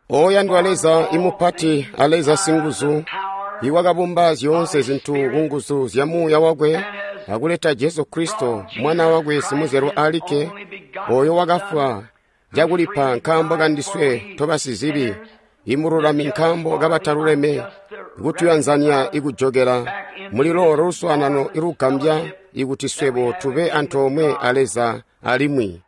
Oyandwa Leza imupati a Leza singuzu, iwakabumba zyoonse zintu kunguzu zya Muuya wakwe akuleta Jesu Kristo Mwana wakwe simuzyalwa alikke, oyo wakafwa cakulipa nkaambo kandiswe tobasizibi, imululami nkaambo kabataluleme, kutuyanzanya ikujokela muli loolo luswaanano ilugambya ikuti swebo tube antoomwe a Leza alimwi.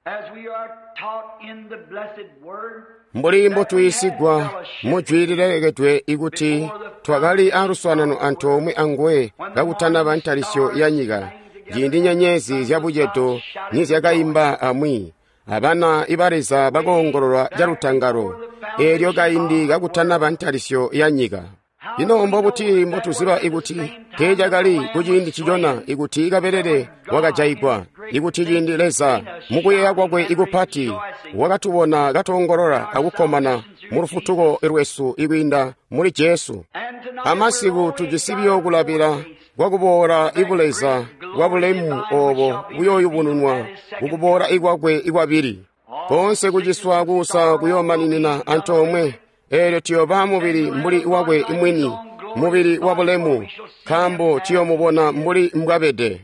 Mbuli mbotuyiisigwa mujwi lilelekedwe ikuti twakali aluswaanano antoomwe anguwe kakutanaba ntalisyo ya nyika, ciindi nyenyezi zyabucedo nizyakaimba amwi, abana iba Leza bakoongolola calutangalo, eelyo kaindi kakutanaba ntalisyo ya nyika. Ino mbobuti mbotuziba ikuti teecakali kuciindi ncicona ikuti kabelele wakajayigwa, ikuti ciindi Leza mukuyeeya kwakwe ikupati wakatubona katoongolola akukkomana mu lufutuko lwesu ikwiinda muli Jesu. Amasiku tujisi buyo kulabila kwakuboola ibuleza bwabulemu oobo buyooyubununwa kukuboola ikwakwe ikwabili. Koonse kuciswa kuusa kuyoomaninina antoomwe, eelyo tuyooba mubili mbuli wakwe mwini, mubili wabulemu, nkaambo tuyoomubona mbuli mbwabede.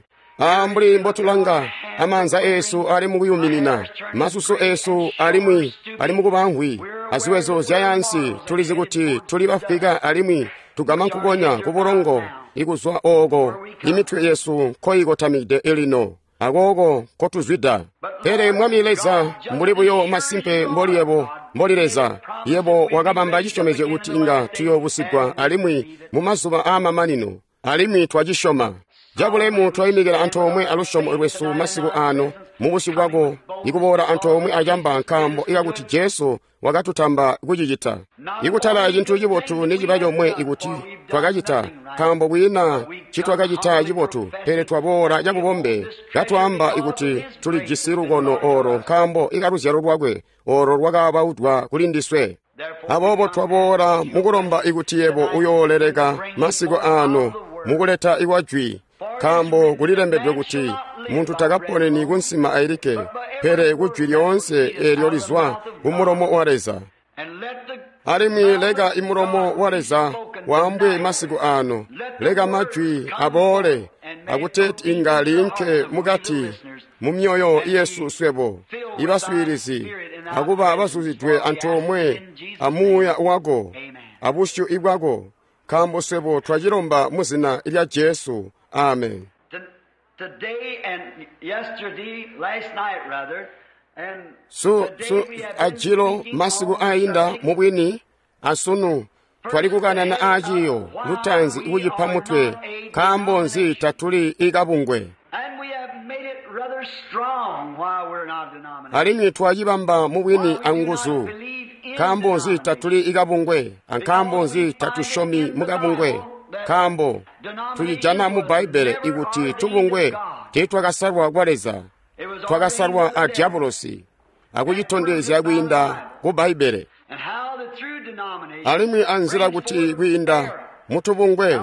Mbuli mbotulanga, amaanza eesu ali mukuyuminina, masusu eesu alimwi ali mukuba mvwi, aziwezo zyayansi tulizi kuti tuli bafwika alimwi tugama nkukonya kubulongo ikuzwa ooko imitwe yesu nkoyikotamide lino, akooko nkotuzwida. Pele Mwami Leza, mbuli buyo masimpe mboli yebo, mboli Leza, yebo wakabamba cisyomezyo kuti inga tuyoobusigwa alimwi mu mazuba aamamanino, alimwi twacisyoma. Cabulemu twayimikila antoomwe alusyomo lwesu masiku aano mubusyu bwako ikuboola antoomwe acamba nkaambo ikakuti Jesu wakatutamba kucicita. Ikutala cintu cibotu niciba comwe ikuti twakacita, nkaambo kwiina ncitwakacita cibotu, pele twaboola cabubombe katwaamba ikuti tulijisi lukono oolo nkaambo ikaluzyalo lwakwe oolo lwakabaudwa kulindiswe. Aboobo twaboola mukulomba ikuti yebo uyooleleka masiku aano mukuleta ikwa jwi, nkaambo kulilembedwe kuti muntu takaponeni kunsima ailikke, pele kujwi lyoonse eelyo lizwa kumulomo wa Leza. Alimwi leka imulomo wa Leza waambwe masiku aano, leka majwi aboole akuteeti inga liinke mukati mu myoyo yesu swebo ibaswiilizi akuba bazuzidwe antoomwe a Muuya wako abusyu ibwako, nkaambo swebo twacilomba mu zina lya Jesu. Amen. Ajilo masiku aayinda mubwini asunu twali kukanana aaciyo lutaanzi kucipa mutwe nkaambo nzi tatuli ikabungwe. Alimwi twacibamba mubwini anguzu nkaambo nzi tatuli ikabungwe, ankaambo nzi tatusyomi mukabungwe, nkaambo tucijana mu Bbaibbele ikuti tubungwe teetwakasalwa kwa Leza, twakasalwa a Diabolosi akucitondezya kwiinda ku Bbaibbele. Alimwi anzila kuti kwiinda mutubungwe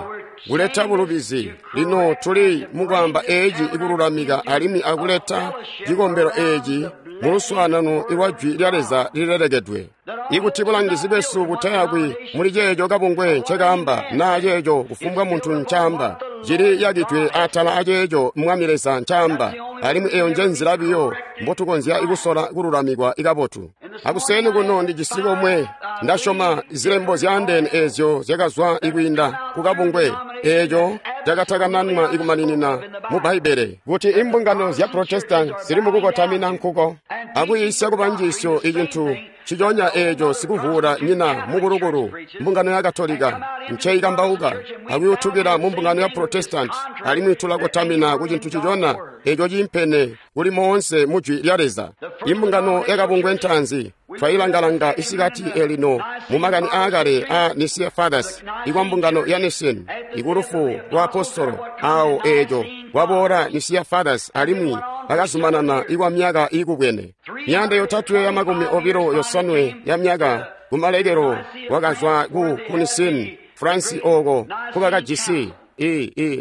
kuleta bulubizi, lino tuli mukwaamba eeci ikululamika alimwi akuleta cikombelo eeci muluswaanano lwa jwi lya Leza lilelekedwe. Ikuti bulangizi bwesu butayakwi muli ceeco kabungwe ncekaamba naa ceeco kufumbwa muntu ncaamba, cili yakidwe atala aceeco Mwami Leza ncaamba, alimwi eyo nje nzila biyo mbotukonzya kusola kululamikwa ikabotu. Akuseni kuno ndijisi komwe ndasyoma zilembo zyaandeene eezyo zyakazwa ikwiinda kukabungwe eeco cakatakananwa ikumaninina mu Bbaibbele kuti imbungano zya Protestant zili mukukotamina nkuko akuyiisya kubanjiisyo icintu ciconya eeco sikuvuula nyina mukulukulu mbungano ya Katolika nceikambauka akuyutukila mu mbungano ya Protestant, alimwi tulakotamina ku cintu cicona eeco ciimpene kuli moonse mu jwi lya Leza. Imbungano yakabungwe ntaanzi twayilangalanga isikati elino mu makani aakale a Nicene Fathers ikwa mbungano ya Nicene ikulufu lwa apostolo awo eeco kwaboola Nicene Fathers alimwi bakazumanana ikwa myaka iikubwene 329 ya myaka kumalekelo wakazwa ku Nicene France ooko kubakajisi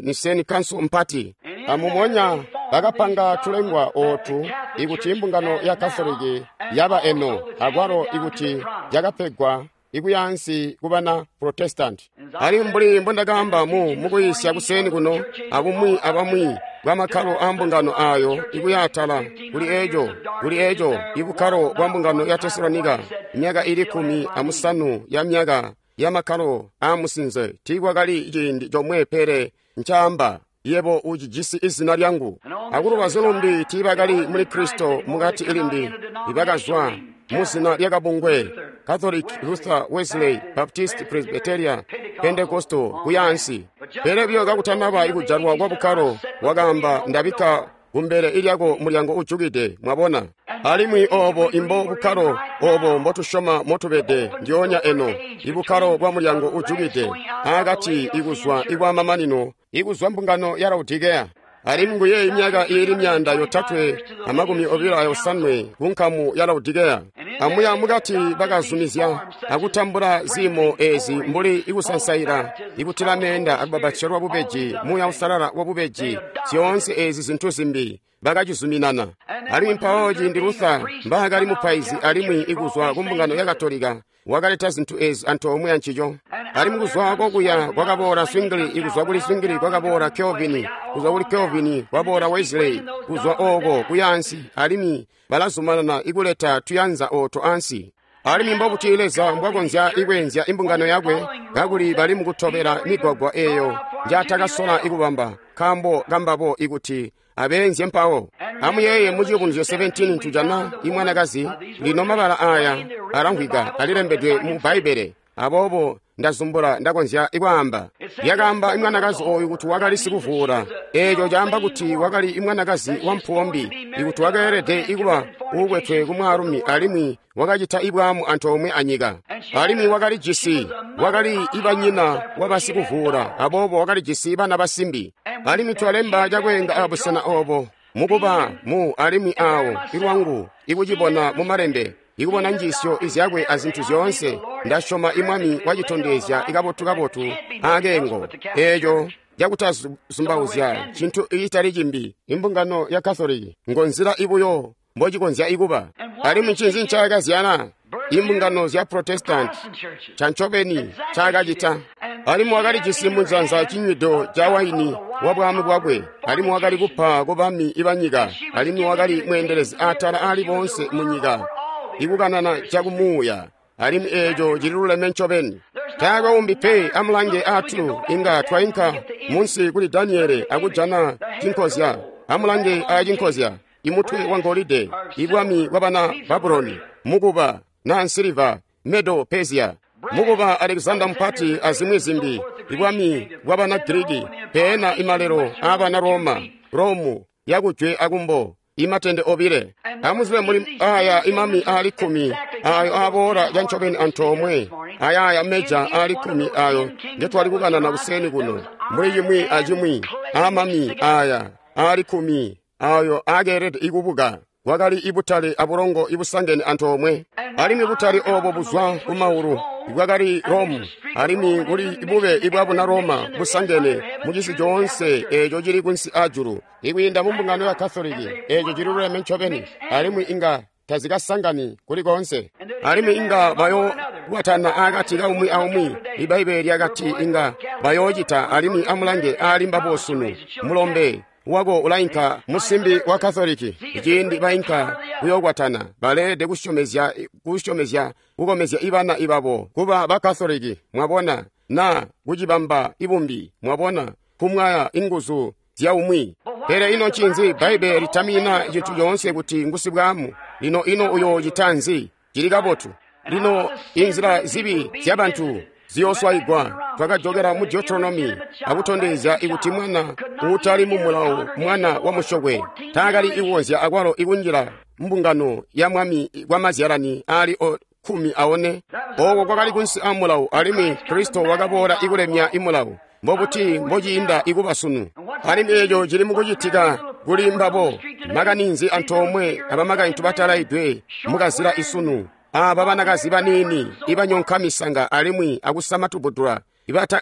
Nicene Council mpati amumonya Bakapanga tulengwa ootu ikuti mbungano ya Katoliki yaba eno, akwalo ikuti yakapegwa ikuyaansi kubana Protestant. Alimwi mbuli mbondakaamba mukuyisya kuseeni kuno, abumwi abamwi bwa makkalo a mbungano ayo ikuyaatala kuli eco ibukkalo bwa mbungano ya Tesalonika, myaka ili 15 ya myaka ya makkalo a musinze, tiikwakali ciindi comwe pele ncaamba yebo ucijisi izina lyangu. Akulubazu lumbi tiibakali muli Kristo mukati ilimbi, ibakazwa muzina lyakabungwe Catholic, Luther, Wesley, Baptist, Presbyterian, Pentecostal kuyaansi. Pele buyo kakutanaba ikujalwa kwa bukkalo, wakaamba ndabikka kumbele ilyako mulyango ujukide, mwabona. Alimwi obo imbo bukkalo obo mbotusyoma motubede ndyoonya eno, ibukkalo bwa mulyango ujukide akati ikuzwa ikwamamanino ikuzwa mbungano ya Laodikea. Alimwi nguye imyaka iili 325 kunkamu ya Laodikea. Amuya mukati bakazumizya akutambula ziimo ezi mbuli ikusansaila, ikutila meenda akubabatizya bubeji, muuya usalala wa bubeji, zyoonse ezi zintu zimbi bakacizuminana. Alimwi mpawo ciindi Luther mbaakali mupaizi alimwi ikuzwa ku mbungano ya Katolika, wakaleta zintu ezi antoomwe ancico. Alimwi kuzwa kokuya kwakaboola Zwingli, ikuzwa kuli Zwingli kwakaboola Calvin, kuzwa kuli Calvin kwaboola Wesley, kuzwa oko kuyaansi, alimwi balazumanana ikuleta tuyanza oto ansi. Alimwi mbobuti Leza mbwakonzya ikweenzya imbungano yakwe kakuli bali mukutobela migwagwa eyo njaatakasola ikubamba, nkaambo kambabo ikuti abeenzye mpawo. Amuyeeye mu Ciyubunuzyo 17 tujana imwanakazi. Lino mabala aya alamvwika alilembedwe mu Bbaibbele, aboobo ndazumbula ndakonzya ikwaamba. Lyakaamba imwanakazi oyu kuti wakali sikuvuula. Eeco caamba kuti wakali imwanakazi wampuwo mbi, ikuti wakeelede ikuba uukwetwe kumwaalumi alimwi wakacita ibwaamu antoomwe anyika. Alimwi wakali jisi, wakali ibanyina wabasikuvuula, aboobo wakali jisi bana basimbi. Alimwi twalemba cakweenga abusena obo mukuba mu alimwi awo ilwangu ikucibona mu malembe, ikubona njiisyo izyakwe azintu zyoonse. Ndasyoma imwami wacitondezya ikabotu-kabotu akeengo eeco cakutazumbauzya cintu icitali cimbi. Imbungano ya Katoliki ngo nzila ibuyo mbocikonzya ikuba. Alimwi ncinzi ncaakazyala? Imbungano zya Protestant cancobeni ncaakacita. Alimwi wakalijisi munzanza cinywido ca waini wa bwaamu bwakwe, alimwi wakali kupa kubami ibanyika, alimwi wakali mweendelezi atala aali boonse munyika, ikukanana cakumuuya. Alimwi eeco cililuleme ncobeni. Taakwe umbi pe. Amulange atu inga twainka munsi kuli Daniele akujana cinkozya. Amulange acinkozya, imutwe wa ngolide, ibwami bwabana Babuloni, mukuba na nsiliva, Medo Persia, mukuba Alexander Mupati azimwi zimbi, ibwami bwabana Giriki, peena imalelo aabana Roma, Romu yakujwe akumbo, imatende obile. Amuzibe muli aya imami aali 10 ayo aboola cancobeni antoomwe, ayaaya meja aali 10 ayo ngetwali kukanana kuseni kuno, mbuli cimwi acimwi aamami aya aali 10 ayo akeelede ikubuka. Kwakali ibutale abulongo ibusangene antoomwe, alimwi butale obo buzwa kumaulu bwakali Romu, alimwi kuli bube ibwabuna Roma busangene mucisi coonse eeco cili kunsi ajulu ikwiinda mu mbungano ya Katoliki. Eeco cililuleme ncobeni, alimwi inga tazikasangani kuli koonse, alimwi inga bayokwatana akati kaumwi aumwi. Ibbaibbele lyakati inga bayoocita. Alimwi amulange aali mbabo sunu, mulombe wako ulainka musimbi wa Katoliki, ciindi bainka kuyokwatana baleelede kusyomezya kukomezya ibana ibabo kuba ba Katoliki, mwabona, na kucibamba ibumbi, mwabona, kumwaya inguzu zya umwi. Pele ino ncinzi? Bbaibbele litamina cintu coonse kuti ngusibwaamu. Lino ino uyoocita nzi? Cili kabotu. Lino inzila zibi zyabantu ziyooswayigwa. Twakajokela mu Deuteronomy akutondezya ikuti mwana uutali mu mulawo, mwana wa musyokwe, taakali ikukonzya akwalo ikunjila mbungano ya mwami kwamazyalani aali 14. Ooko kwakali kunsi a mulawo, alimwi Kristo wakaboola ikulemya imulawo. Mbobuti mbociinda ikuba sunu? Alimwi eeco cili mukucitika kuli mbabo. Makaninzi antoomwe abamakaintu batalaidwe mukazila isunu, aaba banakazi baniini ibanyonka misanga alimwi akusama tubudula,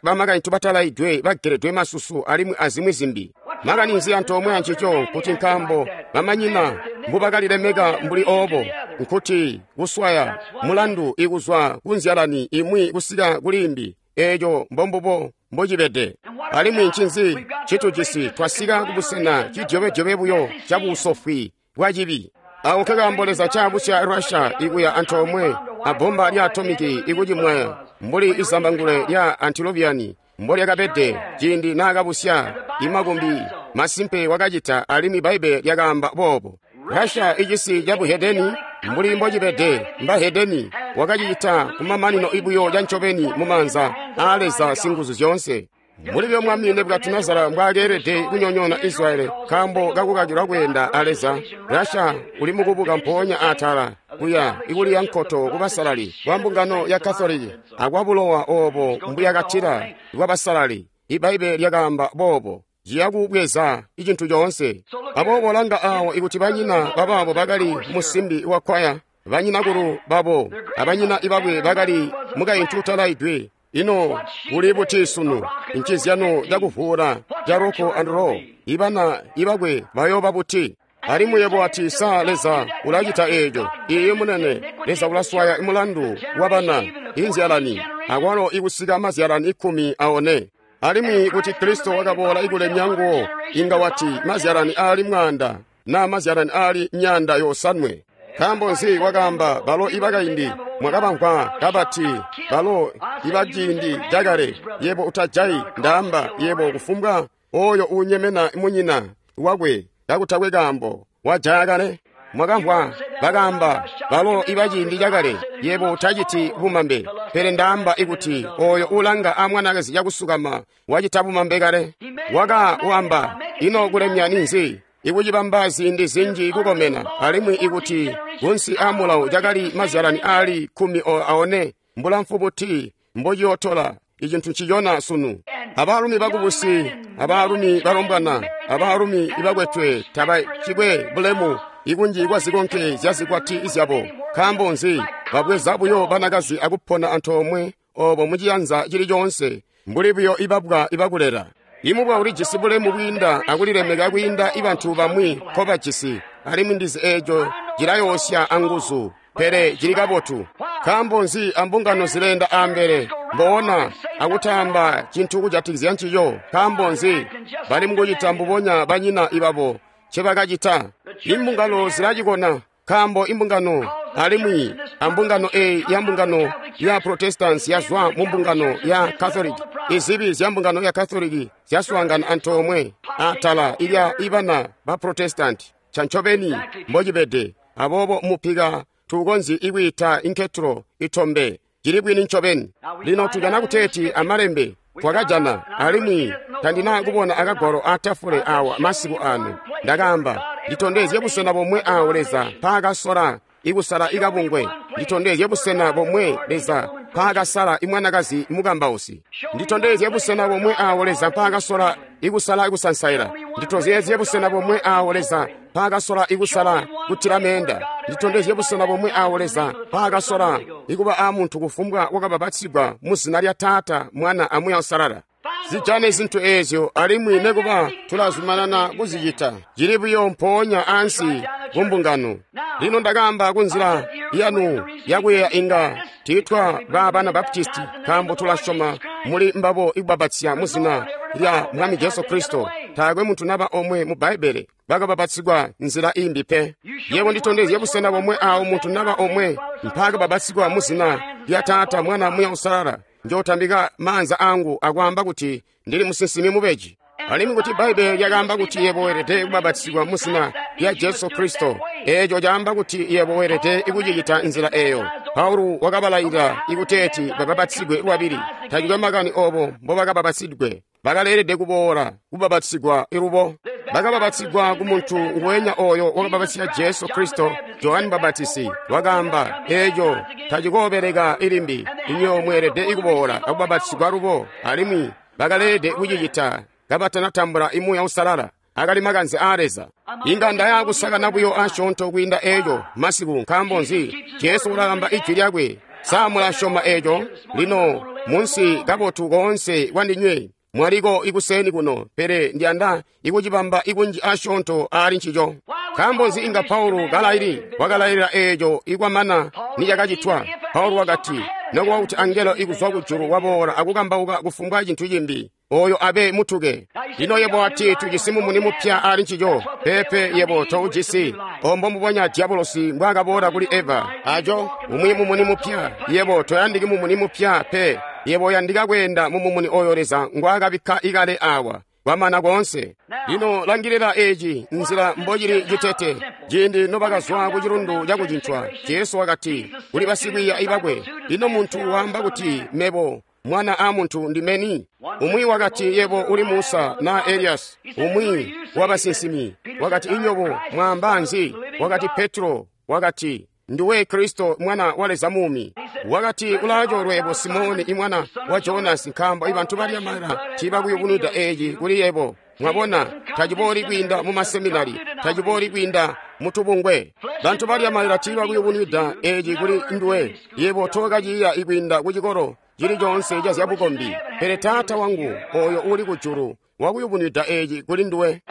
bamakaintu batalaidwe bageledwe masusu alimwi azimwi zimbi. Makani nzi antoomwe ancico nkuti nkaambo bamanyina mbubakalilemeka mbuli oobo, nkuti kuswaya mulandu ikuzwa kunzyalani imwi kusika kulimbi, eeco mbombubo mbocibede. Alimwi ncinzi citujisi? Twasika kubusena cidyobe-dyobe buyo cabusofwi bwacibi. Awo nkekaambo Leza caabusya Russia ikuya antoomwe abbomba lya atomiki ikucimwaya mbuli izambangulwe lya Antiloviani mbolyakabede ciindi naakabusya imakumbi. Masimpe wakacita, alimwi Bbaibbele lyakaamba boobo. Russia icisi cabuhedeni mbuli mbocibede mbahedeni wakacicita kumamanino ibuyo cancobeni mumaanza aa Leza Singuzu zyoonse. Mbuli byo Mwami Nebukadinezara mbwaakeelede kunyonyoona Israyeli nkaambo kakukakilwa kweenda a Leza, Russia uli mukubuka mpoonya atala kuya ikuliya nkoto kubasalali kwa mbungano ya Katoliki akwabulowa oobo mbuyakatila bwabasalali. Ibbaibbele lyakaamba boobo. Ciya kubweza icintu coonse. Aboobo langa aawo ikuti banyina babaabo bakali musimbi wa kwaya, banyinakulu babo abanyina ibakwe bakali mukaintu utalaidwe. Ino kuli buti sunu ncizyano cakuvuula ca rock and roll? Ibana ibakwe bayooba buti? Alimwi yebo ati, sa Leza ulacita eeco? Iiyi munene, Leza ulaswaya mulandu wabana inzyalani akwalo ikusika mazyalani 14. Alimwi kuti Kristo wakaboola ikulemya nguwo, inga wati mazyalani aali 100 na mazyalani aali 900. Nkaambo nzi wakaamba balo ibakaindi mwakabamvwa kabati balo ibaciindi cakale, yebo utajayi, ndaamba yebo kufumbwa oyo uunyemena munyina wakwe kakutakwe kaambo wajaya kale. Mwakamvwa bakaamba balo ibaciindi cakale, yebo utaciti bumambe, pele ndaamba ikuti oyo ulanga amwanakazi cakusukama wacita bumambe kale. Wakaamba ino kulemya ninzi? Ikucibamba ziindi zinji kukomena, alimwi ikuti kunsi aamulawo cakali mazyalani aali 14, mbulamfu buti mbociyootola icintu ncicona sunu. Abaalumi bakubusi, abaalumi balombwana, abaalumi ibakwetwe tabacikwe bulemu ikunji kwa zikonke zya zikwati zyabo. Nkaambo nzi? Babweza buyo banakazi akupona antoomwe oobo muciyanza cili coonse, mbuli buyo ibabwa ibakulela. Imubwa ulijisi bulemu bwiinda akulilemeka kwiinda ibantu bamwi nkobajisi, alimwi ndizi eeco cilayoosya anguzu, pele cili kabotu. Nkaambo nzi ambungano zileenda ambele mboona akutaamba cintu kujatikizya ncico? Nkaambo nzi bali mukucita mbubonya banyina ibabo ncebakacita? Imbungano zilacikona, nkaambo imbungano alimwi ambungano eyi ya mbungano ya Protestants yazwa mu mbungano ya Catholic. Izibi zya mbungano ya Catholic zyaswaangana antoomwe atala ilya ibana ba Protestant. Cancobeni mbocibede. Aboobo mupika tuukonzyi ikwiita inketro itombe. Cili bwini ncobeni. Lino tujana kuteeti amalembe twakajana, alimwi tandina kubona akagwalo atafule awa masiku ano. Ndakaamba, nditondezye busena bomwe awo Leza mpaakasola ikusala ikabungwe. Nditondezye busena bomwe Leza mpaakasala imwanakazi mukambausi. Nditondezye busena bomwe awo Leza mpaakasola ikusala ikusansaila. Nditondezye busena bomwe awo Leza mpaakasola ikusala kutila meenda. Nditondezye busena bomwe awo Leza mpaakasola ikuba aamuntu kufumbwa wakabapatsigwa mu zina lya Taata, Mwana aMuuya Uusalala. Zijane zintu eezyo, alimwi nekuba tulazumanana kuzicita. Cili buyo mpoonya ansi kumbungano. Lino ndakaamba kunzila yanu yakuyeeya inga tiitwa ba bana Baptisti, nkaambo tulasyoma muli mbabo ikubapatsya mu zina lya Mwami Jesu Kristo. Taakwe muntu naba omwe mu Bbaibbele bakabapatsigwa nzila imbi pe. Yebo nditondezye busena bomwe awo muntu naba omwe mpaakabapatsigwa mu zina lya Taata, Mwana, Muya Uusalala. Njootambika maanza angu akwaamba kuti ndili musinsimi mubeji. Alimwi kuti Bbaibbele lyakaamba kuti yebo weelede kubapatizigwa mu zina lya Jesu Kristo, eeco caamba kuti yebo weelede ikucicita nzila eeyo. Paulo wakabalayilila ikuteeti babapatizigwe lwabili. Tacikwe makani oobo mbobakabapatizidwe, bakaleelede kuboola kubapatizigwa ilubo. Bakabapatizigwa ku muntu nguwenya ooyo wakabapatizya Jesu Kristo. Johane Mubapatizi wakaamba, eeco tacikoobeleka ilimbi, inyo mweelede ikuboola akubapatizigwa lubo. Alimwi bakaleelede kucicita kabatanatambula imuuya Uusalala. Akali makanze aa Leza. Inga ndaya kusakana buyo asyoonto kwiinda eeco masiku. Nkaambo nzi? Jesu ulakamba ijwi lyakwe. Sa mulasyoma eeco? Lino munsi kabotu koonse kwandinywe. Mwaliko ikuseeni kuno, pele ndiyanda ikucibamba ikunji asyoonto aali ncico. Nkaambo nzi inga Paulo kalaili wakalailila eeco ikwamana nicakacitwa? Paulo wakati, nokuba kuti angelo ikuzwa kujulu waboola akukambauka kufumbwa cintu cimbi, oyo abe mutuke. Lino yebo ati tujisi mumuni mupya ali ncico. Peepe, yebo toujisi. Ombo mbubonya diabolosi mbwaakaboola kuli Eva. Aco umwi mumuni mupya. Yebo toyandiki mumuni mupya pe. Yebo uyandika kweenda mu mumuni oyo Leza ngwaakabikka ikale awa. Kwamana koonse. Lino langilila eeci nzila mbocili citete. Ciindi nobakazwa ku cilundu cakucincwa, Jesu wakati kuli basikwiiya bakwe, ino muntu waamba kuti mebo mwana a muntu ndimeni? Umwi wakati yebo uli Musa na Elias, umwi wabasinsimi. Wakati inyobo mwaamba nzi? Wakati Petro, wakati nduwe Kristo mwana wa Leza muumi. Wakati ulaacoolwe yebo Simoni imwana wa Jonasi, nkaambo ibantu balya mala tiibakuyubunwida eeci kuli yebo. Mwabona, tacibooli kwiinda mu maseminari, tacibooli kwiinda mutubungwe. Bantu balya malila tiibakuyubunwida eeci kuli nduwe. Yebo tookaciiya ikwiinda ku cikolo cili coonse ca zyabukombi, pele Taata wangu oyo uli kujulu wakuyubunwida eeci kuli nduwe.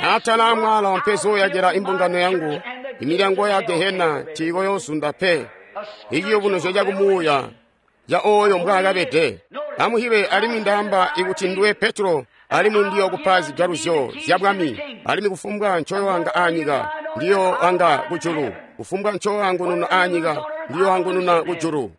Atala amwala mpezooyakila imbungano yangu, imilyango ya Gehena tiikoyoozunda pe. Iciyubunuzyo cakumuuya ca oyo mbwaakabede. Amuhibe, alimwi ndaamba ikuti nduwe Petro, alimwi ndiyokupa zijaluzyo zya bwami, alimwi kufumbwa ncoyoanga aanyika ndiyoanga kujulu, kufumbwa ncoyoangununa aanyika ndiyoangununa kujulu.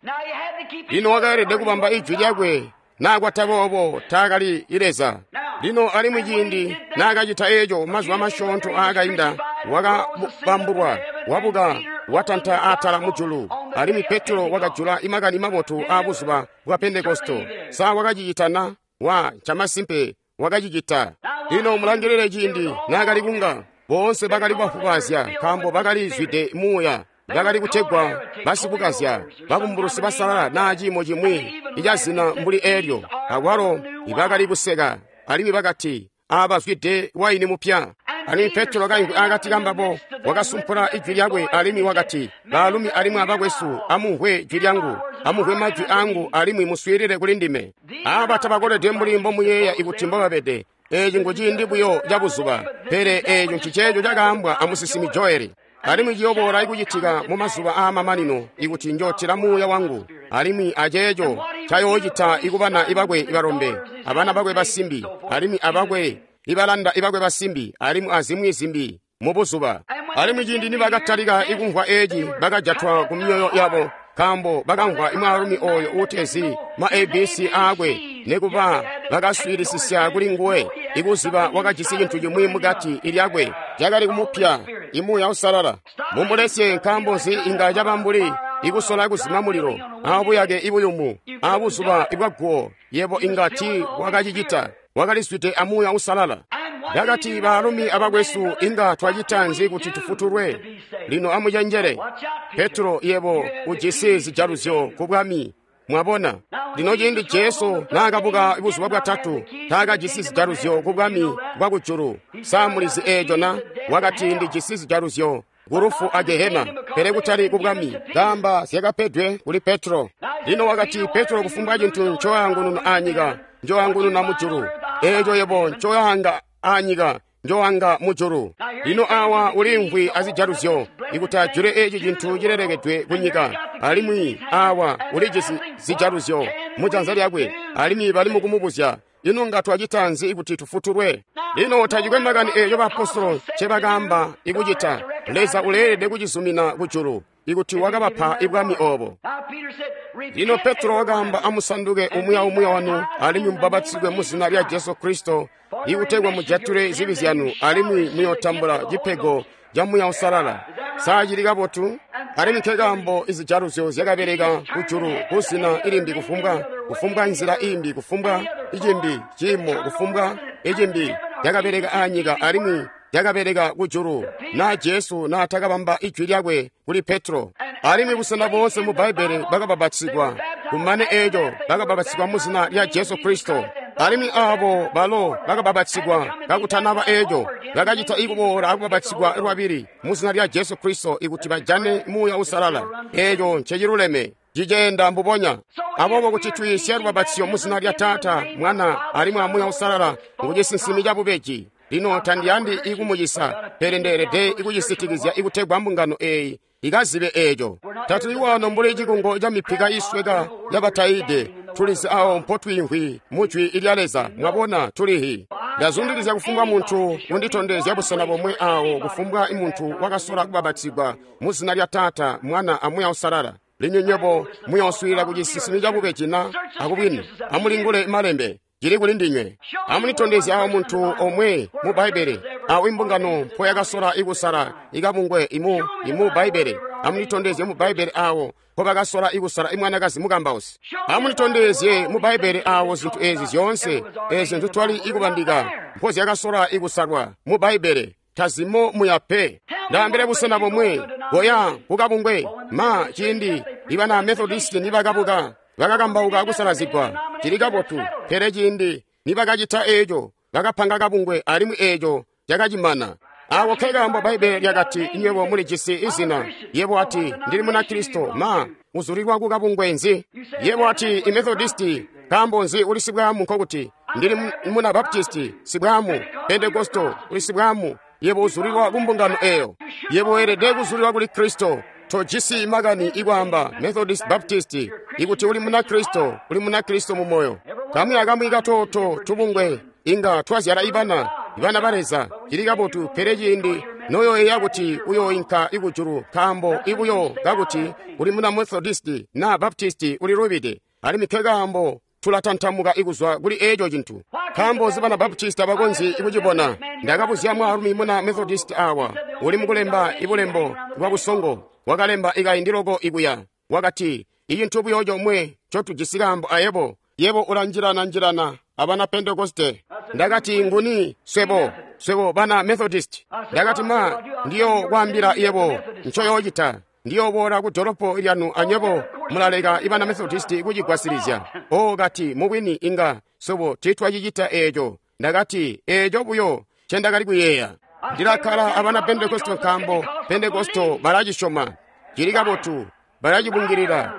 Lino wakaelede kubamba ijwi lyakwe, naakwata boobo taakali Leza. Lino alimwi ciindi naakacita eeco mazuba masyoonto aakainda, wakabambulwa, wabuka, watanta atala mujulu, alimwi Petro wakajula imakani mabotu aabuzuba bwa Pentekosto. Sa wakacicita na? Wa camasimpe wakacicita. Lino mulangilile ciindi naakali kunga boonse bakali bafubazya, nkaambo bakali zwide muuya. Bakali kutegwa basikukazya, babumbulusi basalala naa ciimo cimwi icazina mbuli eelyo. Akwalo ibakali kuseka, alimwi bakati, aabazwide waini mupya. Alimwi Petro kaimvwi akati kambabo wakasumpula ijwi lyakwe alimwi wakati, baalumi alimwi abakwesu, amumvwe jwi lyangu, amumvwe majwi angu alimwi muswiilile kuli ndime. Aaba tabakolede mbuli mbomuyeeya ikuti mbobabede. Eeci nguciindi buyo cabuzuba, pele eeco nciceeco cakaambwa amusinsimi Joeli. Alimwi ciyoboola ikucitika mu mazuba aamamanino ikuti njootila muuya wangu, alimwi aceeco cayoocita ikubana ibakwe balombe, abana bakwe basimbi, alimwi abakwe ibalanda ibakwe basimbi, alimwi azimwi zimbi mubuzuba. Alimwi ciindi nibakatalika ikumvwa eeci, bakajatwa ku myoyo yabo, nkaambo bakamvwa imwaalumi oyo uutezi ma ABC aakwe, nekuba bakaswiilisisya kuli nguwe, ikuziba wakajisi cintu cimwi mukati ilyakwe cakali kumupya, imuuya usalala. Mumulesye, nkaambo nzi inga caba mbuli ikusola kuzima mulilo aabuyake ibuyumu aabuzuba ibwaguwo? Yebo inga ti wakacicita, wakalizwide amuuya usalala. Ndakati, baalumi abakwesu, inga twacita nzi kuti tufutulwe? Lino amucenjele. Petro, yebo ujisi zijaluzyo ku bwami. Mwabona, lino ciindi Jesu naakabuka buzuba bwatatu, taakajisi zijaluzyo ku bwami bwa kujulu. Sa mulizi eeco na? Wakati ndijisi zijaluzyo ku lufu a Gehena, pele kutali ku bwami. Kaamba zyakapedwe kuli Petro. Lino wakati, Petro, kufumbwa cintu ncoyangununa aanyika, njoyangununa mujulu. Eeco yebo ncoyanga aanyika, njoanga mujulu. Lino awa ulimvwi azijaluzyo ikuti ajule eeci cintu cilelekedwe kunyika, alimwi awa ulijisi zijaluzyo mujanza lyakwe, alimwi bali mukumubuzya, ino nga twacita nzi kuti tufutulwe? Lino tacikwe makani eeco baapostolo ncebakaamba ikucita, Leza uleelede kucizumina kujulu ikuti wakabapa ibwami oobo. Lino Petro wakaamba, amusanduke umwi aumwi wanu alimwi mubapatizigwe muzina lya Jesu Kristo ikutegwa mujatule zibi zyanu, alimwi muyootambula cipego ca Muuya Uusalala. Sa cili kabotu? Alimwi nkekaambo izijaluzyo zyakabeleka kujulu kuzina ilimbi kufumbwa nzila imbi, kufumbwa icimbi ciimo, kufumbwa icimbi cakabeleka aanyika alimwi cakabeleka kujulu, na Jesu naatakabamba ijwi lyakwe kuli Petro. Alimwi busena boonse mu Bbaibbele bakabapatizigwa, kumane eeco bakabapatizigwa muzina lya Jesu Kristo. Alimwi aabo balo bakabapatizigwa kakutanaba eeco bakacita ikuboola akubapatizigwa lwabili muzina lya Jesu Kristo ikuti bajane Muuya Uusalala. Eeco nceciluleme. Ciceenda mbubonya. Aboobo kuti twiisye lubapatizyo mu zina lya Taata, Mwana, alimwi a Muuya Uusalala ngu cisinsimi cabubeji. Lino tandiyandi ikumucisa, pele ndeelede ikucisitikizya ikutegwa mbungano eeyi ikazibe eeco. Tatuli wano mbuli cikungo ca mipika iisweka yabataide. Tulizi awo mpotwiimvwi mu Jwi lya Leza. Mwabona, tulihi. Ndazundilizya kufumbwa muntu kunditondezya busena bomwe awo kufumbwa muntu wakasola kubapatizigwa mu zina lya Taata, Mwana, a Muuya Uusalala. Lino nywebo muyooswiilila ku cisinsimi cabubeji na akubwini. Amulingule malembe. Cili kuli ndinywe. Amulitondezye awo muntu omwe mu Bbaibbele awo imbungano mpo yakasola ikusala ikabungwe imu Bbaibbele. Amulitondezye mu Bbaibbele awo mpo bakasola ikusala imwanakazi mukambausi. Amulitondezye mu Bbaibbele awo zintu ezi zyoonse ezi nzitwali ikubandika mpo zyakasola ikusalwa mu Bbaibbele. Tazimo muya pe. Ndaambile busena bomwe boya kukabungwe ma ciindi ibana Methodist nibakabuka bakakambauka kusalazigwa. Cili kabotu, pele ciindi nibakacita eeco bakapanga kabungwe alimwi eeco cakacimana. Aako nkekaambo Bbaibbele lyakati nywebo mulijisi izina. Yebo ati ndili Munakristo, ma uzulilwa kukabungwe nzi? Yebo ati iMethodisti, nkaambo nzi uli sibwaamu? Nkokuti ndili muna Baptisti, sibwaamu. Pentekosto, uli sibwaamu. Yebo uzulilwa kumbungano eeyo. Yebo weelede kuzulilwa kuli Kristo. Tojisi makani ikwaamba Methodist, Baptist. Ikuti uli Munakristo, uli Munakristo mu moyo. Kamwi akamwi katoto tubungwe inga twazyala ibana, ibana ba Leza. Cili kabotu, pele ciindi noyoyeeya kuti uyoinka ikujulu nkaambo ibuyo kakuti uli muna Methodist na Baptist uli lubide. Alimwi nkekaambo tulatantamuka ikuzwa kuli eeco cintu. Nkaambo nzi bana Baptist abakonzyi ikucibona? Ndakabuzya mwaalumi muna Methodist awa uli mukulemba ibulembo bwa busongo. Wakalemba ikaindi loko ikuya. Wakati, icintu buyo comwe ncotujisi kaambo ayebo, yebo ulanjilana-njilana abana Pentekoste. Ndakati, nguni? Swebo, swebo bana Methodist. Ndakati, ma, ndiyo kwaambila yebo ncoyoocita. Ndiyoboola ku dolopo lyanu anywebo mulaleka ibana Methodist kucigwasilizya. O kati, mubwini inga swebo tiitwacicita eeco. Ndakati, eeco buyo ncendakali kuyeeya. Ndilakkala abana Pentekosto nkaambo Pentekosto balacisyoma. Cili kabotu, balacibungilila.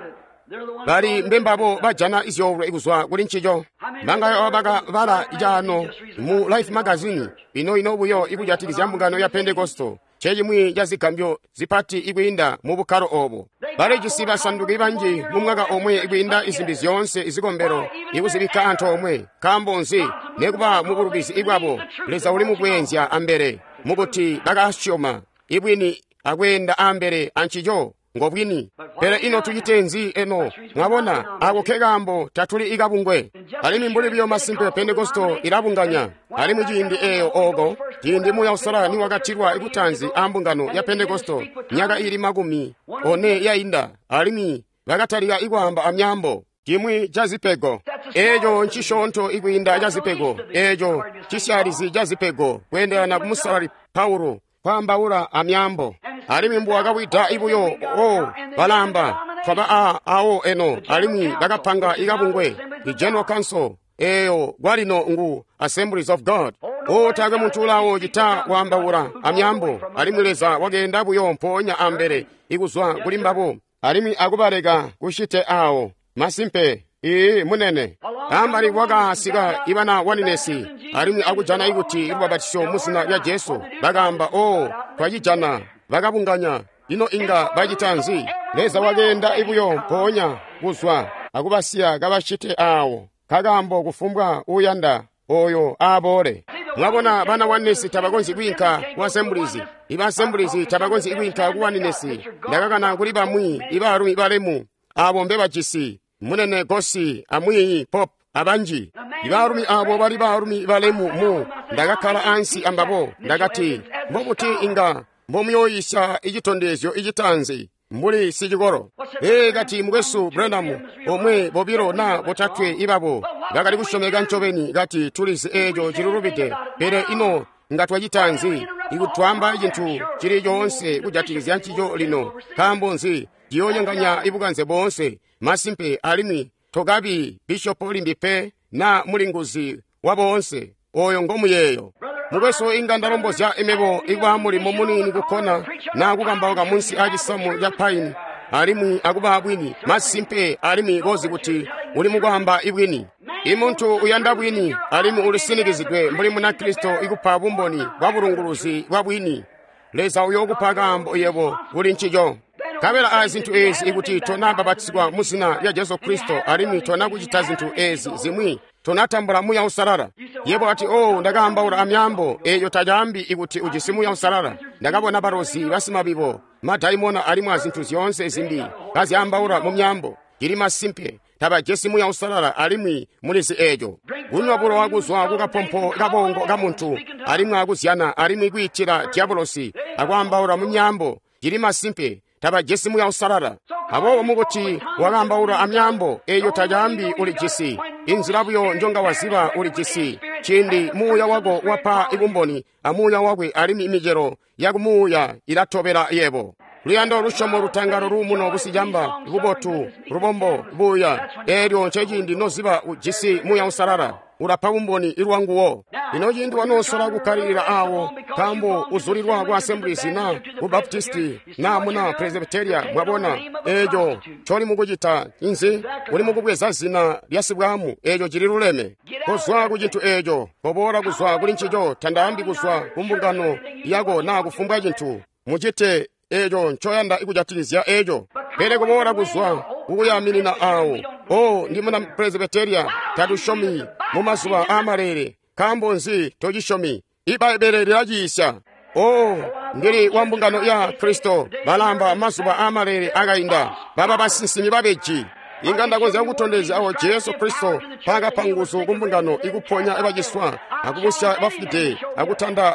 Bali mbembabo bajana izyoolwe kuzwa kuli ncico. Bangayo bakabala caano mu Life magazine ino-ino buyo ikujatikizya mbungano ya Pentekosto. Ncecimwi ca zigambyo zipati ikwiinda mu bukkalo oobo. Balijisi basanduki banji mu mwaka omwe ikwiinda izimbi zyoonse izikombelo ikuzibikka antoomwe. Nkaambo nzi? Nekuba mu bulubizi ibwabo, Leza uli mukweenzya ambele mukuti bakasyoma ibwini akweenda ambele ancico ngobwini. Pele ino tucite nzi eno? Mwabona, ako nkekaambo tatuli ikabungwe. Alimwi mbuli buyo masimpe Pentekosto ilabunganya. Alimwi ciindi eeyo ooko, ciindi Muuya Uusalala niwakatilwa ikutanzi ambungano ya Pentekosto myaka ili 40 yainda, alimwi bakatalika ikwaamba amyaambo. Cimwi ca zipego eeco ncisyoonto ikwiinda ca zipego eeco cisyalizi ca zipego kweendelana ku Musalali Paulo kwaambaula amyaambo. Alimwi mbuwakawida ibuyo o balamba twaba awo eno, alimwi bakapanga ikabungwe i General Council eeyo kwalino ngu Assemblies of God. O taakwe muntu ulawo cita kwaambaula amyaambo. Alimwi Leza wakeenda buyo mpoonya ambele ikuzwa kuli mbabo alimwi akubaleka kucite awo. Masimpe, ii munene. Ambali wakasika ibana waninesi alimwi akujana ikuti lubapatizyo mu zina lya Jesu. Bakaamba, o twacijana. Bakabunganya. Ino inga bacita nzi? Leza wakeenda ibuyo mpoonya kuzwa akubasiya kabacite awo. Kakaambo kufumbwa uuyanda oyo aaboole. Mwabona, bana wanesi tabakonzyi kwiinka ku Assemblies. Iba Assemblies tabakonzyi kwiinka ku waninesi. Ndakakana kuli bamwi ibaalumi balemu abo mbebajisi munene Gosi amwiiyi Pop abanji. Ibaalumi abo bali baalumi balemu mu ndakakkala ansi ambabo. Ndakati, mbobuti inga mbomuyooyisya icitondezyo icitanzi mbuli sicikolo? Ee, kati, mukwesu Branham, omwe bobilo na botatwe ibabo bakali kusyomeka ncobeni. Kati, tulizi eeco cilulubide, pele ino nga twacita nzi ikutwamba cintu cili coonse kujatikizya ncico lino? Nkaambo nzi? Ciyoonyonganya ibukanze boonse. Masimpe, alimwi tokabi bishopo limbi pe na mulinguzi wa boonse. Oyo ngomuyeeyo. Mukwesu, inga ndalombozya imebo ikuba mulimo muniini kukkona na kukambauka munsi aacisamu ca paini alimwi akuba bwini masimpe alimwi kozi kuti uli mukwaamba ibwini. I muntu uyanda bwini alimwi ulisinikizidwe mbuli Munakristo ikupa bumboni bwa bulunguluzi bwa bwini. Leza uyookupa kaambo yebo kuli ncico. Nkabela a zintu ezi ikuti tona babatizwa mu zina lya Jesu Kristo alimwi tona kucita zintu ezi zimwi, tonatambula Muuya Uusalala. Yebo ati, oh, ndakaambaula amyaambo. Eeyo tacaambi ikuti ujisi Muuya Uusalala. Ndakabona balozi, basimabibo, madaimona alimwi azintu zyoonse zimbi kazyaambaula mu myaambo. Cili masimpe, tabajisi Muuya Uusalala alimwi mulizi eeco. Kunywa bulowa kuzwa kukapompo kabongo kamuntu alimwi akuzyana alimwi kwiitila diabolosi akwaambaula mu myaambo. Cili masimpe, tabajisi Muuya Uusalala. Aboobo mukuti wakaambaula amyaambo, eeyo tacaambi ulijisi. Inzila buyo njonga waziba ulijisi ciindi muuya wako wapa ibumboni amuuya wakwe, alimwi imicelo yakumuuya ilatobela yebo. Luyando, lusyomo, lutangalo, luumuno, busicamba, bubotu, lubombo, buuya. Eelyo nceciindi noziba ujisi Muuya Uusalala, ulapa bumboni ilwanguwo. Lino ciindi wanoosola kukkalilila awo nkaambo uzulilwa ku Assemblies na ku Baptisti na muna Presbyteria, mwabona eeco ncoli mukucita inzi? Uli mukubweza zina lya sibwamu. Eeco cili luleme. Kozwa ku cintu eeco, koboola kuzwa kuli ncico. Tandaambi kuzwa ku mbungano yako na kufumbwa cintu. Mucite eeco ncoyanda kujatikizya eeco, pele kuboola kuzwa kukuyaminina awo. Oh, ndi muna Presbyteria, tatusyomi mu mazuba aamaleele. Nkaambo nzi tocisyomi? Ibbaibbele lilaciisya. Oh, ndili wa mbungano ya Kristo. Balamba mazuba aamaleele akainda, baba basinsimi babeji. Inga ndakonzya kukutondezya awo Jesu Kristo mpaakapa nguzu ku mbungano ikuponya baciswa, akubusya bafwide, akutanda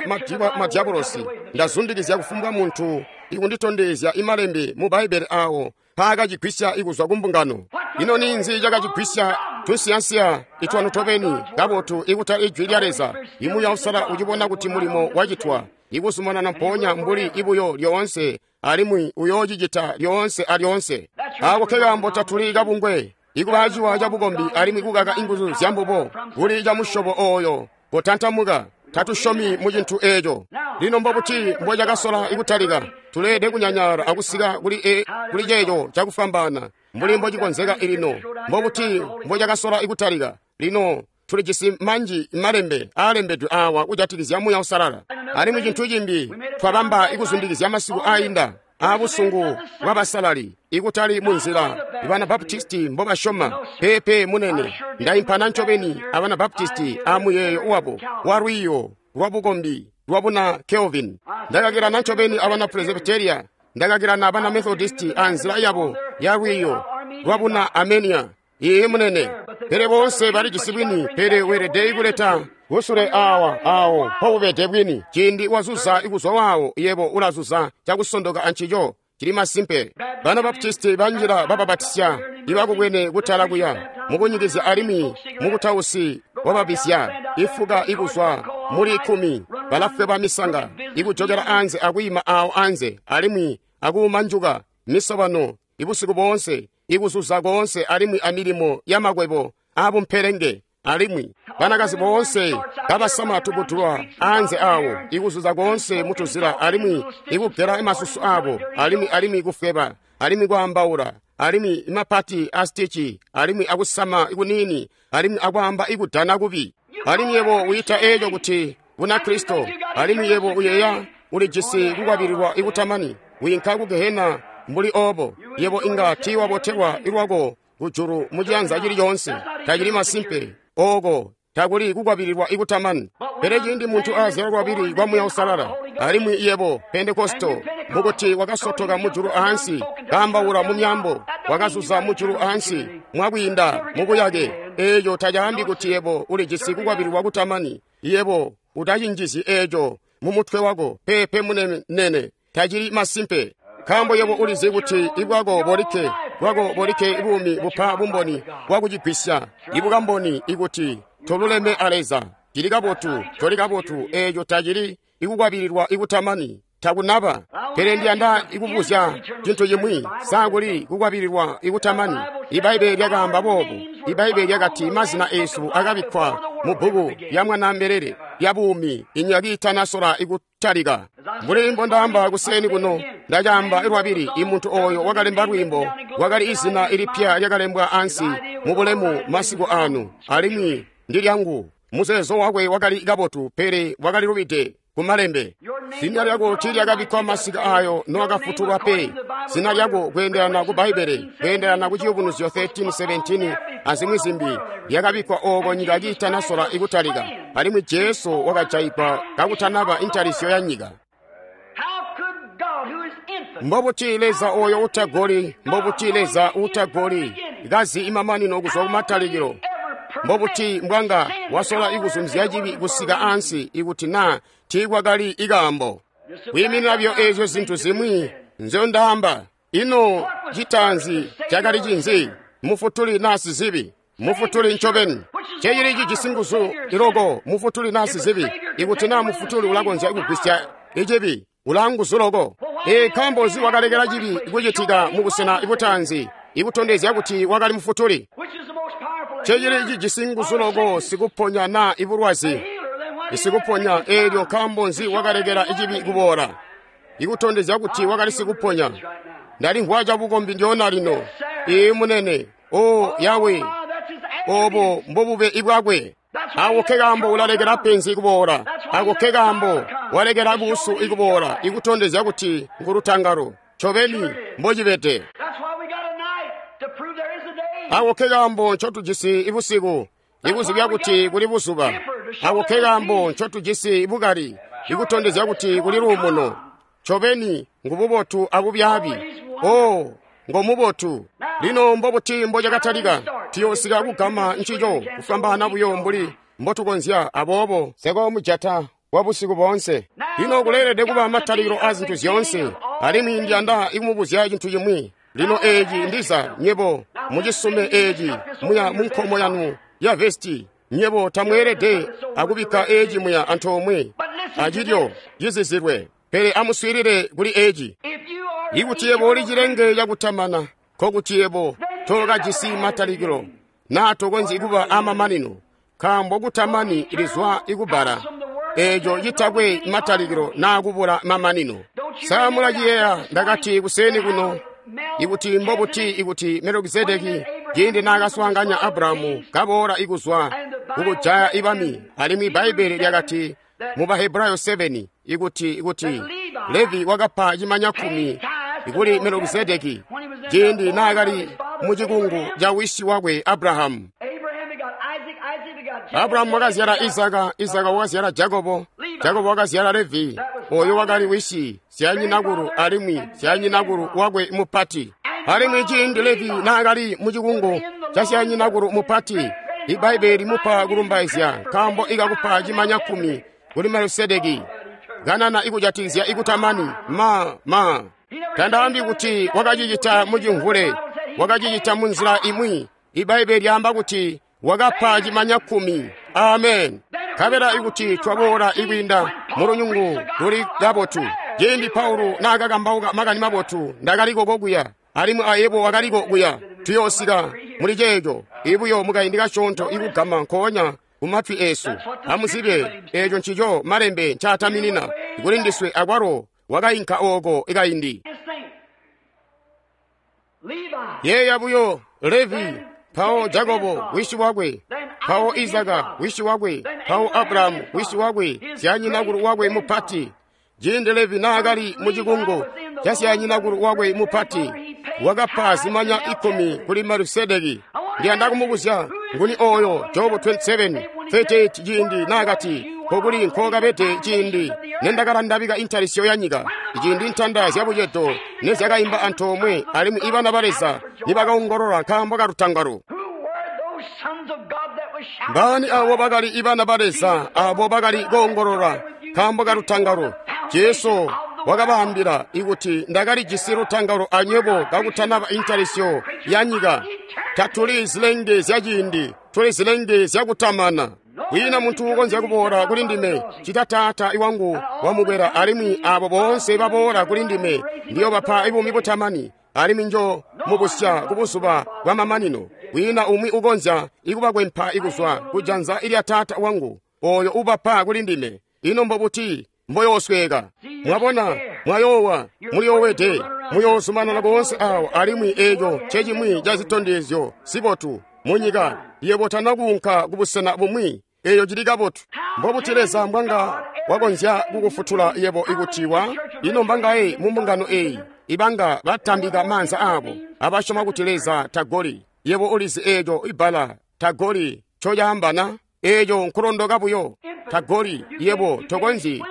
madiabolosi. Ndazundikizya kufumbwa muntu ikunditondezya imalembe mu Bbaibbele awo mpaakacigwisya ikuzwa ku mbungano. Ino ninzi cakacigwisya? Tunsiyansiya itwanu tobeni kabotu ikutali ijwi lya Leza. Imuuya Uusalala ucibona kuti mulimo wacitwa, ikuzumanana mpoonya mbuli ibuyo lyoonse, alimwi uyoocicita lyoonse alyoonse. Aako kekaambo tatuli kabungwe, ikuba aciwa cabukombi alimwi kukaka inguzu zyambubo kuli camusyobo ooyo. Kotantamuka, tatusyomi mu cintu eeco. Lino mbobuti mbocakasola ikutalika? Tuleelede kunyanyala akusika kuli ceeco cakufwambaana mbuli mbocikonzeka lino. Mbobuti mbocakasola ikutalika? Lino tulijisi manji malembe aalembedwe awa kujatikizya Muuya Uusalala. Alimwi cintu cimbi twabamba ikuzundikizya masiku aayinda aabusungu bwabasalali, ikutali munzila bana Baptisti mbobasyoma. Peepe munene, ndaimpana ncobeni abana Baptisti amuyeeyo wabo walwiiyo lwabukombi lwabuna Kelvin. Ndakakilana ncobeni abana Presbyteria, ndakakilana abana Methodisti anzila yabo yalwiiyo lwabuna Armenia. Iye munene, pele boonse balijisi bwini, pele weelede kuleta kusule awa awo mpobubede bwini. Ciindi wazuza ikuzwa wawo, yebo ulazuza cakusondoka ancico. Cili masimpe, bana Baptisti banjila bababatisya ibakubwene kutala kuya mukunyikizya alimwi mukutausi wababisya ifuka ikuzwa muli 10 balafweba misanga ikujokela anze akwiima awo anze alimwi akuumanjuka misobano ibusiku boonse ikuzuza koonse alimwi amilimo yamakwebo abumpelenge. Alimwi banakazi boonse kabasama tubutulwa anze awo ikuzuza koonse mutuzila alimwi ikugela masusu abo alimwi kufweba alimwi kwaambaula alimwi imapati a stichi alimwi akusama ikunini alimwi akwaamba ikudana kubi. Alimwi yebo uyita eeco kuti Bunakristo, alimwi yebo uyeeya ulijisi kukwabililwa ikutamani, wiinka ku gehena mbuli oobo. Yebo inga tiiwabotelwa ilwako kujulu muciyanza cili coonse. Tacili masimpe, ooko takuli kukwabililwa ikutamani. Pele ciindi muntu azyalwa lwabili kwa Muuya Uusalala, alimwi yebo Pentekosto mukuti wakasotoka mujulu aansi, kaambaula mu myaambo, wakazuza mujulu aansi mwakwiinda mubuyake, eeco tacaambi kuti yebo ulijisi kukwabililwa kutamani. Yebo utacinjizyi eeco mumutwe wako. Peepe munene, tacili masimpe. Nkaambo yebo ulizi kuti ibwako bolikke bwako bolikke buumi bupa bumboni bwakucigwisya ibukamboni ikuti toluleme a Leza. Cili kabotu, toli kabotu, eeco tacili ikukwabililwa ikutamani, takunaba. Pele ndiyanda ikubuzya cintu cimwi. Sa kuli kukwabililwa ikutamani? Ibbaibbele lyakaamba boobu. Ibbaibbele lyakati mazina eesu akabikkwa mu bbuku lya Mwanaambelele lya buumi inyika kiitanasola ikutalika. Mbuli mbondaamba kuseeni kuno, ndacaamba lwabili, imuntu oyo wakalemba lwiimbo wakali izina ilipya lyakalembwa ansi mubulemu masiku anu, alimwi ndi lyangu. Muzeezo wakwe wakali kabotu, pele wakali lubide kumalembe. Zina lyako tiilyakabikkwa masiku ayo nowakafutulwa pe. Zina lyako kweendelana ku Bbaibbele, kweendelana ku Ciyubunuzyo 13:17 azimwi zimbi, lyakabikkwa ooko nyika kiitanasola ikutalika, alimwi Jesu wakajayigwa kakutanaba intalisyo ya nyika. Mbobuti Leza oyo utagoli, mbobuti Leza utagoli, kazi imamanino kuzwa kumatalikilo, mbobuti mbwanga wasola ikuzumizya cibi kusika ansi ikuti naa tiikwakali ikaambo. Kwiiminina byo eezyo zintu zimwi nzyondaamba. Ino citaanzi cakali cinzi? Mufutuli naa sizibi? Mufutuli ncobeni. Cecili cijisi nguzu iloko, mufutuli naa sizibi? Ikuti naa mufutuli ulakonzya kugwisya icibi, ulaanguzu loko. Nkaambo nzi wakalekela cibi kucitika mubusena butaanzi, ikutondezya kuti wakali mufutuli? Cecili cijisi nguzu loko, sikuponya naa ibulwazi? Sikuponya. Eelyo nkaambo nzi wakalekela icibi kuboola, ikutondezya kuti wakali sikuponya? Ndalimvwa cabukombi ndyoona lino. Ee munene, o Yawe, obo mbobube ibwakwe. Ako ke kaambo ulalekela penzi kuboola. Ako ke kaambo walekela buusu ikuboola, ikutondezya kuti ngulutangalo. Ncobeni mbocibede. Ako ke kaambo ncotujisi ibusiku, ikuzibya kuti kuli buzuba. Ako ke kaambo ncotujisi bukali, ikutondezya kuti kuli luumuno. Ncobeni ngububotu abubyaabi. O ngomubotu. Lino mbobuti mbocakatalika? Tuyoosika kugama ncico kufwambaana buyo mbuli mbotukonzya. Aboobo sekoomujata wa busiku boonse. Lino kuleelede kuba matalikilo a zintu zyoonse, alimwi ndiyanda ikumubuzya cintu cimwi. Lino eeci ndiza nyebo mucisume eeci muya munkomo yanu ya vesti. Nyebo tamweelede akubikka eeci muya antoomwe acilyo cizizilwe, pele amuswiilile kuli eeci. Ikuti yebo uli cilenge cakutamana, nkokuti yebo tookajisi matalikilo, naa tokonzyi kuba amamanino, nkaambo kutamani lizwa ikubbala eeco citakwe matalikilo naa kubula mamanino. Sa mulaciyeeya ndakati kuseeni kuno, ikuti mbobuti ikuti Melekizedeki ciindi naakaswaanganya Abrahamu kaboola ikuzwa kukujaya ibami, alimwi Bbaibbele lyakati mu Bahebrayo 7 ikuti Levi wakapa cimanya 10 kuli Melekizedeki ciindi naakali mucikungu ca wisi wakwe Abrahamu. Abrahamu wakazyala Izaka, Izaka wakazyala Jakobo, Jakobo wakazyala Levi, oyo wakali wisi syanyinakulu alimwi syanyinakulu wakwe mupati. Alimwi ciindi Levi naakali mucikungu ca syanyinakulu mupati, Ibbaibbele limupa kulumbaizya nkaambo ikakupa cimanya 10 kuli Melkisedeki. Kanana ikujatikizya ikutamani ma tandaambi kuti wakacicita mucimvule, wakacicita munzila imwi. Ibbaibbele lyaamba kuti wakapa cimanya 10. Amen. Nkabela ikuti twaboola ikwiinda mulunyungu luli kabotu. Ciindi Paulo naakakambauka makani mabotu, ndakaliko kokuya, alimwi ayebo wakaliko kuya. Tuyoosika muli ceeco ibuyo mukaindi kasyoonto ikugama nkoonya kumatwi eesu. Amuzibe eeco ncico malembe ncaataminina kuli ndiswe, akwalo wakainka ooko ikaindi. Yeeya buyo Levi, mpawo Jakobo wisi wakwe, mpawo Izaka wisi wakwe, mpawo Abrahamu wisi wakwe, syanyinakulu wakwe mupati. Ciindi Levi naakali mucikungu ca syanyinakulu wakwe mupati, wakapa zimanya 10 kuli Melkisedeki. Ndiyanda kumubuzya nguni oyo Jobu 27:38 ciindi naakati, nkokuli nkookabede ciindi nendakalandabika intalisyo ya nyika, ciindi ntanda zyabucedo nezyakaimba antoomwe, alimwi ibana ba Leza nibakaongolola nkaambo kalutangalo. Mbaani abo bakali ibana ba Leza abo bakali koongolola nkaambo kalutangalo? Jesu wakabaambila ikuti ndakalijisi lutangalo anywebo kakutanaba intalisyo ya nyika. Tatuli zilenge zya ciindi, tuli zilenge zyakutamana. Kwiina muntu ukonzya kuboola kuli ndime cita Taata iwangu wamubwera, alimwi abo boonse baboola kuli ndime ndiyobapa buumi butamani, alimwi njo mubusya kubuzuba bwa mamanino. Kwiina umwi ukonzya ikubakwempa ikuzwa kujanza ilya Taata wangu. oyo ubapa kuli ndime. Ino mbobuti mboyoosweka? Mwabona, mwayoowa, muyoowede, muyoozumanana koonse awo, alimwi eco ncecimwi ca zitondezyo zibotu munyika. Yebo tana kuunka kubusena bumwi, eyo cili kabotu. Mbobuti Leza mbwanga wakonzya kukufutula yebo ikuti wa? Ino mbangaye mu mbungano eyi ibanga batambika maanza abo abasyoma kuti Leza tagoli? Yebo ulizi eco ibbala tagoli ncocaamba na? Eco nkulondoka buyo. Tagoli, yebo tokonzyi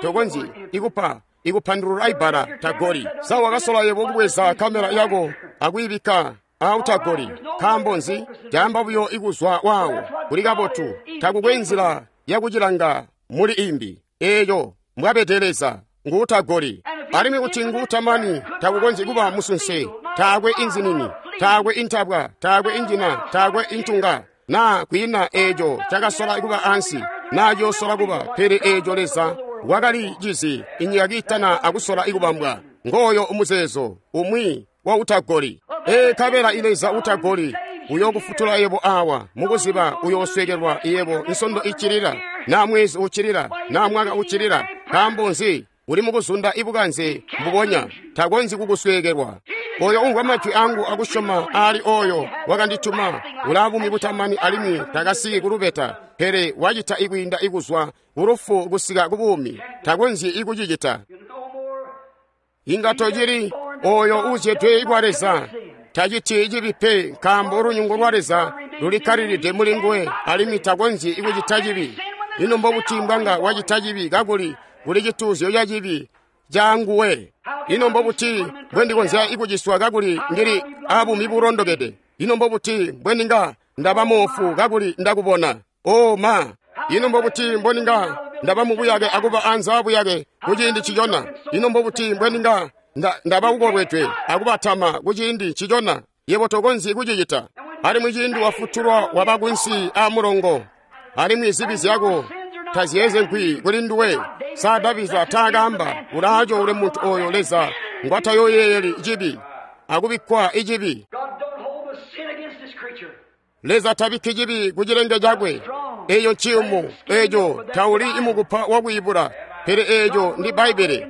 ikupa ikupandulula ibbala tagoli. Sa wakasola yebo kubweza kamera yako akuyibikka autagoli? Nkaambo nzi? Caamba buyo ikuzwa waawo. Kuli kabotu, takukwe nzila yakucilanga muli imbi. Eeco mbwabede Leza, nguutagoli. Alimwi kuti nguutamani, takukonzyi kuba musunse, taakwe inzinini, taakwe intabwa, taakwe injina, taakwe intunga, naa kwiina eeco cakasola kuba ansi, naa ciyoosola kuba, pele eeco Leza wakali cizi inyika kiitana akusola ikubambwa. Ngooyo umuzeezo umwi wa utagoli. Nkabela Leza utagoli uyokufutula yebo awa, mukuziba uyooswekelwa yebo nsondo icilila, na mwezi ucilila, na mwaka ucilila. Nkaambo nzi? Uli mukuzunda ibukanze mbubonya, takonzyi kukuswekelwa. Oyo umvwa majwi angu akusyoma aali oyo wakandituma ulaa buumi butamani alimwi takasiki kulubeta, pele wacita ikwiinda ikuzwa kulufu kusika kubuumi. Takonzyi ikucicita. Inga tocili oyo uzyedwe kwa Leza taciti cibi pe, nkaambo lunyungu lwa Leza lulikkalilide muli nguwe alimwi takonzyi ikucita cibi. Ino mbobuti mbwanga wacita cibi kakuli kuli cituuzyo ca cibi ca nguwe? Ino mbobuti mbwendikonzya ikuciswa kakuli ndili abuumi bulondokede? Ino mbobuti mbwendinga ndaba moofu kakuli ndakubona? O ma! Ino mbobuti mbweninga ndaba mubuyake akuba anze abuyake kuciindi cicona? Ino mbobuti mbweninga ndaba ukolwedwe akubatama kuciindi cicona? Yebo tokonzyi kucicita. Alimwi ciindi wafutulwa waba kunsi a mulongo, alimwi zibi zyako taziyezenkwi kuli nduwe. Sa Davida taakaamba ulaaco ule muntu oyo Leza ngwatayoyeyeli cibi akubikkwa icibi? Leza tabikki cibi ku cilenge cakwe. Eyo nciyumu, eco tauli imukupa wakwiibula, pele eco ndi Bbaibbele.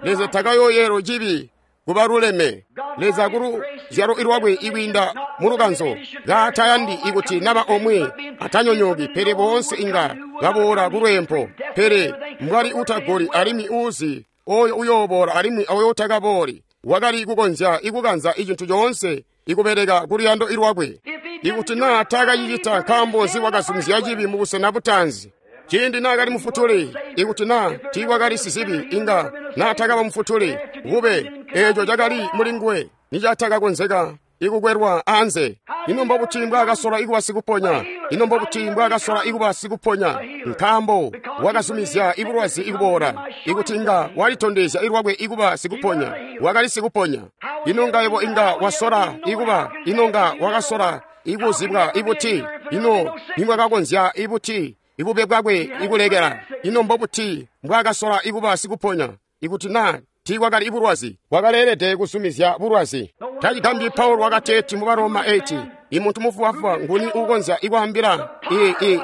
Leza takayoyelo cibi kubaluleme. Leza kuluzyalo lwakwe ikwiinda mulukanzo kaatayandi ikuti naba omwe atanyonyooki, pele boonse inga baboola kulweempo. Pele mbwali utagoli alimwi uuzi oyo uyooboola alimwi oyo utakabooli, wakali kukonzya ikukanza icintu coonse ikubeleka kuluyando lwakwe. Ikuti naa taakacicita, nkaambo nzi wakazumizya cibi mubusena butaanzi? Ciindi naakali mufutuli, ikuti naa tiikwakali sizibi, inga naatakaba mufutuli. Bube eeco cakali muli nguwe nicatakakonzeka ikukwelwa anze. Ino mbobuti mbwaakasola ikuba sikuponya? Ino mbobuti mbwaakasola ikuba sikuponya? Nkaambo wakazumizya ibulwazi ikuboola. Ikuti inga walitondezya ilwakwe ikuba sikuponya, wakali sikuponya. Ino nga yebo inga wasola ikuba, ino nga wakasola ikuzibwa ibuti? Ino nimwakakonzya ibuti ibube bwakwe ikulekela? Ino mbobuti mbwaakasola ikuba sikuponya? Ikuti naa tiikwakali ibulwazi, wakaleelede kuzumizya bulwazi. Tacigambyi Paulo wakateeti mu Baroma 8, imuntu mufubafuba nguni uukonzya ikwaambila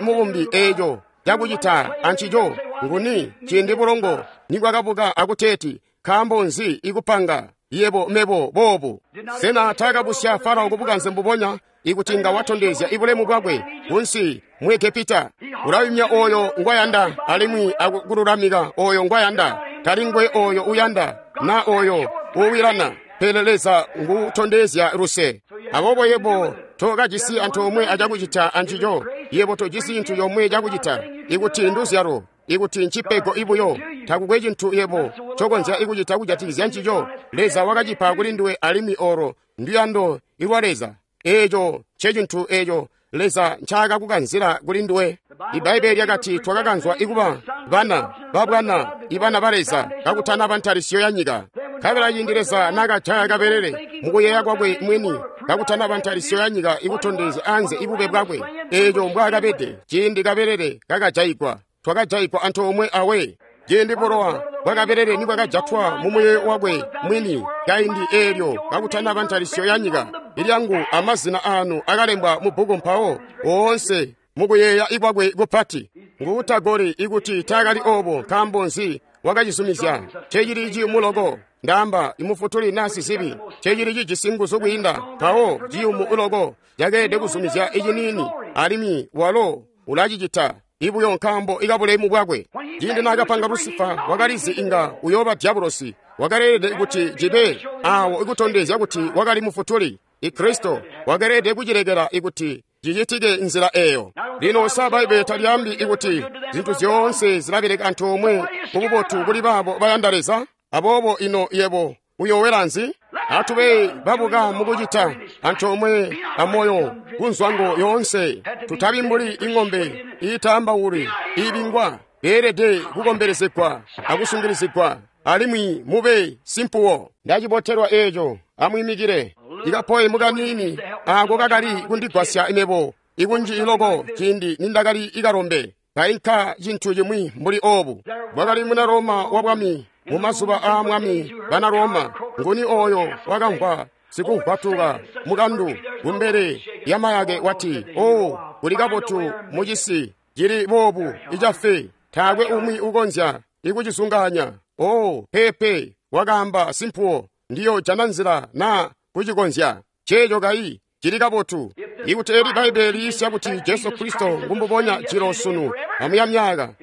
mubumbi eeco cakucita ancico? Nguni ciindi bulongo nibwakabuka akuteeti, nkaambo nzi ikupanga yebo mebo boobu? Sena taakabusya Farao kubukanze mbubonya ikuti nga watondezya ibulemu bwakwe kunsi mu Egepita? Ulayumya oyo ngwayanda alimwi akululamika oyo ngwayanda. Tali ngwe oyo uyanda na oyo uwilana, pele Leza ngutondezya luse. Aboobo yebo tokajisi antoomwe acakucita ancico. Yebo tojisi cintu comwe cakucita. Ikuti nduzyalo, ikuti ncipego ibuyo, takukwe cintu yebo cokonzya ikucita kujatikizya ncico. Leza wakacipa kuli nduwe alimwi olo nduyando ilwa Leza. Eeco ncecintu eeco Leza ncaakakukanzila kuli nduwe. Ibbaibbele lyakati twakakanzwa ikuba bana babwana, ibana ba Leza kakutanaba ntalisyo ya nyika. Nkabela ciindi Leza naakajaya kabelele mukuyeeya kwakwe mwini kakutanaba ntalisyo ya nyika ikutondezya anze ibube bwakwe, eeco mbwaakabede ciindi kabelele kakajayigwa, twakajayigwa antoomwe awe. Ciindi bulowa bwakabelele nibwakajatwa mumuyeeyo wakwe mwini kaindi eelyo kakutanaba ntalisyo ya nyika, ilyangu amazina aanu akalembwa mu bbuku mpawo woonse mukuyeeya ikwakwe kupati. Nguutagoli ikuti taakali oobo, nkaambo nzi wakacizumizya? Ncecili ciyumu loko, ndaamba imufutuli naa sizibi, ncecili cijisi nguzu kwiinda, mpawo ciyumu loko cakeelede kuzumizya iciniini, alimwi walo ulacicita ibuyo nkaambo ikabulemu bwakwe. Ciindi naakapanga Lusifa, wakalizi inga uyooba dyabulosi. Wakaleelede kuti cibe awo ikutondezya kuti wakali mufutuli Ikristo. Wakaleelede kucilekela ikuti cicitike nzila eeyo. Lino sa Bbaibbele talyaambi ikuti zintu zyoonse zilabeleka antoomwe kububotu kuli baabo bayanda Leza? Aboobo ino yebo uyowela nzi? Atube babuka mukucita antoomwe amoyo kunzwango yoonse. Tutabi mbuli ing'ombe iitaambauli iibingwa, beelede kukombelezegwa akusungilizigwa, alimwi mube simpuwo. Ndacibotelwa eeco. Amwiimikile. Ikapoe mukanini ako kakali kundigwasya mebo ikunji iloko ciindi nindakali ikalombe kainka cintu cimwi mbuli oobu. Bwakali muna Roma wa bwami mu mazuba aa mwami bana Roma. Nguni ooyo wakamvwa sikumvwatuka mukandu kumbele lyamayake wati, "Oh, kuli kabotu mucisi cili boobu icafe, taakwe umwi ukonzya ikucizungaanya." Oh, pepe, wakaamba simpuwo, ndiyojana nzila naa kucikonzya. Ceeco kayi cili kabotu. Ikuti eli Bbaibbele liisya kuti Jesu Kristo ngumbubonya jilo sunu amuya myaka,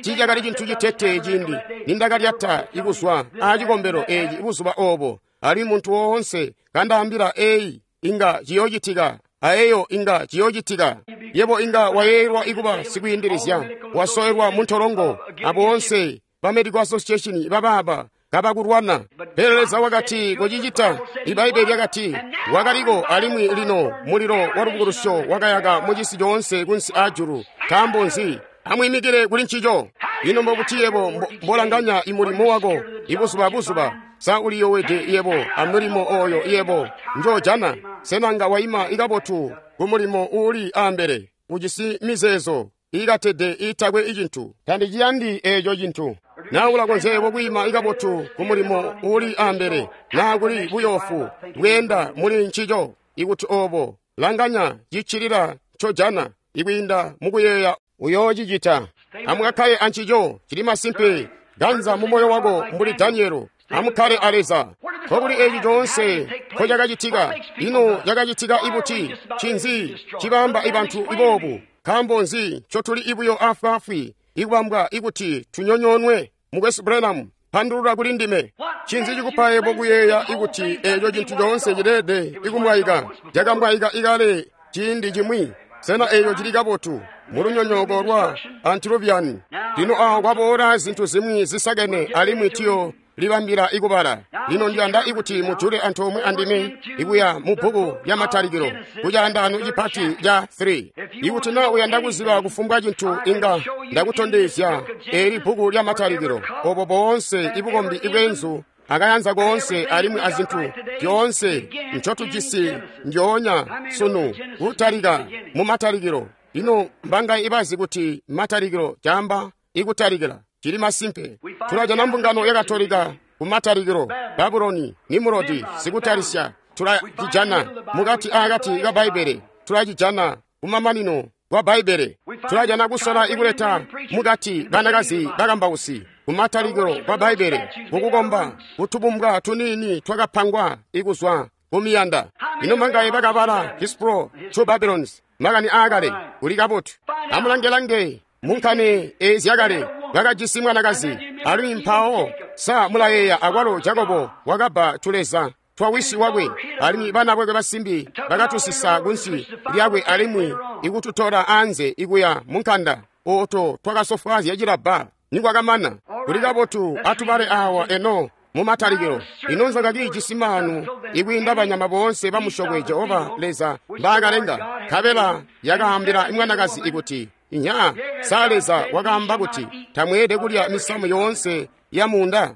tiicakali cintu citete ciindi nindakalyata ikuzwa aacikombelo eeci buzuba oobo, alimwi muntu woonse kandaambila eyi inga ciyoocitika, aeyo inga ciyoocitika. Yebo inga wayeeyelwa ikuba sikwiindilizya, wasoelwa muntolongo, aboonse ba Medical Association babaaba kabakulwana. Pele Leza wakati kucicita. Ibbaibbele lyakati wakaliko, alimwi lino mulilo wa lubukulusyo wakayaka mucisi coonse kunsi aajulu. Nkaambo nzi? Amwiimikile kuli ncico. Ino mbobuti yebo mbolanganya imulimo wako ibuzuba buzuba? Sa uliyowede yebo amulimo ooyo yebo njoojana? Sena nga waima ikabotu kumulimo uuli ambele, ujisi mizeezo iikatede iitakwe icintu? Tandiciyandi eeco cintu. Naa ulakonzya yebo kwiima ikabotu kumulimo uuli ambele, naa kuli buyoofu bweenda muli ncico? Ikuti oobo, langanya ciccilila ncojana ikwiinda mukuyeeya uyoocicita. Amukakkale ancico, cili masimpe. Ganza mumoyo wako mbuli Danielo. Amukkale a Leza. Nkokuli eeci coonse nkocakacitika. Ino cakacitika ibuti? Ncinzi cibamba ibantu iboobu? Nkaambo nzi ncotuli ibuyo afwaafwi ikubambwa ikuti tunyonyoonwe? Mukwesu Branham, pandulula kuli ndime. Ncinzi cikupa yebo kuyeeya ikuti eeco cintu coonse cileede ikumwaika? Cakamwaika ikale ciindi cimwi. Sena eeco cili kabotu mulunyonyooko lwa Antiochus? Lino awo kwaboola zintu zimwi zisakene, alimwi tiyo libambila ikubala. Lino ndiyanda ikuti mujule antoomwe andime ikuya mu bbuku lya Matalikilo kucaandaano cipati ca 3. Ikuti naa uyanda kuziba kufumbwa cintu, inga ndakutondezya eli bbuku lya Matalikilo, obo boonse ibukombi ibweenzu akayanza koonse alimwi azintu zyoonse ncotujisi ndyoonya sunu kutalika mu Matalikilo. Ino mbanga ibazi kuti Matalikilo caamba ikutalikila? Cili masimpe. Tulajana mbungano ya Katolika ku Matalikilo, Babuloni, Nimurodi, sikutalisya. Tulacijana mukati akati ka Bbaibbele. Tulacijana kumamanino kwa Bbaibbele. Tulajana kusola ikuleta mukati banakazi bakambausi kumatalikilo kwa Bbaibbele, kukukomba kutubumbwa tuniini twakapangwa ikuzwa kumiyanda. Ino mangaye bakabala Hispro to Babylons, makani aakale? Kuli kabotu. Amulange-lange munkani eezi zyakale bakajisi mwanakazi, alimwi mpawo sa mulayeeya akwalo Jakobo wakabba tuleza twa wisi wakwe, alimwi bana bakwe basimbi bakatusisa kunsi lyakwe alimwi ikututola anze ikuya munkanda. Oto twakasofwaazya cilabba nikwakamana. Kuli kabotu, atubale awa eno mu Matalikilo. Ino nzoka kiijisi maanu ikwiinda banyama boonse bamusyokwe Jehova Leza mbaakalenga. Nkabela yakaambila mwanakazi ikuti, "Inya, sa Leza wakaamba kuti tamweelede kulya misamu yoonse ya munda?"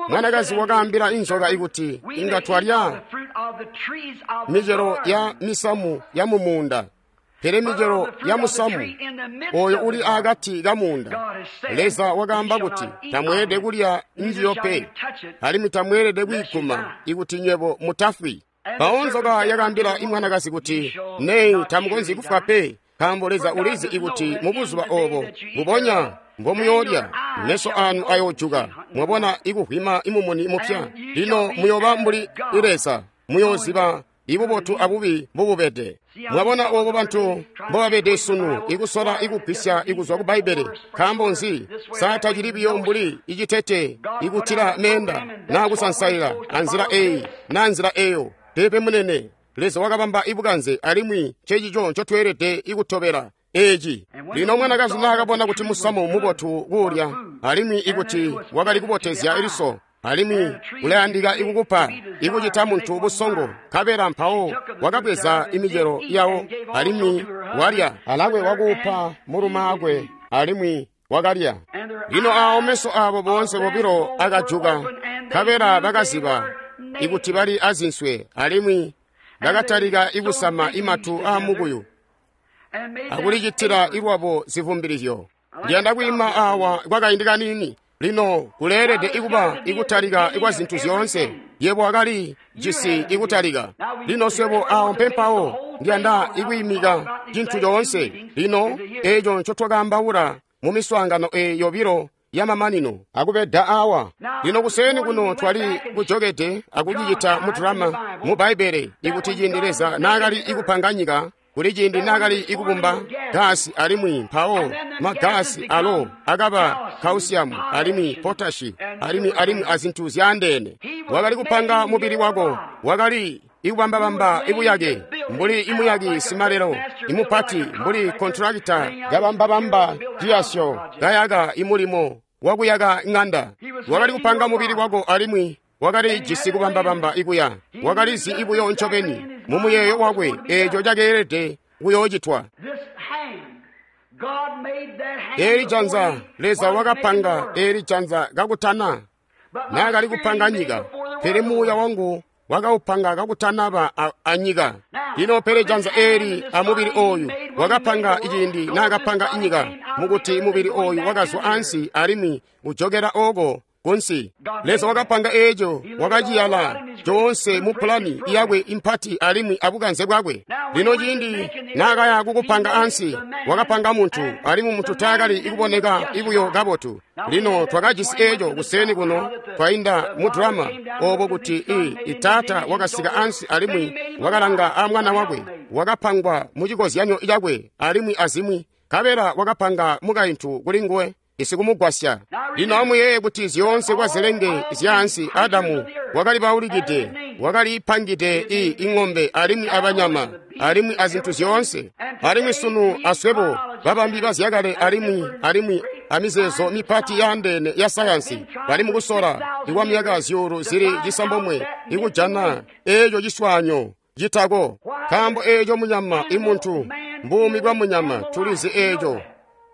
Mwanakazi wakaambila inzoka ikuti, "Inga twalya micelo ya misamu ya mumuunda, pele micelo ya musamu oyo uli akati ka muunda, Leza wakaamba kuti tamweelede kulya njiyo pe, alimwi tamweelede kuyiguma ikuti nywebo mutafwi." Mpawo nzoka yakaambila imwanakazi kuti, "Nee, tamukonzyi kufwa pe. Nkaambo Leza ulizi ikuti mubuzuba obo mbubonya mbomuyoolya, meso anu ayoojuka, mwabona ikuvwima imumuni mupya. Lino muyoba mbuli Leza, muyooziba ibubotu abubi mbububede. Mwabona obo bantu mbobabede sunu, ikusola ikugwisya ikuzwa ku Bbaibbele. Nkaambo nzi? Sa tacili biyo mbuli icitete ikutila meenda naa kusansaila anzila eyi naa nzila eyo. Peepe munene, Leza wakabamba ibukanze alimwi ncecico ncotweelede ikutobela eeci. Lino mwanakazi naakabona kuti musamu mubotu kuulya, alimwi ikuti wakali kubotezya liso, alimwi ulayandika ikukupa ikucita muntu busongo, nkabela mpawo wakabweza imicelo yawo alimwi walya, alakwe wakuupa mulumaakwe alimwi wakalya. Lino awo meso aabo boonse bobilo akajuka, nkabela bakaziba ikuti bali azinswe, alimwi bakatalika ikusama imatu aamukuyu akulicitila ilwabo zivumbilizyo. Ndiyanda kwiima awa kwakaindi kaniini. Lino kuleelede ikuba ikutalika kwa zintu zyoonse. Yebo wakali jisi ikutalika. Lino swebo awo mpempawo ndiyanda ikwiimika cintu coonse. Lino eeco ncotwakaambaula mu miswaangano eyi yobilo yamamanino akubeda awa. Lino kuseeni kuno twali kujokede akucicita mu drama mu Bbaibbele ikuti ciindi Leza naakali ikupanga nyika, kuli ciindi naakali ikubumba gasi, alimwi mpawo magasi alo akaba kausiamu alimwi potashi alimwi azintu zyaandeene. Wakali kupanga mubili wako, wakali ikubambabamba ibuyake mbuli imuyaki simalelo imupati, mbuli kontrakita kabambabamba ciyasyo kayaka imulimo wakuyaka ng'anda. Wakali kupanga mubili wako alimwi wakali jisi kubambabamba ikuya. Wakalizi ibuyo ncobeni mumuyeeyo wakwe eeco cakeelede kuyoocitwa. Eeli janza Leza wakapanga eeli janza kakutana naakali kupanga nyika, pele muuya wangu wakaupanga kakutanaba anyika. Lino pele janza eeli amubili ooyu wakapanga iciindi naakapanga inyika, mukuti mubili ooyu wakazwa ansi alimwi ujokela ooko kunsi. Leza wakapanga eeco, wakaciyala coonse mu pulani yakwe impati alimwi abukanze bwakwe. Lino ciindi naakaya kukupanga ansi, wakapanga muntu, alimwi muntu taakali ikuboneka ibuyo kabotu. Lino twakajisi eeco kuseeni kuno twainda mu drama obo kuti itaata wakasika ansi alimwi wakalanga amwana wakwe, wakapangwa mu cikozyanyo cakwe alimwi azimwi, nkabela wakapanga mukaintu kuli nguwe isikumugwasya. Lino amuyeeye kuti zyoonse kwa zilenge zyaansi Adamu wakali baulikide, wakali pangide ing'ombe alimwi abanyama alimwi azintu zyoonse. Alimwi sunu aswebo babambi bazyakale alimwi amizeezo mipati yaandeene ya sayansi bali mukusola ikwa myaka zyuulu zili 9 ikujana eeco ciswaanyo citako. Nkaambo eeco munyama imuntu mbuumi bwa munyama tulizi eeco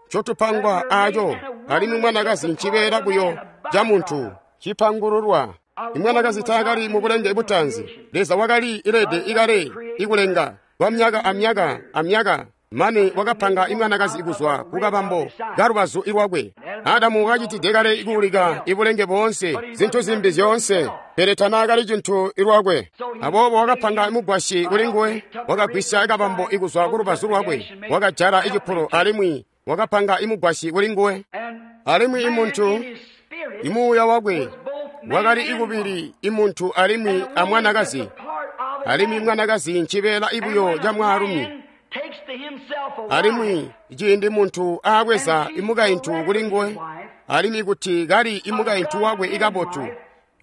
ncotupangwa aaco, alimwi mwanakazi ncibeela buyo ca muntu cipangululwa. Imwanakazi taakali mu bulenge butanzi. Leza wakali ilede ikale ikulenga kwa myaka amyaka amyaka mane wakapanga imwanakazi kuzwa kukabambo kalubazu ilwakwe. Adamu wakacitide kale ikuulika ibulenge boonse, zintu zimbi zyoonse, pele tanaakali cintu ilwakwe. Aboobo wakapanga mugwasyi kuli nguwe, wakagwisya kabambo ikuzwa kulubazu lwakwe, wakajala icipulo alimwi wakapanga imugwasyi kuli nguwe. Alimwi imuntu imuuya wakwe wakali ikubili imuntu alimwi amwanakazi, alimwi mwanakazi ncibeela ibuyo ca mwaalumi. Alimwi ciindi muntu aabweza imukaintu kuli nguwe, alimwi kuti kali imukaintu wakwe ikabotu,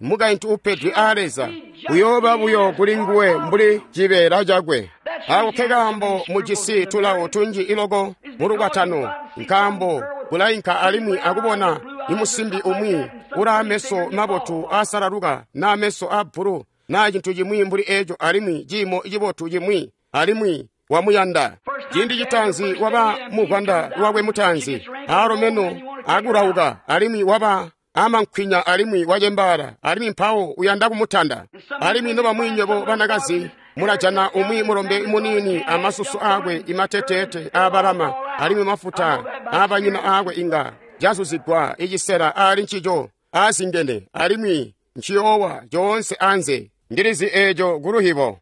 mukaintu upedwe aa Leza, uyooba buyo kuli nguwe mbuli cibeela cakwe. Ako kekaambo mujisi tulawo tunji iloko mulukwatano, nkaambo kulainka alimwi akubona imusimbi umwi ulaa meso mabotu aasalaluka naa meso aabbulu naa cintu cimwi mbuli eeco, alimwi ciimo cibotu cimwi, alimwi wamuyanda. Ciindi citaanzi waba muvwanda lwakwe mutaanzi, aalo meno akulauka, alimwi waba amankhwinya alimwi wacembaala, alimwi mpawo uyanda kumutanda. Alimwi nobamwi nywebo banakazi mulajana umwi mulombe muniini amasusu aakwe imateteete aabalama, alimwi mafuta aabanyina aakwe inga cazuzigwa icisela aali ncico aazingene, alimwi nciyoowa coonse anze. Ndilizi eeco kuluhibo.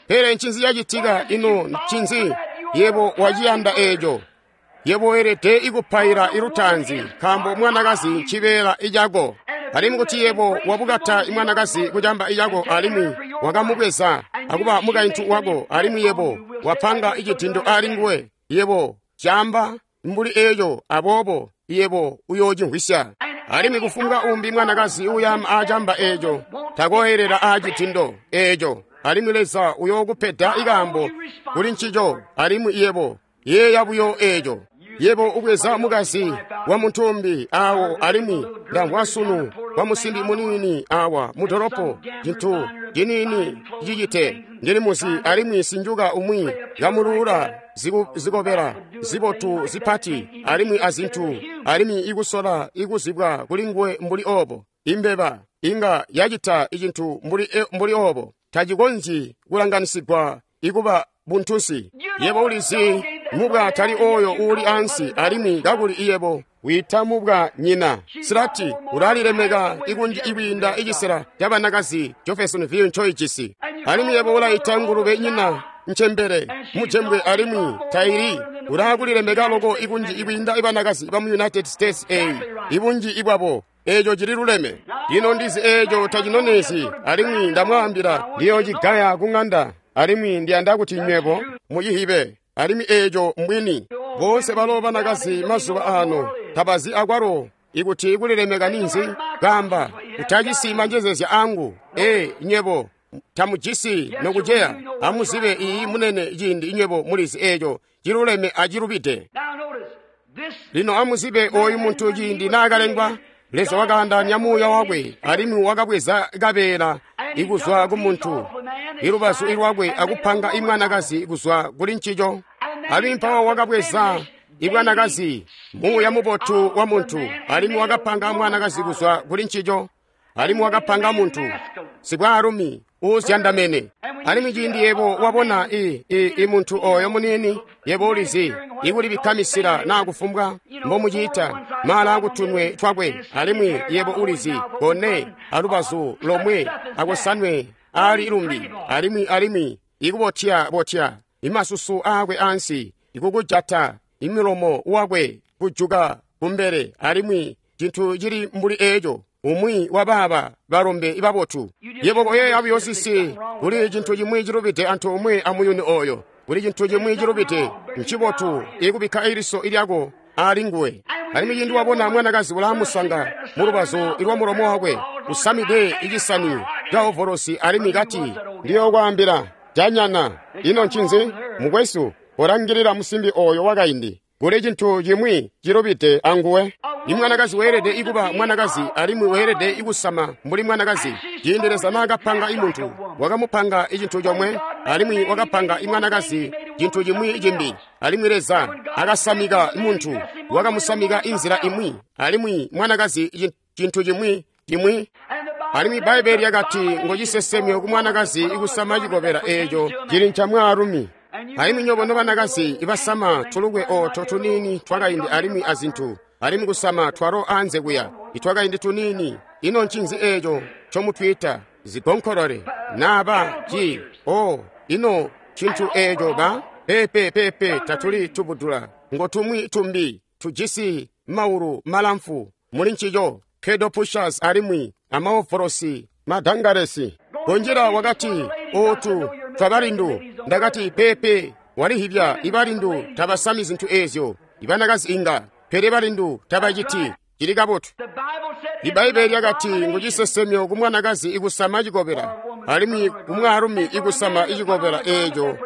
Pele ncinzi cacitika? Ino ncinzi? Yebo waciyanda eeco. Yebo weelede ikupaila ilutaanzi, nkaambo mwanakazi ncibeela icako. Alimwi kuti yebo wabukata imwanakazi kucamba icako alimwi wakamubweza akuba mukaintu wako, alimwi yebo wapanga icidindo ali nguwe, yebo camba mbuli eeco, aboobo yebo uyoocimvwisya. Alimwi kufumbwa umbi mwanakazi uyama aacamba eeco takoyelela aacitindo eeco, alimwi Leza uyookupeda ikaambo kuli ncico. Alimwi yebo yeeya buyo eeco. Yebo ubweza mukazi wa muntu umbi awo, alimwi ndamvwa sunu wa musimbi muniini awa mudolopo, cintu ciniini cicite ndili muzi, alimwi sinjuka umwi kamuluula zikobela zibotu zipati alimwi azintu, alimwi ikusola ikuzibwa kuli nguwe mbuli obo. Imbeba inga yacita icintu mbuli obo, tacikonzyi kulanganisigwa ikuba buntusi. Yebo ulizi mubwa tali oyo uuli ansi, alimwi kakuli iyebo wiita mubwa nyina. Silati ulalilemeka ikunji ikwiinda icisela cabanakazi Jeffersonville ncoijisi. Alimwi yebo ulayita ngulube nyina ncembele mujembwe, alimwi taili ulakulilemeka loko ikunji ikwiinda ibanakazi bamu United States eyi ibunji ibwabo. Eeco cili luleme. Lino ndizi eeco tacinonezi, alimwi ndamwaambila ndiyocigaya ku ng'anda, alimwi ndiyanda kuti nywebo mucihibe. Alimwi eeco mbwini. Boonse balo banakazi mazuba ano tabazi akwalo ikuti kulilemeka ninzi. Kamba utacisi manjezezya angu. Ee, nywebo tamujisi nokuceya. Amuzibe iyi munene ciindi nywebo mulizi eeco ciluleme acilubide. Lino amuzibe oyu muntu ciindi naakalengwa, Leza wakaandaanya muuya wakwe, alimwi wakabweza kabeela ikuzwa ku muntu ilubazu ilwakwe akupanga imwanakazi kuzwa kuli ncico. Alimwi mpawo wakabweza ibwanakazi, muuya mubotu wa muntu, alimwi wakapanga mwanakazi kuzwa kuli ncico, alimwi wakapanga muntu sibwaalumi uuzyandamene. Alimwi ciindi yebo wabona i muntu oyo muniini, yebo ulizi ikulibikka misila naa kufumbwa mbomuciita maala akutunwe twakwe, alimwi yebo ulizi kone alubazu lomwe akusanwe ali lumbi, alimwi ikubotya-botya imasusu aakwe ansi, ikukujata imilomo wakwe kujuka kumbele, alimwi cintu cili mbuli eeco. Umwi wa baaba balombe babotu. Yebo koyeeya buyo sisi, kuli cintu cimwi cilubide antoomwe amuyuni oyo. Kuli cintu cimwi cilubide. Ncibotu ikubikka iliso lyako ali nguwe. Alimwi ciindi wabona mwanakazi ulamusanga mulubazu lwa mulomo wakwe, usamide icisani ca ovolosi, alimwi kati, ndiyokwaambila janyana, ino ncinzi mukwesu, kolangilila musimbi oyo wakaindi. Kuli cintu cimwi cilubide anguwe. Imwanakazi weelede ikuba mwanakazi, alimwi weelede ikusama mbuli mwanakazi. Ciindi Leza naakapanga imuntu, wakamupanga icintu comwe, alimwi wakapanga imwanakazi cintu cimwi cimbi. Alimwi Leza akasamika muntu, wakamusamika inzila imwi, alimwi mwanakazi cintu cimwi cimwi. Alimwi Bbaibeli lyakati ngo cisesemyo ku mwanakazi ikusama cikobela eeco cili nca mwaalumi. Alimwi nywebo nobanakazi ibasama tulukwe ooto tuniini twakaindi alimwi azintu, alimwi kusama twalo anze kuya itwakaindi tuniini, ino ncinzi eeco ncomutwiita zigonkolole naaba ci o ino cintu eeco ba pepe pepe tatuli tubudula ngo tumwi tumbi tujisi maulu malamfu muli ncico kedo pushers alimwi amaovolosi madangalesi. Kunjila wakati ootu twabalindu. Ndakati pepe walihibya ibalindu tabasami zintu eezyo, ibanakazi inga, pele balindu tabaciti. Cili kabotu. Ibbaibeli lyakati ngu cisesemyo ku mwanakazi ikusama cikobela, alimwi ku mwaalumi ikusama icikobela eeco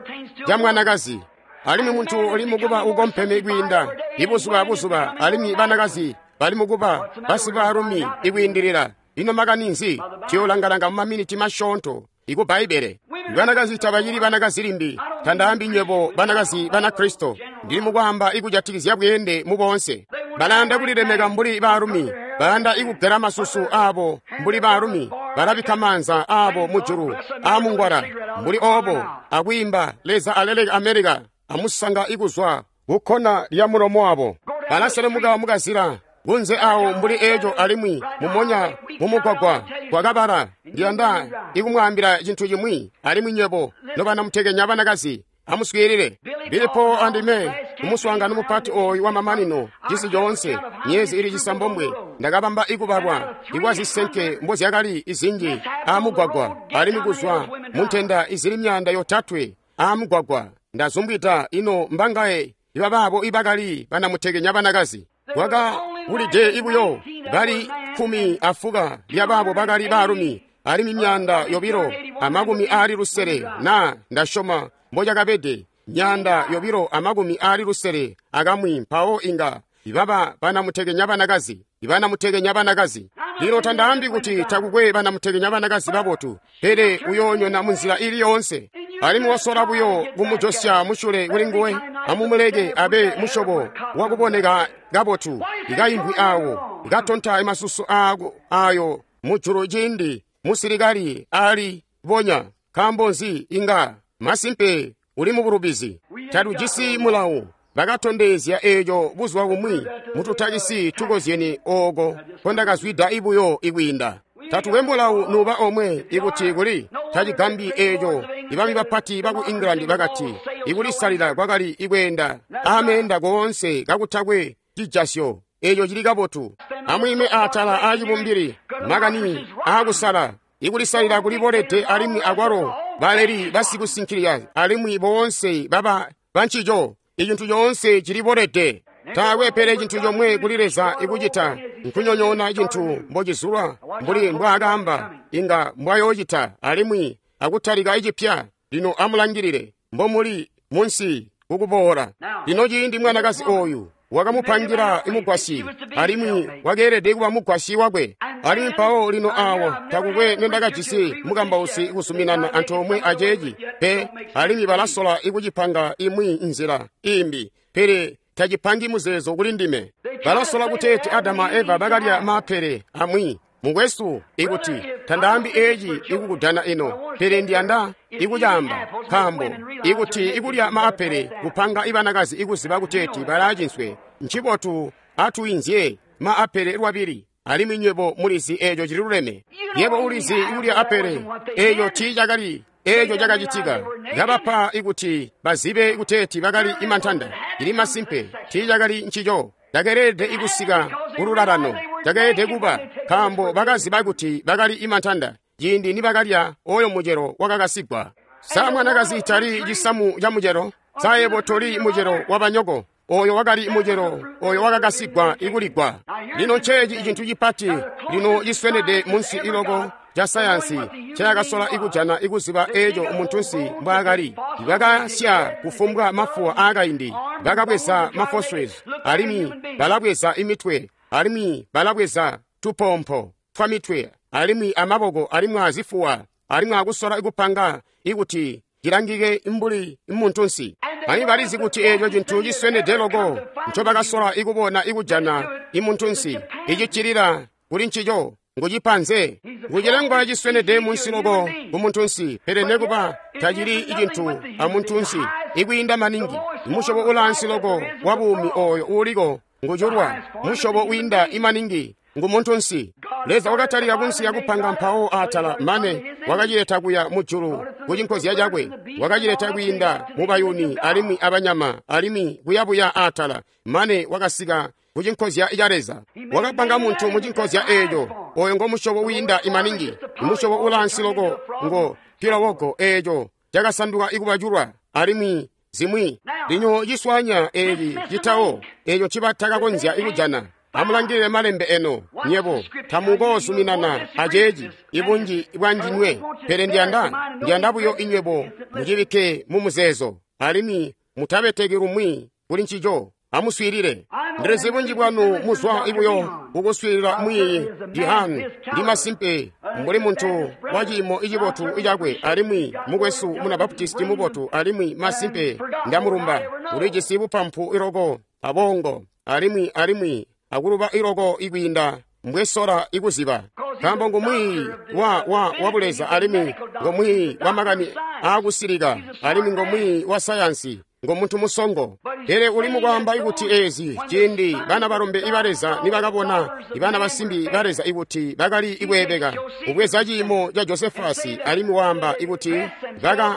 ca mwanakazi. Alimwi muntu uli mukuba ukompeme kwiinda ibuzuba buzuba, alimwi banakazi bali mukuba basibaalumi ikwiindilila. Ino makani nzi? Tuyoolangalanga mumaminiti masyoonto iku Bbaibele. Banakazi tabacili banakazi limbi. Tandaambi nywebo banakazi Banakristo, ndili mukwaamba ikujatikizya bweende mu boonse. Balayanda kulilemeka mbuli baalumi, bayanda ikugela masusu aabo mbuli baalumi, balabikka maanza aabo mujulu aamungwala mbuli oobo, akwiimba Leza aleleke America, amusanga ikuzwa kukkona lya mulomo wabo. Balaselemuka mukazila kunze awo mbuli eeco, alimwi mumonya mumugwagwa kwakabala. Ndiyanda ikumwaambila cintu cimwi, alimwi nywebo nobanamutekenya banakazi, Amuswiilile. Billy Paul andime kumuswaangano mupati ooyu wamamanino cisi coonse myezi ili cisambomwe ndakabamba ikubalwa ikwazisenke mbozyakali izinji aamugwagwa alimwi kuzwa muntenda izili 300 aamugwagwa ndazumbwida ino mbangaye ibabaabo ibakali banamutekenya banakazi kwakabulide ibuyo bali 15 lyabaabo bakali baalumi alimwi 260 na ndasyoma mbochakabede 261 mpawo inga ibaba banamutekenya banakazi ibanamutekenya banakazi. Lino tandaambi kuti takukwe banamutekenya banakazi babotu, pele uyoonyona munzila ili yoonse. Alimwi wasola buyo kumujosya musyule kuli nguwe, amumuleke abe musyobo wakuboneka kabotu, ikayimbwi awo ikatonta masusu ayo mujulu ciindi musilikali ali bonya. Nkaambo nzi? Inga masimpe uli mubulubizi. Tatujisi mulawu. Bakatondezya eeco buzuba bumwi mututakisi tukozyene ooko nkondakazwida ibuyo ikwiinda. Tatukwe mulawu nuba omwe ikuti kuli tacigambi eeco ibami bapati baku England bakati ikulisalila kwakali ikweenda ameenda koonse kakutakwe cijasyo. Eeco cili kabotu. Amwiime atala aacibumbili makani aakusala. Ikulisalila kulibolede alimwi akwalo baleli basikusinkilila alimwi boonse baba bancico. Icintu coonse cilibolede. Taakwe pele cintu comwe kuli Leza ikucita nkunyonyoona cintu mbocizulwa mbuli mbwaakaamba inga mbwayoocita alimwi akutalika icipya. Lino amulangilile mbomuli munsi kukuboola. Lino ciindi mwanakazi ooyu wakamupangila imugwasyi alimwi wakeelede kuba mugwasyi wakwe. Alimwi mpawo lino awo takukwe nendakajisi mukambausi kuzuminana antoomwe aceeci pe, alimwi balasola ikucipanga imwi nzila imbi, pele tacipangi muzeezo kuli ndime. Balasola kuteeti Adamu a Eva bakalya maapele amwi. Mukwesu, ikuti tandaambi eeci ikukudana ino, pele ndiyanda ikucaamba, nkaambo ikuti ikulya maapele kupanga ibanakazi ikuziba kuteeti balaacinswe, ncibotu atuyinzye maapele lwabili. Alimwi nywebo mulizi eeco cililuleme. Yebo ulizi ikulya apele eeco tiicakali eeco cakacitika. Kabapa ikuti bazibe kuteeti bakali imantanda. Cili masimpe tiicakali ncico. Cakeelede ikusika kululalano. Cakeelede kuba nkaambo bakaziba kuti bakali imantanda ciindi nibakalya oyo mucelo wakakasigwa. Sa mwanakazi tali cisamu ca mucelo? Sa yebo toli mucelo wabanyoko? Oyo wakali mucelo oyo wakakasigwa ikuligwa. Lino nceeci cintu cipati lino ciswenede munsi iloko ca sayansi cayakasola ikujana ikuziba eeco muntunsi mbwaakali. Bakasya kufumbwa mafuwa aakaindi, bakabweza mafossils, alimwi balabweza imitwe, alimwi balabweza tupompo twamitwe, alimwi amaboko, alimwi azifuwa, alimwi akusola ikupanga ikuti cilangike mbuli muntunsi. Alimwi balizi kuti eeco cintu ciswenede loko ncobakasola ikubona ikujana imuntunsi icicilila kuli ncico ngucipanze ngucilengwa ciswenede munsi loko kumuntunsi, pele nekuba tacili icintu amuntunsi ikwiinda maningi. Musyobo ulaansi loko wa buumi oyo uuliko nguculwa, musyobo wiinda imaningi ngumuntunsi. Leza wakatalika kunsi yakupanga mpawo atala mane wakacileta kuya mujulu kucinkozya cakwe, wakacileta kwiinda mubayuni alimwi abanyama alimwi kuyabuya atala mane wakasika kucinkozya ca Leza. Wakapanga muntu mucinkozya eeco. Oyo ngo musyobo wiinda imaningi, musyobo ulaansi loko ngo pilowogo eeco cakasanduka ikubaculwa alimwi zimwi. Lino ciswanya eeci citawo eeco ncibatakakonzya ikujana. Amulangilile malembe eno, nyebo tamukoozuminana aceeci ibunji bwanjinywe, pele ndiyanda buyo inywebo mucibikke mu muzeezo alimwi mutabeteki lumwi kuli ncico. Amuswiilile. Ndilizi bunji bwanu muzwa ibuyo kukuswiilila mwiiyi Dihani. Ndi masimpe mbuli muntu wa ciimo icibotu icakwe alimwi mukwesu muna Baptisti mubotu alimwi masimpe ndamulumba. Ulijisi bupampu iloko abongo alimwi akuluba iloko ikwiinda mbwesola ikuziba. Nkaambo ngumwiiyi wa buleza alimwi ngomwiiyi wa makani aakusilika alimwi ngomwiiyi wa sayansi. Ngo muntu musongo. Pele uli mukwaamba ikuti ezi ciindi bana balombe iba Leza nibakabona ibana basimbi ba Leza ikuti bakali ikweebeka, ubweza ciimo ca Josefasi alimwi waamba ikuti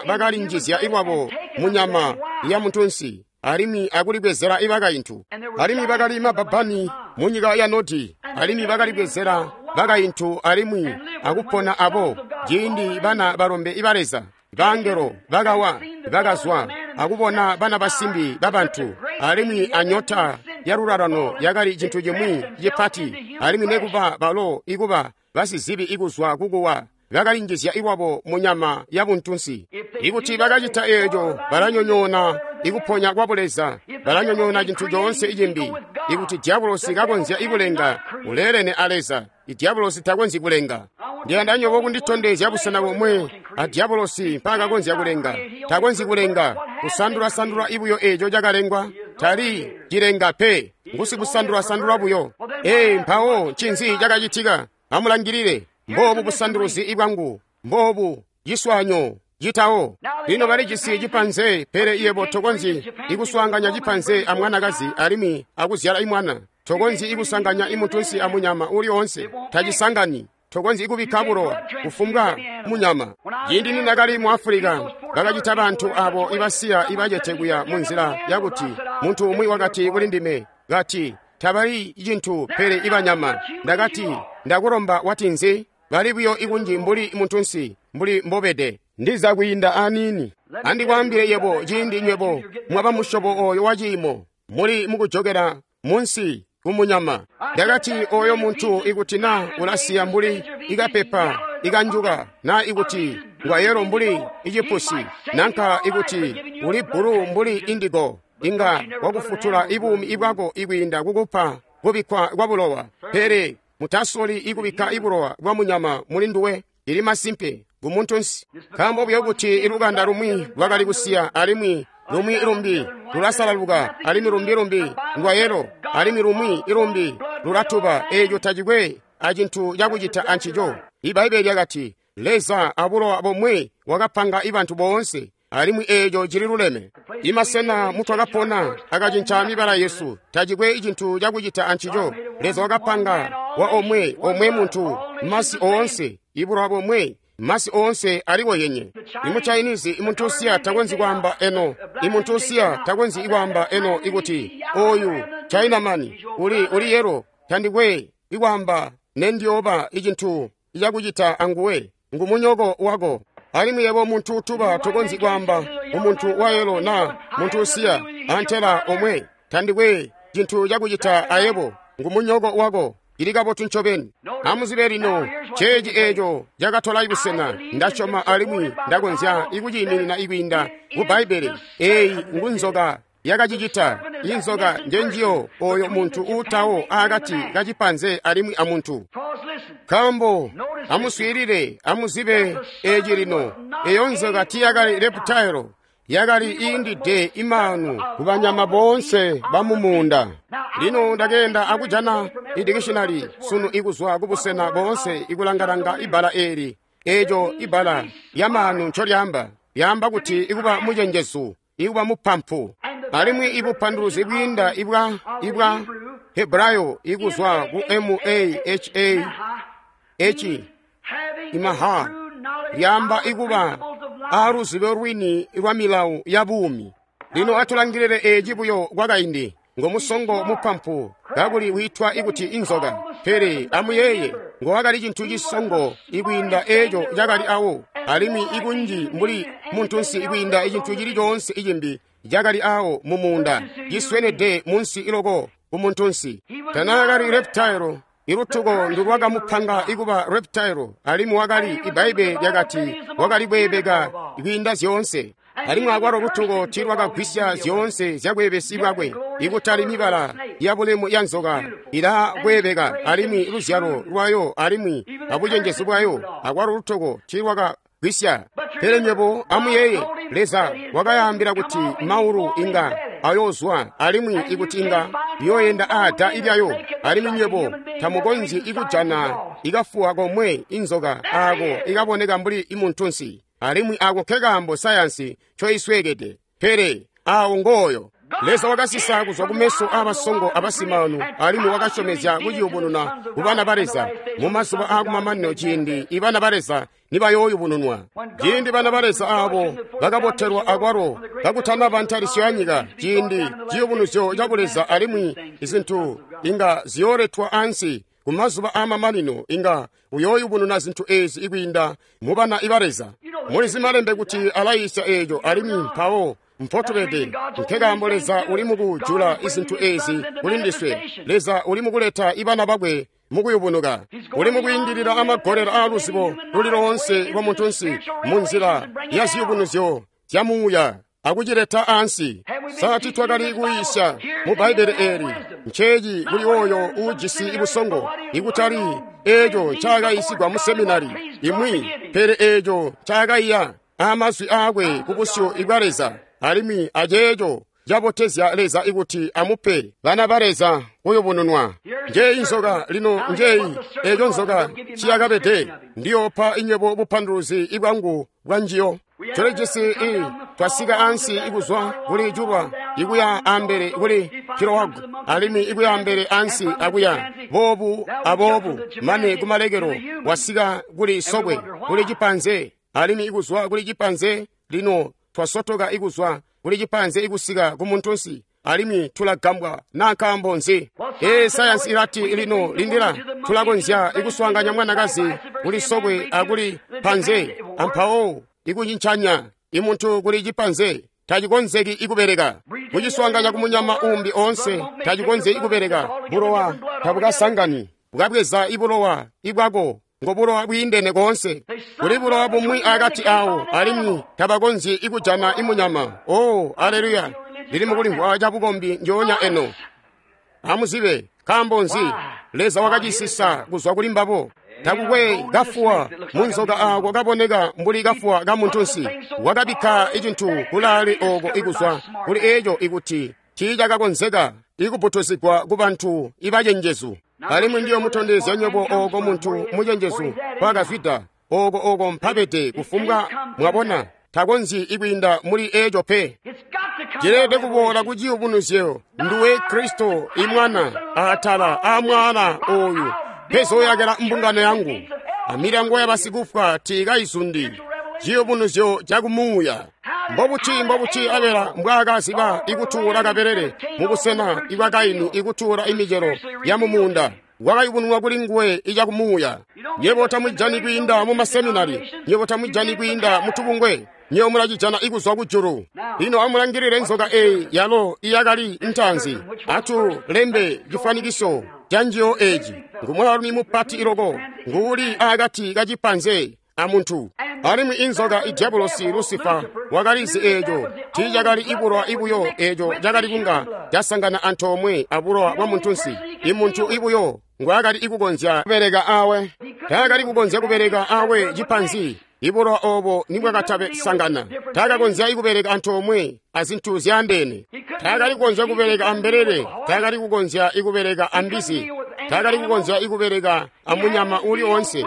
bakalinjizya iwabo munyama ya muntunsi alimwi akulibwezela ibakaintu. Alimwi bakali mabbabbani munyika ya Nodi, alimwi bakalibwezela bakaintu alimwi akupona abo. Ciindi bana balombe iba Leza bangelo bakawa bakazwa akubona bana basimbi babantu, alimwi anyota ya lulalano yakali cintu cimwi cipati, alimwi nekuba balo ikuba basizibi ikuzwa kukuwa bakalinjizya iwabo munyama ya buntunsi. Ikuti bakacita eeco, balanyonyoona ikuponya kwa buleza, balanyonyoona cintu coonse icimbi. Ikuti diabolosi kakonzya ikulenga, uleelene a Leza. Diabolosi takonzyi kulenga. Ndiyanda nyobo kunditondezya busena bomwe a diabolosi mpaakakonzya kulenga. Takonzyi kulenga, kusandula-sandula ibuyo eeco cakalengwa. Tali cilenga pe, ngusikusandula-sandula buyo. Ee, mpawo ncinzi cakacitika? Amulangilile. Mboobu busanduluzi ibwangu, mboobu ciswanyo citawo. Lino balijisi cipanze, pele yebo tokonzyi ikuswaanganya cipanze a mwanakazi alimwi akuzyala imwana. Tokonzyi ikusanganya imuntunsi amunyama uli oonse, tacisangani. Tokonzyi ikubikka bulowa kufumbwa munyama. Ciindi nindakali mu Afulika, bakacita bantu abo ibasiya ibacete kuya munzila yakuti muntu umwi wakati kuli ndime, kati, tabali cintu pele ibanyama. Ndakati, ndakulomba wati nzi? Bali buyo ikunji mbuli muntunsi, mbuli mbobede. Ndiza kwiinda aniini. Andikwaambile yebo, ciindi nywebo mwaba musyobo oyo wa ciimo, muli mukujokela munsi kumunyama. Ndakati, oyo muntu ikuti na ulasiya mbuli ikapepa ikanjuka, na ikuti ngwayelo mbuli icipusi, nanka ikuti uli bbulu mbuli indigo, inga wakufutula ibuumi ibwako ikwiinda kukupa kubikkwa kwa bulowa. Pele mutasoli ikubikka ibulowa bwa munyama muli nduwe. Ili masimpe ngumuntunsi, nkaambo buyo kuti ilukanda lumwi lwakali kusiya, alimwi lumwi lumbi lulasalaluka, alimwi lumbi lumbi ndwayelo, alimwi lumwi ilumbi lulatuba. Eeco tacikwe acintu cakucita ancico. Ibbaibbele lyakati, Leza abulowa bomwe wakapanga ibantu boonse, alimwi eeco cili luleme. Imasena mutwakapona akacinca mibala yesu, tacikwe cintu cakucita ancico. Leza wakapanga wa omwe omwe muntu, masi oonse, ibulowa bomwe, masi oonse aliwo yenye. Imu Chinese imuntu usiya takonzyi kwaamba eno, imuntu usiya takonzyi ikwaamba eno ikuti oyu Chinaman uli yelo, tandikwe ikwaamba nendioba icintu icakucita anguwe, ngumunyoko wako. Alimwi yebo muntu utuba tokonzyi kwaamba umuntu wayelo na muntu usiya antela omwe, tandikwe cintu cakucita ayebo, ngumunyoko wako. Ili kabotu ncobeni. Amuzibe lino, ceeci eeco cakatola ibusena. Ndasyoma alimwi ndakonzya ikuciiminina ikwiinda ku Bbaibbele. Eeyi ngunzoka yakacicita. Inzoka njenjiyo oyo muntu uutawo aakati kacipanze alimwi amuntu. Nkaambo amuswiilile, amuzibe eeci lino. Eyo nzoka tiyakali reptile, yakali iindide imanu kubanyama boonse bamumuunda. Lino ndakeenda akujana idikishinali sunu ikuzwa kubusena boonse ikulangalanga ibbala eeli. Eeco ibbala lyamaanu ncolyaamba, lyaamba kuti ikuba mucenjezu, ikuba mupampu. Alimwi ibupanduluzi bwiinda ibwa Hebrayo ikuzwa ku M-A-H-A-H imaha, lyaamba ikuba aaluzibo lwini lwa milawo ya buumi. Lino atulangilile eeci buyo kwakaindi. Ngomusongo mupampu kakuli wiitwa ikuti inzoka. Pele amuyeeye, ngowakali cintu cisongo ikwiinda eeco cakali awo, alimwi ikunji mbuli muntunsi ikwiinda icintu cili coonse icimbi cakali awo mumuunda, ciswenede munsi iloko ku muntunsi. Tanaakali reptile. Ilutuko ndulwakamupanga ikuba reptile, alimwi wakali, Ibbaibbele lyakati wakali kweebeka kwiinda zyoonse. Alimwi akwalo lutuko tiilwakagwisya zyoonse zyakweebesi bwakwe. Ikutali mibala yabulemu ya nzoka ilakweebeka, alimwi luzyalo lwayo alimwi abucenjezu bwayo, akwalo lutuko tiilwakagwisya. Pele nywebo amuyeeye, Leza wakayaambila kuti maulu inga ayoozwa, alimwi ikuti inga yooyenda aada ilyayo, alimwi nywebo tamukonzyi ikujana ikafuwa komwe inzoka aako ikaboneka mbuli imuntunsi. Alimwi ako nkekaambo sayansi ncoisweekede. Pele Awo ngooyo. Leza wakasisa kuzwa kumeso aabasongo abasimaanu, alimwi wakasyomezya kuciyubununa kubana ba Leza mumazuba aakumamanino ciindi ibana ba Leza nibayooyubununwa. Ciindi bana ba Leza aabo bakabotelwa akwalo kakutanaba ntalisyo yanyika, ciindi ciyubunuzyo ca Buleza alimwi izintu inga ziyooletwa ansi kumazuba aamamanino, inga uyooyubununa zintu eezi ikwiinda mubana iba Leza. Mulizi malembe kuti alayiisya eeco, alimwi mpawo mpotubede. Nkekaambo Leza uli mukujula izintu ezi kuli ndiswe. Leza uli mukuleta ibana bakwe mukuyubunuka. Uli mukwiindilila amagolelo aaluzibo luli loonse lwa muntunsi munzila ya ziyubunuzyo zya muuya akucileta ansi. Sa twakali kuyiisya mu Bbaibbele eeli? Nceeci kuli oyo uujisi busongo, ikutali eeco ncaakayiisigwa mu seminari imwi, pele eeco ncaakaiya amazwi aakwe kubusyu bwa Leza, alimwi aceeco cabotezya Leza ikuti amupe bana ba Leza kuyubununwa. Njeeyi nzoka lino, njeeyi eeco nzoka ciyakabede. Ndiyoopa inywebo bupanduluzi bwangu bwa njiyo. Tulijisi twasika ansi ikuzwa kuli julwa ikuya ambele kuli kilowagu, alimwi ikuya ambele ansi akuya boobu aboobu mane kumalekelo wasika kuli sokwe kuli cipanze, alimwi ikuzwa kuli cipanze lino twasotoka ikuzwa kuli cipanze ikusika ku muntunsi, alimwi tulagambwa na nkaambo nzi? Sayansi ilati lino lindila, tulakonzya ikuswaanganya mwanakazi kuli sokwe akuli panze, ampawo ikucincanya imuntu kuli cipanze tacikonzeki ikubeleka. Kuciswaanganya kumunyama umbi oonse tacikonzeki ikubeleka. Bulowa tabukasangani, bukabweza ibulowa ibwako ngo bulowa bwiindene koonse. Kuli bulowa bumwi akati awo, alimwi tabakonzyi ikujana imunyama. Oh, aleluya! Ndili mukulimvwa cabukombi njoonya eno. Amuzibe nkaambo nzi Leza wakacisisa kuzwa kuli mbabo. Takukwe kafuwa munzoka aako kaboneka mbuli kafuwa ka muntunsi. Wakabikka icintu kulaale ooko ikuzwa kuli eeco ikuti tiicakakonzeka ikubutuzigwa ku bantu ibacenjezu. Alimwi ndiyo mutondezya nywebo ooko muntu mucenjezu kwakazwida, ooko mpabede kufumbwa mwabona, takonzyi ikwiinda muli eeco pe. Cileelede kuboola ku ciyubunuzyo, nduwe Kristo imwana atala aamwaala ooyu mpezooyakela mbungano yangu, amilyango yabasikufwa tiikayizundi. Ciyubunuzyo cakumuuya. Mbobuti Abela mbwaakaziba ikutuula kabelele mubusena ibwa Kaini ikutuula imicelo ya mumuunda? Wakayubununwa kuli nguwe icakumuuya. Nywebo tamujani kwiinda mu maseminari, nywebo tamujani kwiinda mu tubungwe, nywebo mulacijana ikuzwa kujulu. Lino amulangilile nzoka eeyi yalo iyakali ntaanzi. Atulembe cifwanikiso ca njiyo eeci. Ngumwaalumi mupati iloko, nguuli akati kacipanze amuntu. Alimwi inzoka idyabulosi Lusifa wakalizi eeco tiicakali ibulowa ibuyo eeco cakali kunga casangana antoomwe abulowa bwa muntunsi. Imuntu ibuyo ngwaakali ikukonzya kubeleka awe. Taakali kukonzya kubeleka awe cipanzi ibulowa oobo nibwakatabesangana. Taakakonzya ikubeleka antoomwe azintu zyaandeene. Taakali kukonzya kubeleka ambelele, taakali kukonzya ikubeleka ambizi, taakali kukonzya ikubeleka amunyama uuli oonse.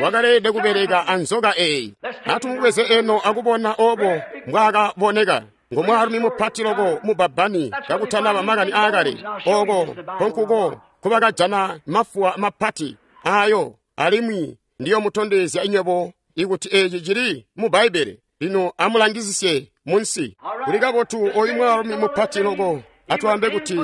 Wakaleelede kubeleka anzoka eeyi. Atumubweze eno akubona oobo mbwaakaboneka. Ngomwaalumi mupati loko mubbabbani kakutanaba makani aakale. Ooko nkonkuko nkubakajana mafuwa mapati aayo, alimwi ndiyomutondezya inywebo ikuti eeci cili mu Bbaibbele. Lino amulangizisye munsi. Kuli kabotu oyu mwaalumi mupati loko. Atwaambe kuti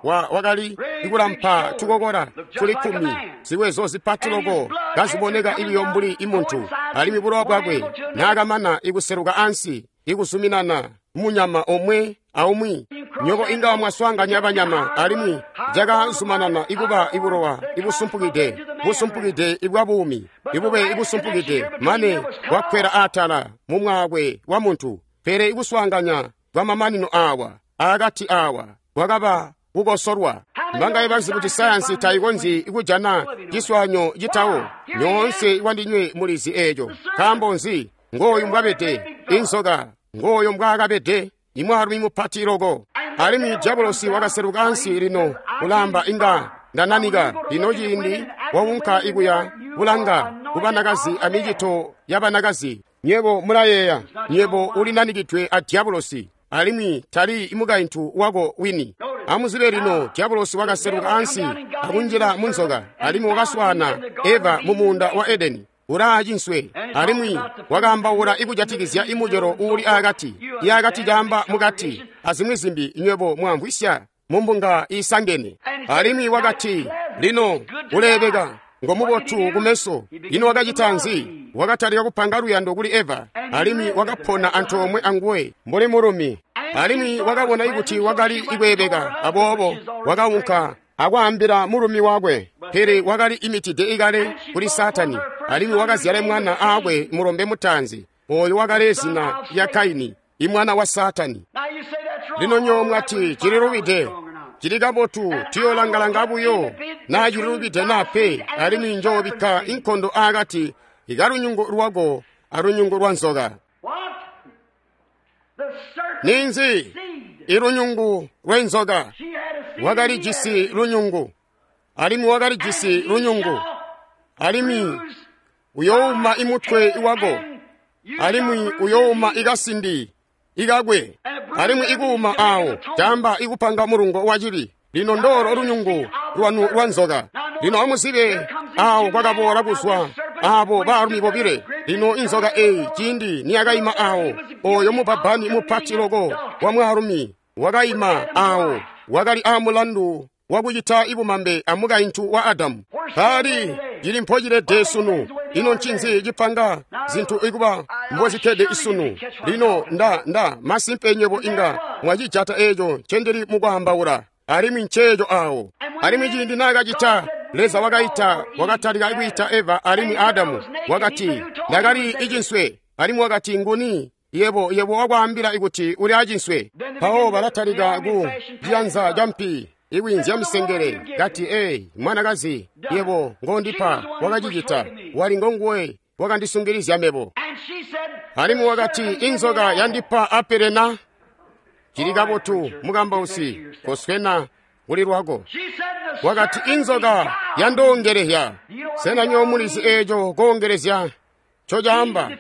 wakali ikulampa tukokola tuli 10, ziwezo zipati loko kaziboneka ibiyo mbuli imuntu, alimwi bulowa bwakwe naakamana ikuseluka ansi ikuzuminana munyama omwe aumwi. Nywebo inga mwaswaanganya banyama, alimwi cakazumanana ikuba ibulowa ibusumpukide, busumpukide ibwa buumi, ibube ibusumpukide mane bwakwela atala mumwaakwe wa muntu. Pele ikuswaanganya kwamamanino aawa akati aawa kwakaba kukosolwa. Mbangaye bazi kuti sayansi tayikonzyi kujana ciswaanyo citawo? Nyoonse kwandinywe mulizi eeco. Nkaambo nzi? Ngooyu mbwabede inzoka, ngooyo mbwaakabede imwaalumi mupati loko. Alimwi diabolosi wakaseluka ansi lino kulamba inga ndananika. Lino ciindi waunka ikuya kulanga kubanakazi amicito yabanakazi. Nywebo mulayeeya, nywebo ulinanikidwe a diabolosi. alimwi tali mukaintu wako wini. Amuzibe lino, dyabulosi wakaseluka ansi akunjila mu nzoka, alimwi wakaswaana Eva mu muunda wa Edeni ulaa cinswe, alimwi wakaambaula ikujatikizya imucelo uuli aakati, iakati caamba mukati, azimwi zimbi nywebo mwamvwisya mumbunga iisangene. Alimwi wakati, lino uleebeka, ngomubotu kumeso. Ino wakacita nzi? Wakatalika kupanga luyando kuli Eva, alimwi wakapona antoomwe anguwe mbuli mulumi. Alimwi wakabona ikuti wakali ikweebeka, aboobo wakaunka akwaambila mulumi wakwe. Pele wakali imitide ikale kuli Saatani, alimwi wakazyala mwana aakwe mulombe mutaanzi, ooyo wakali zina lya Kaini, imwana wa Saatani. Lino nywebo mwati cililubide, cili kabotu, tuyoolanga-langa buyo naa cililubide naa pe, alimwi njoobikka inkondo aakati ikalunyungu lwako alunyungu lwa nzoka. Ninzi? Ilunyungu lw'enzoka. Wakalijisi lunyungu, alimwi wakalijisi lunyungu, alimwi uyouma imutwe wako, alimwi uyouma ikasindi ikakwe, alimwi ikuuma awo caamba ikupanga mulungo wacibi. Lino ndolo lunyungu lwanu lwa nzoka. Lino amuzibe awo kwakaboola kuzwa abo baalumi bobile. Lino inzoka eyi ciindi niyakaima awo, oyo mubbabbani mupati loko wa mwaalumi wakaima awo, wakali aamulandu wakucita ibumambe amukaintu wa Adamu. Paali cili mpocilede sunu. Ino ncinzi cipanga zintu ikuba mbozikkede isunu? Lino nda masimpe nywebo inga mwacijata eeco ncendili mukwaambaula, alimwi nceeco awo. Alimwi ciindi naakacita, Leza wakaita, wakatalika kwiita Eva alimwi Adamu. Wakati, ndakali icinswe. Alimwi wakati, nguni yebo wakwaambila ikuti uli acinswe? Mpawo balatalika ku ciyanza ca mpi ikwiinzya misengele, kati, ei, mwanakazi, yebo ngondipa wakacicita, wali ngonguwe wakandisungilizya mebo. Alimwi wakati, inzoka yandipa apele na? Cili kabotu, mukambausi, koswena kuli lwako. Wakati, inzoka yandoongelezya. Sena nywebo mulizi eeco koongelezya ncocaamba?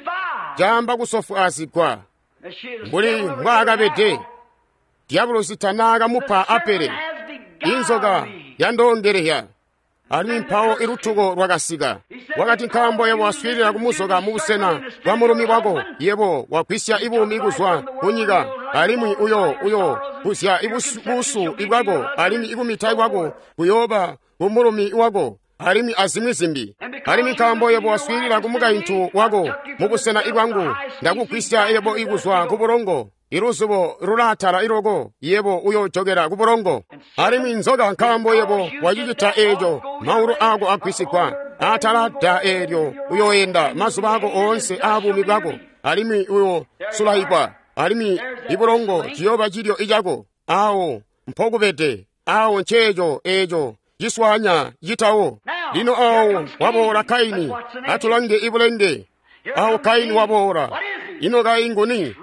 Caamba kusofwaazigwa mbuli mbwaakabede. Dyabulosi tanaakamupa apele. Inzoka yandoongelezya. Alimwi mpawo ilutuko lwakasika. Wakati, nkaambo yebo waswiilila kumuzoka mubusena bwa mulumi wako, yebo wagwisya ibuumi kuzwa kunyika, alimwi uyo kuzya busu ibwako, alimwi ikumita kwako kuyooba kumulumi wako, alimwi azimwi zimbi. Alimwi nkaambo yebo waswiilila kumukaintu wako mubusena ibwangu, ndakugwisya yebo ikuzwa kubulongo, iluzubo lulaatala iloko, yebo uyoojokela kubulongo. Alimwi nzoka, nkaambo yebo wacicita eeco, maulu ako agwisigwa atala da eelyo, uyooyenda mazuba ako oonse aabuumi bwako, alimwi uyoosulaikwa, alimwi ibulongo ciyooba cilyo icako. Awo mpokubede, awo nceeco eeco ciswaanya citawo. Lino awo waboola Kaini, atulange ibulenge. Awo Kaini waboola. Ino Kaini nguni?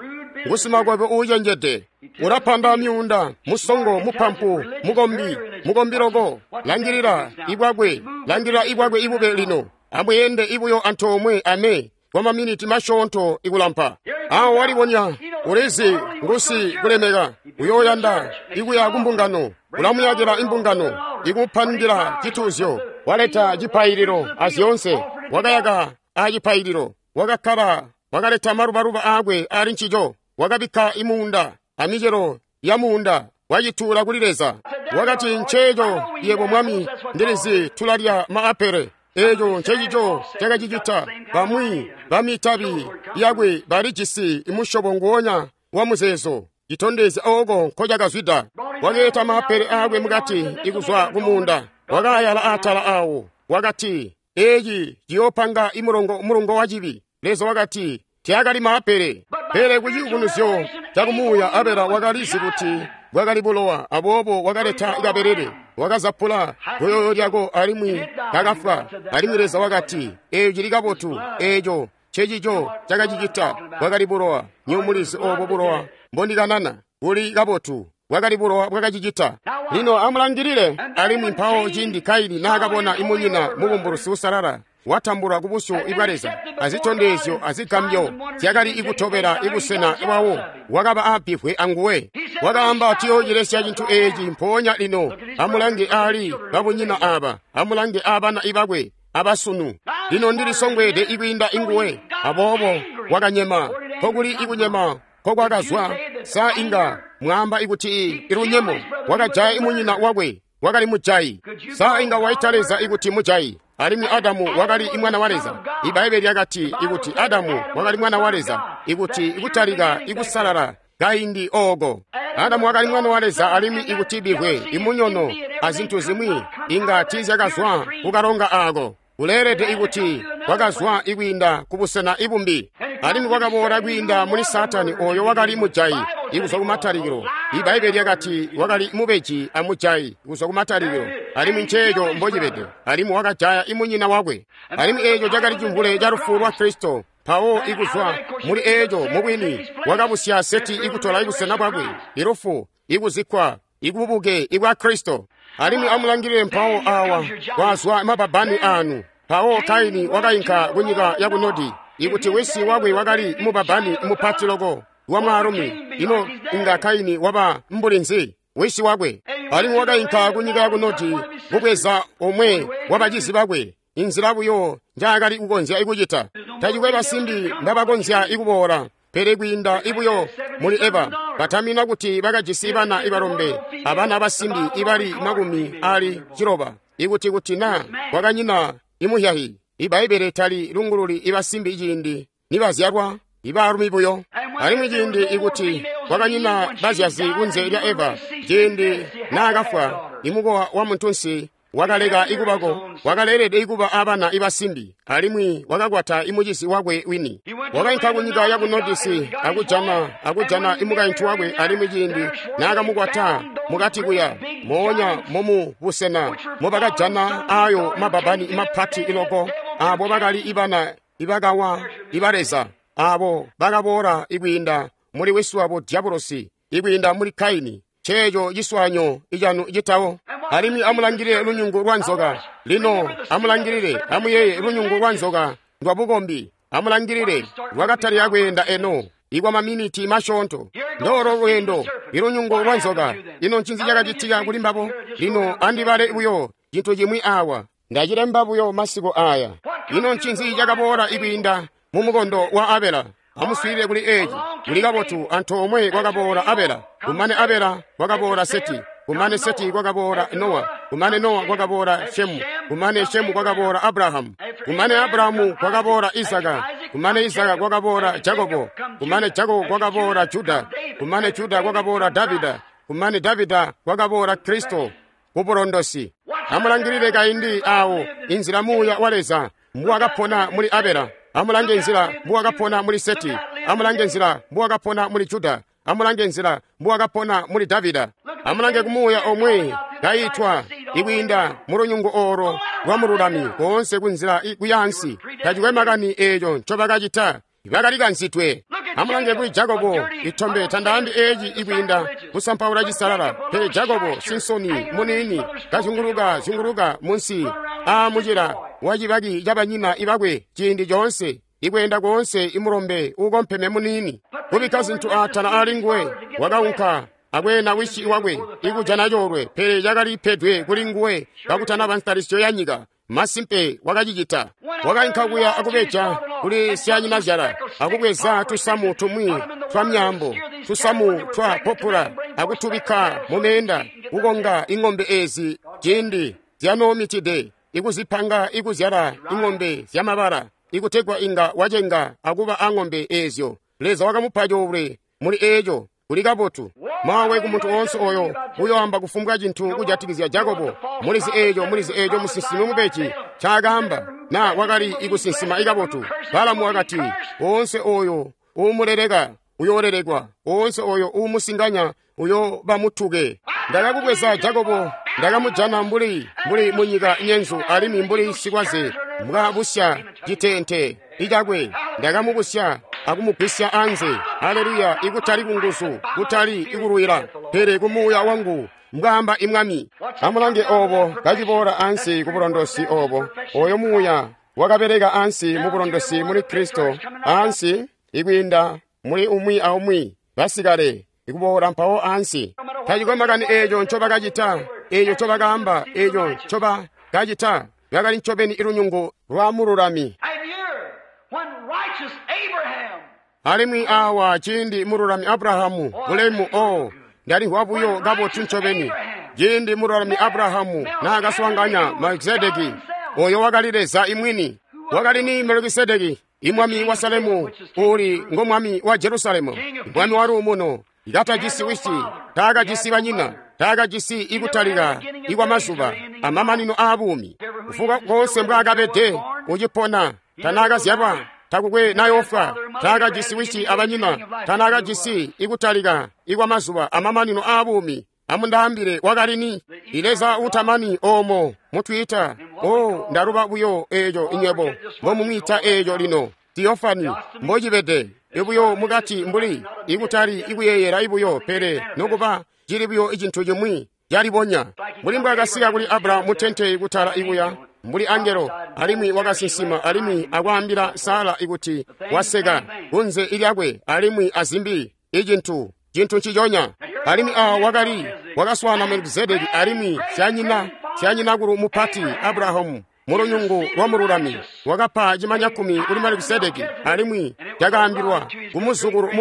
Ngusimakwebo uucenjede, ulapanda myuunda, musongo, mupampu, mukombi, mukombi loko. Langilila ibwakwe, langilila ibwakwe ibube lino. Amweende ibuyo antoomwe ame kwa maminiti masyoonto ikulampa. Awo walibonya, ulizi ngusi kulemeka, uyooyanda ikuya kumbungano, ulamuyakila imbungano, ikupangila cituuzyo, waleta cipaililo azyoonse, wakayaka acipaililo, wakakkala, wakaleta malubaluba aakwe ali ncico, wakabikka imuunda amicelo ya muunda, wacituula kuli Leza. Wakati, nceeco yebo mwami, ndilizi tulalya maapele. Eeco ncecico cakacicita. Bamwi bamitabi yakwe balijisi musyobo nguonya wa muzeezo, citondezya ooko nkocakazwida. Wakeeta maapele aakwe mukati ikuzwa kumuunda, wakaayala atala awo. Wakati, eeci ciyoopanga imulongo wa cibi. Leza wakati, teakali maapele. Pele kuciyubunuzyo cakumuuya Abela wakalizi kuti bwakali bulowa, aboobo wakaleta kabelele, wakazapula goyoyo lyako alimwi kakafwa. Alimwi Leza wakati, eeco cili kabotu, eeco ncecico cakacicita. Bwakali bulowa. Nywebo mulizi oobo bulowa mbondikanana buli kabotu. Bwakali bulowa bwakacicita. Lino amulangilile. Alimwi mpawo ciindi Kaini naakabona imunyina mubumbulusi usalala, watambulwa kubusyu bwa Leza, azitondezyo azigambyo zyakali ikutobela ibusena bwawo, wakaba abbivwe anguwe. Wakaamba, tuyoocilesya cintu eeci mpoonya lino. Amulange aali babunyina aaba, amulange aabana ibakwe abasunu. Lino ndilisongweede ikwiinda inguwe. Aboobo wakanyema. Nkokuli ikunyema nkokwakazwa? Sa inga mwaamba ikuti ilunyemo wakajaya imunyina wakwe wakali mujayi? Sa inga waita Leza ikuti mujayi? Alimwi Adamu wakali imwana wa Leza. Ibbaibbele lyakati ikuti Adamu wakali mwana wa Leza, ikuti ikutalika ikusalala kaindi ooko. Adamu wakali mwana wa Leza, alimwi ikuti bivwe imunyono azintu zimwi inga tiizyakazwa kukalonga aako. Kuleelede ikuti kwakazwa ikwiinda kubusena ibumbi, alimwi kwakaboola kwiinda muli Saatani oyo wakali mujayi ikuzwa kumatalikilo. Ibbaibbele lyakati wakali mubeji amujayi kuzwa kumatalikilo, alimwi nceeco mbocibede, alimwi wakajaya imunyina wakwe. Alimwi eeco cakali cimvule ca lufu lwa Kristo. Mpawo ikuzwa muli eeco mubwini wakabusya Seti ikutola ibusena bwakwe, ilufu, ikuzikkwa, ikububuke ibwa Kristo. Alimwi amulangilile mpawo awa kwazwa mababani anu. Mpawo Kaini wakainka kunyika ya Kunodi, ikuti wisi wakwe wakali mubabani mupati loko wa mwaalumi. Ino inga Kaini waba mbuli nzi wisi wakwe? Alimwi wakainka kunyika ya Kunodi kubweza omwe wa bacizi bakwe, inzila buyo njaakali kukonzya ikucita. Tacikwe basimbi mbabakonzya ikuboola, pele kwiinda ibuyo muli Eva. Batamina kuti bakajisi bana ibalombe abana basimbi ibali 60. Ikuti kuti na kwakanyina imuhyahi. Ibbaibbele tali lungululi ibasimbi ciindi nibazyalwa, ibaalumi buyo. Alimwi ciindi ikuti kwakanyina bazyazi kunze lya Eva, ciindi naakafwa, imukowa wa muntunsi wakaleka ikubako, wakaleelede ikuba abana ibasimbi, alimwi wakakwata imucizi wakwe wini. Wakainka kunyika ya Kunodisi akujana imukaintu wakwe, alimwi ciindi naakamukwata mukati kuya moonya momu busena mobakajana ayo mababani mapati iloko, abo bakali ibana ibakawa iba Leza, abo bakaboola ikwiinda muli wisi wabo Diabolosi, ikwiinda muli Kaini. Ceeco ciswanyo icanu citawo. Alimwi amulangilile lunyungu lwa nzoka. Lino amulangilile, amuyeeye lunyungu lwa nzoka ndwabukombi. Amulangilile lwakatalika kweenda eno ikwa maminiti masyoonto. Ndoolo lweendo ilunyungu lwa nzoka. Ino ncinzi cakacitika kuli mbabo? Lino andibale buyo cintu cimwi awa. Ndacilemba buyo masiku aya. Ino ncinzi cakaboola ikwiinda mu mukondo wa Abela? Amuswiilile kuli eeci. Kuli kabotu antoomwe kwakaboola Abela. Kumane Abela kwakaboola Seti. Kumane Seti kwakaboola Nowa. Kumane Nowa kwakaboola Shemu. Kumane Shemu kwakaboola Abrahamu. Kumane Abrahamu kwakaboola Isaka. Kumane Isaka kwakaboola Jakobo. Kumane Jakobo kwakaboola Juda. Kumane Juda kwakaboola Davida. Kumane Davida kwakaboola Kristo kubulondosi. Amulangilile kaindi awo inzila muuya wa Leza mbuwakapona muli Abela. Amulange nzila mbuwakapona muli Seti. Amulange nzila mbuwakapona muli Juda. Amulange nzila mbuwakapona muli Davida. Amulange kumuuya omwe kayitwa ikwiinda mulunyungu olo lwa mululami koonse kunzila kuyansi. Tacikwe makani eeco ncobakacita, bakalikanzidwe. Amulange kuli Jakobo itombe tandaambi eeci ikwiinda kusampaula cisalala, pele Jakobo sinsoni muniini kazyunguluka zyunguluka munsi aamucila wa cibaki cabanyina ibakwe ciindi coonse, ikweenda koonse imulombe uukompeme muniini kubikka zintu atala ali nguwe. Wakaunka akweena wisi wakwe ikujana coolwe, pele cakalipedwe kuli nguwe kakutanaba ntalisyo ya nyika. Masimpe wakacicita. Wakainka kuya akubeja kuli syanyinazyala, akubweza tusamu tumwi twa myambo, tusamu twa popula, akutubikka mumeenda, kukonga ing'ombe ezi ciindi zyanoomitide, ikuzipanga ikuzyala ing'ombe zyamabala, ikutegwa inga wacenga akuba ang'ombe ezyo. Leza wakamupa coolwe muli eeco. Kuli kabotu. Mawe ku muntu oonse oyo uyoamba kufumbwa cintu kujatikizya Jakobo. Mulizi eeco, mulizi eeco musinsimi mubeji ncaakaamba, na wakali ikusinsima ikabotu. Balamu wakati, oonse oyo uumuleleka uyoolelekwa, oonse oyo uumusinganya uyooba mutuke. Ndakakubweza Jakobo, ndakamujana mbuli munyika nyenzu, alimwi mbuli sikwaze mbwabusya citeente icakwe. Ndakamubusya akumugwisya anze. Haleluya! Ikutali kunguzu, kutali ikulwila, pele kumuuya wangu, mbwaamba imwami. Amulange obo kaciboola ansi kubulondosi obo, oyo muuya Wakabeleka ansi mu bulondosi muli Kristo, ansi ikwiinda muli umwi aumwi basikale ikuboola mpawo ansi. Tacikwe makani eeco ncobakacita, eeco ncobakaamba, eeco ncobakacita, bakali ncobeni ilunyungu lwa mululami. Alimwi awa ciindi mululami Abrahamu, bulemu o ndalimvwa buyo kabotu ncobeni. Ciindi mululami Abrahamu naakaswaanganya Melkisedeki, oyo wakali Leza imwini. Wakali ni Melkisedeki, imwami wa Salemu, uli ngo mwami wa Jerusalemu, mwami wa luumuno. Katajisi wisi, taakajisi banyina, taakajisi ikutalika ikwa mazuba amamanino aabuumi. Kufuka konse mbwaakabede ucipona, tanaakazyalwa, takukwe nayoofwa, taakajisi wisi abanyina, tanaakajisi ikutalika ikwa mazuba amamanino aabuumi. Amundaambile wakali ni? Leza utamani oomo mutwiita. O ndaluba buyo eeco inywebo mbomumwiita eeco lino Theophany mbocibede ibuyo mukati mbuli ikutali ikuyeeyela ibuyo, pele nokuba cili buyo icintu cimwi calibonya mbuli mbwaakasika kuli Abrahamu mutente kutala ikuya mbuli angelo, alimwi wakasinsima alimwi akwaambila Sara ikuti waseka kunze ilyakwe alimwi azimbi icintu cintu nciconya. Alimwi awa wakali wakaswaana Melkisedeki alimwi syanyinakulu mupati Abrahamu mulunyungu lwa mululami wakapa cimanyakkumi kuli Melkisedeki, alimwi cakaambilwa kumuzukulu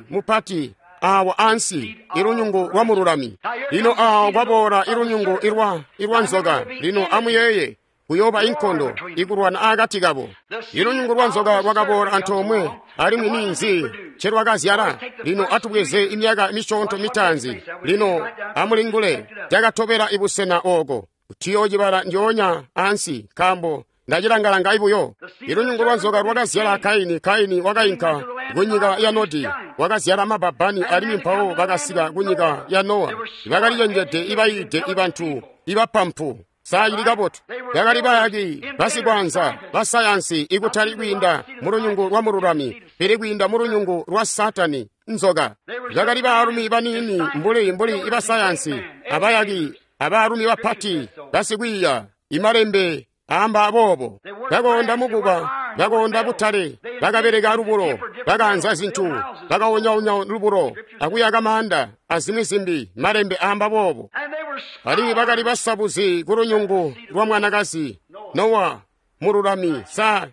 mupati awa ansi ilunyungu lwa mululami. Lino awa kwaboola ilunyungu ilwa nzoka. Lino amuyeeye, kuyooba inkondo ikulwana aakati kabo. Ilunyungu lwa nzoka lwakaboola antoomwe, alimwi ninzi ncelwakazyala? Lino atubweze imyaka misyoonto mitaanzi. Lino amulingule cakatobela ibusena ooko. Tuyoocibala ndyoonya ansi, nkaambo ndacilangalanga ibuyo. Ilunyungu lwa nzoka lwakazyala Kaini. Kaini wakainka kunyika ya Nodi, wakazyala mababani, alimwi mpawo bakasika kunyika ya Nowa. Bakalicenjede ibayiide ibantu ibapampu. Saacili kabotu. Bakali bayaki, basikwaanza, basayansi, ikutali kwiinda mulunyungu lwa mululami, pele kwiinda mulunyungu lwa Satani, nzoka. Bakali baalumi baniini mbuli ibasayansi, abayaki, abaalumi bapati, basikwiiya, imalembe aamba boobo. Bakoonda mukuba, bakoonda butale, bakabeleka lubulo, bakaanza zintu, bakawonyaunya lubulo, akuyaka maanda, azimwi zimbi, malembe aamba boobo. Alimwi bakali basabuzi ku lunyungu lwa mwanakazi Nowa mululami. Sa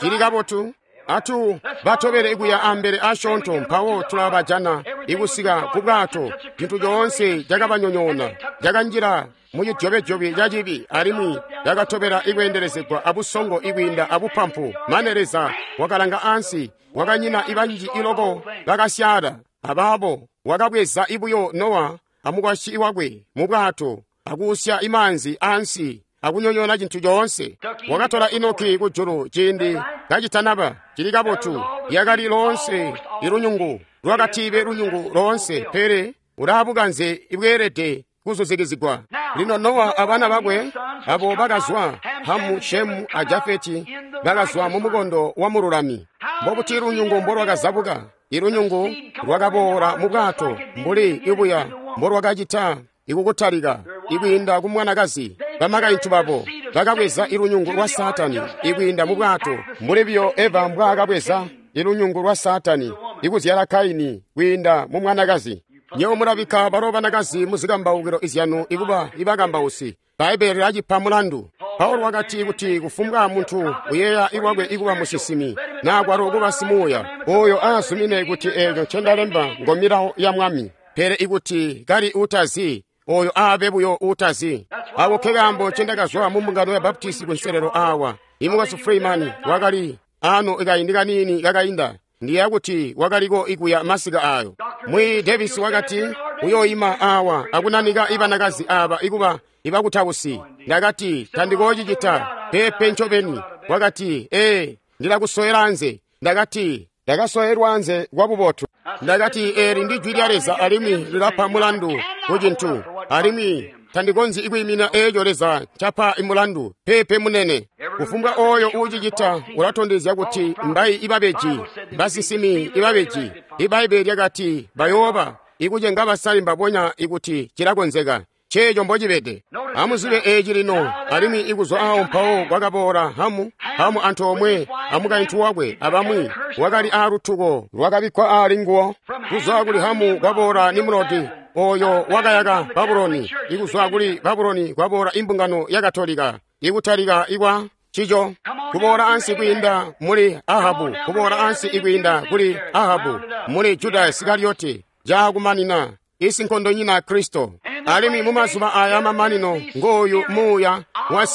cili kabotu? Atu batobele kuya ambele asyoonto, mpawo tulabajana ikusika ku bwato. Cintu coonse cakabanyonyoona, cakanjila mu cidyobedyobye ca cibi, alimwi cakatobela ikweendelezegwa abusongo ikwiinda abupampu. Mane Leza wakalanga ansi, wakanyina ibanji iloko bakasyaala. Abaabo wakabweza ibuyo Nowa amukwasyi wakwe mu bwato, akuusya imaanzi ansi, akunyonyoona cintu coonse. Wakatola Enoki kujulu ciindi kacitanaba. Cili kabotu. Yakali loonse ilunyungu lwakatibe lunyungu loonse, pele ulaabukanze ibweelede kuzuzikizigwa. Lino Nowa abana bakwe abo bakazwa Hamu, Shemu a Jafeti bakazwa mu mukondo wa mululami. Mbobuti lunyungu mbolwakazabuka? Ilunyungu lwakaboola mu bwato mbuli ibuya mbolwakacita ikukutalika ikwiinda ku mwanakazi. Bamakaintu babo bakabweza ilunyungu lwa Satani ikwiinda mu bwato, mbuli biyo Eva mbwaakabweza ilunyungu lwa Satani ikuzyala Kaini kwiinda mu mwanakazi. Nyewe mulabikka balo banakazi muzikambaukilo izyanu ikuba ibakambausi. Bbaibbele lilacipa mulandu. Paulo wakati kuti kufumbwa muntu uyeeya iwakwe ikuba musinsimi naa kwalo kuba simuuya, oyo aazumine kuti eeco ncendalemba ngo milawo ya Mwami. Pele ikuti kali utazi, oyo aabe buyo utazi. Ako ke kaambo ncendakazwa mu mbungano ya Baptisti kunselelo awa. Imukwesu Freeman wakali ano kaindi kaniini kakainda. Ndiyeeya kuti wakaliko ikuya masika ayo. Mwi Davis wakati uyoima awa akunanika ibanakazi aba ikuba ibakutausi. Ndakati tandikoocicita pepe ncobeni. Wakati ee, ndilakusowela anze. Ndakati ndakasowerwa anze kwa bubotu. Ndakati eeli ndi jwi lya Leza alimwi lilapa mulandu ku cintu, alimwi tandikonzyi ikwiimina eeco Leza ncapa imulandu. Pepe munene. Kufumbwa oyo uucicita ulatondezya kuti mbayi ibabeji, basinsimi ibabeji. Ibbaibbele lyakati bayooba ikucenga basale mbabonya ikuti cilakonzeka. Nceeco mbocibede. Amuzibe eeci lino. Alimwi ikuzwa awo mpawo kwakaboola Hamu, Hamu antoomwe amukaintu wakwe abamwi, wakali aalutuko lwakabikkwa aali nguwo. Kuzwa kuli Hamu kwaboola Nimrodi, oyo wakayaka Babuloni. Ikuzwa kuli Babuloni kwaboola imbungano ya Katolika, ikutalika ikwa cico, kuboola ansi kwiinda muli Ahabu, kuboola ansi ikwiinda kuli Ahabu, muli Juda Isikarioti, caakumanina isinkondonyina Kristo. Alimwi mumazuba aya mamanino ngooyu muuya wa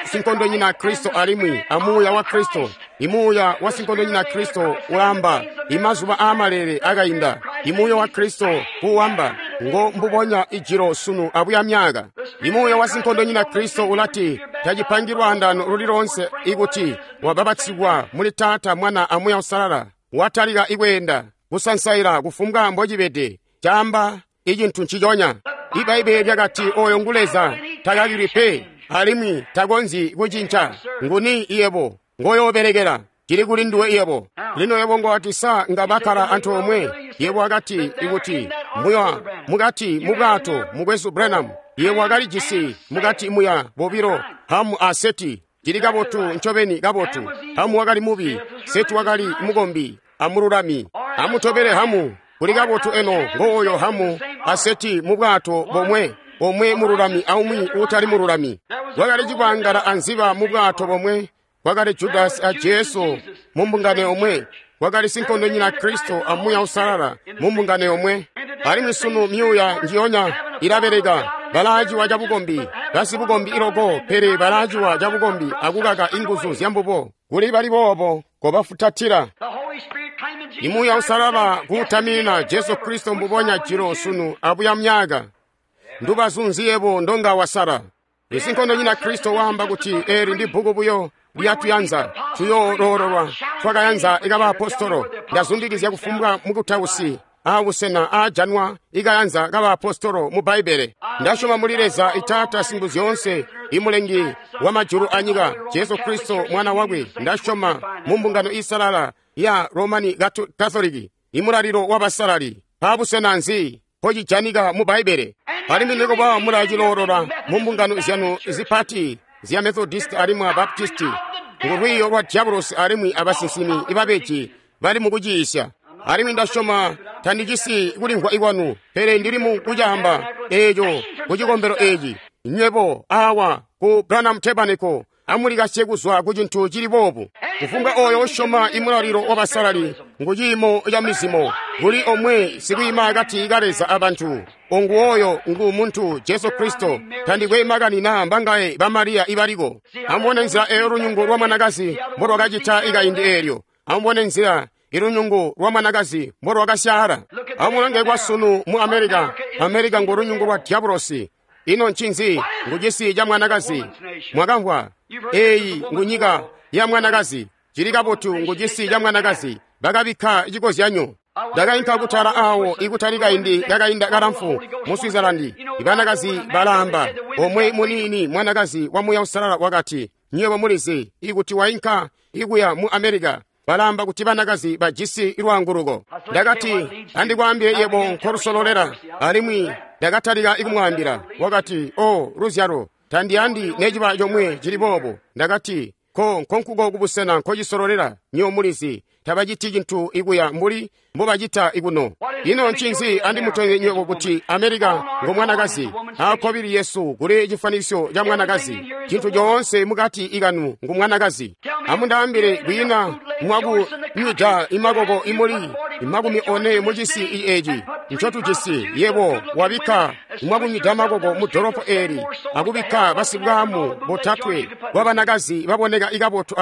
sinkondonyina Kristo alimwi amuuya wa Kristo. Imuuya wa sinkondonyina Kristo ulaamba imazuba aamalele akainda. Imuuya wa Kristo kuwamba ngo mbubonya ijilo sunu abuya myaka. Imuuya wa sinkondonyina Kristo ulati tacipangi lwaandano luli lonse ikuti wababatsigwa muli Taata, Mwana amuuya Usalala. Watalika ikweenda kusansaila kufumbwa mbocibede, caamba icintu nciconya. Ibaibbele lyakati oyo ngu Leza, takakilwi pe alimwi takonzyi kucinca. Nguni iyebo ngoyoobelekela? Cili kuli nduwe iyebo. Lino yebo ngowati sa nga bakkala antoomwe. Yebo wakati ikuti muya mukati mubwato mukwesu Branham, yebo wakalijisi mukati muya bobilo Hamu a Seti. Cili kabotu ncobeni kabotu. Hamu wakali mubi, Seti wakali mukombi amululami. Amutobele Hamu. Kuli kabotu eno ngooyo Hamu a Seti mubwato bomwe, omwe mululami aumwi uutali mululami. Kwakali cikwangala anziba mubwato bomwe, kwakali Judasi a Jesu mumbungano yomwe, kwakali sinkondonyina Kristo a Muuya Uusalala mumbungano yomwe. Alimwi sunu myuuya njiyonya ilabeleka. Balaaciwa cabukombi, basibukombi iloko, pele balaaciwa cabukombi akukaka inguzu zyambubo. Kuli bali boobo kobafutatila. Imuuya Uusalala kuutamina Jesu Kristo mbubonya jilo sunu abuya myaka. Ndubazu nzi yebo ndonga wasala? Isinkondonyina Kristo waamba kuti eli ndi bbuku buyo lyatuyanza tuyooloololwa twakayanza ikabaapostolo. Ndazundikizya kufumbwa mukutausi aabusena aajanwa ikayanza kabaapostolo mu Bbaibbele. Ndasyoma muli Leza Itaata Singuzyoonse, imulengi wa majulu anyika, Jesu Kristo mwana wakwe. Ndasyoma mu mbungano iisalala ya Romani Katoliki, imulalilo wabasalali. Paabusena nzi mpocijanika mu Bbaibbele? Alimwi nikuba mulaciloolola mu mbungano zyanu zipati zya Methodist alimwi a Baptisti, ngulwiiyo lwa diabolosi alimwi abasinsimi ibabeji bali mukuciisya. Alimwi ndasyoma tandicisi kulimvwa ikwanu, pele ndili mu kucaamba eeco ku cikombelo eeci. Nywebo awa ku Branham Tabernacle amulikasye kuzwa ku cintu cili boobu. Kufumbwa oyo usyoma imulalilo wabasalali ngu ciimo ca mizimo, kuli omwe sikwiima akati ka Leza abantu, ongu oyo ngu muntu Jesu Kristo. Tandikwe makani naa mbangaye ba Mariya ibaliko. Amubone nzila eyo lunyungu lwa mwanakazi mbolwakacita ikaindi eelyo. Amubone nzila ilunyungu lwa mwanakazi mbolwakasyaala. Amulange kwasunu mu Amerika. Amerika ngu lunyungu lwa diabolosi. Ino ncinzi ngu cisi ca mwanakazi? Mwakamvwa eeyi ngu nyika ya mwanakazi. Cili kabotu ngu cisi ca mwanakazi. Bakabikka cikozyanyo. Ndakainka kutala awo ikutali kaindi kakainda kalamfu mu Switzerland. Ibanakazi balaamba omwe muniini mwanakazi wa Muuya Uusalala wakati, nywebo mulizi ikuti wainka ikuya mu Amerika balaamba kuti banakazi bajisi lwaanguluko. Ndakati andikwaambile yebo nkolusololela. Alimwi ndakatalika ikumwaambila. Wakati, o luzyalo, tandiyandi neciba comwe cili boobo. Ndakati, ko nkonkuko kubusena nkocisololela. Nywebo mulizi tabaciti cintu ikuya mbuli mbobacita ikuno. Ino ncinzi andimutondezye nywebo kuti Amerika ngo mwanakazi. Aakkobili yesu kuli cifanisyo ca mwanakazi. Cintu coonse mukati ikanu ngu mwanakazi. Amundaambile kwiina mwakunywida imakoko imuli 40 mucisi eeci ncotujisi. Yebo wabikka mwakunywida makoko mu dolopo eeli akubikka basibwaamu botatwe bwabanakazi baboneka ikabotu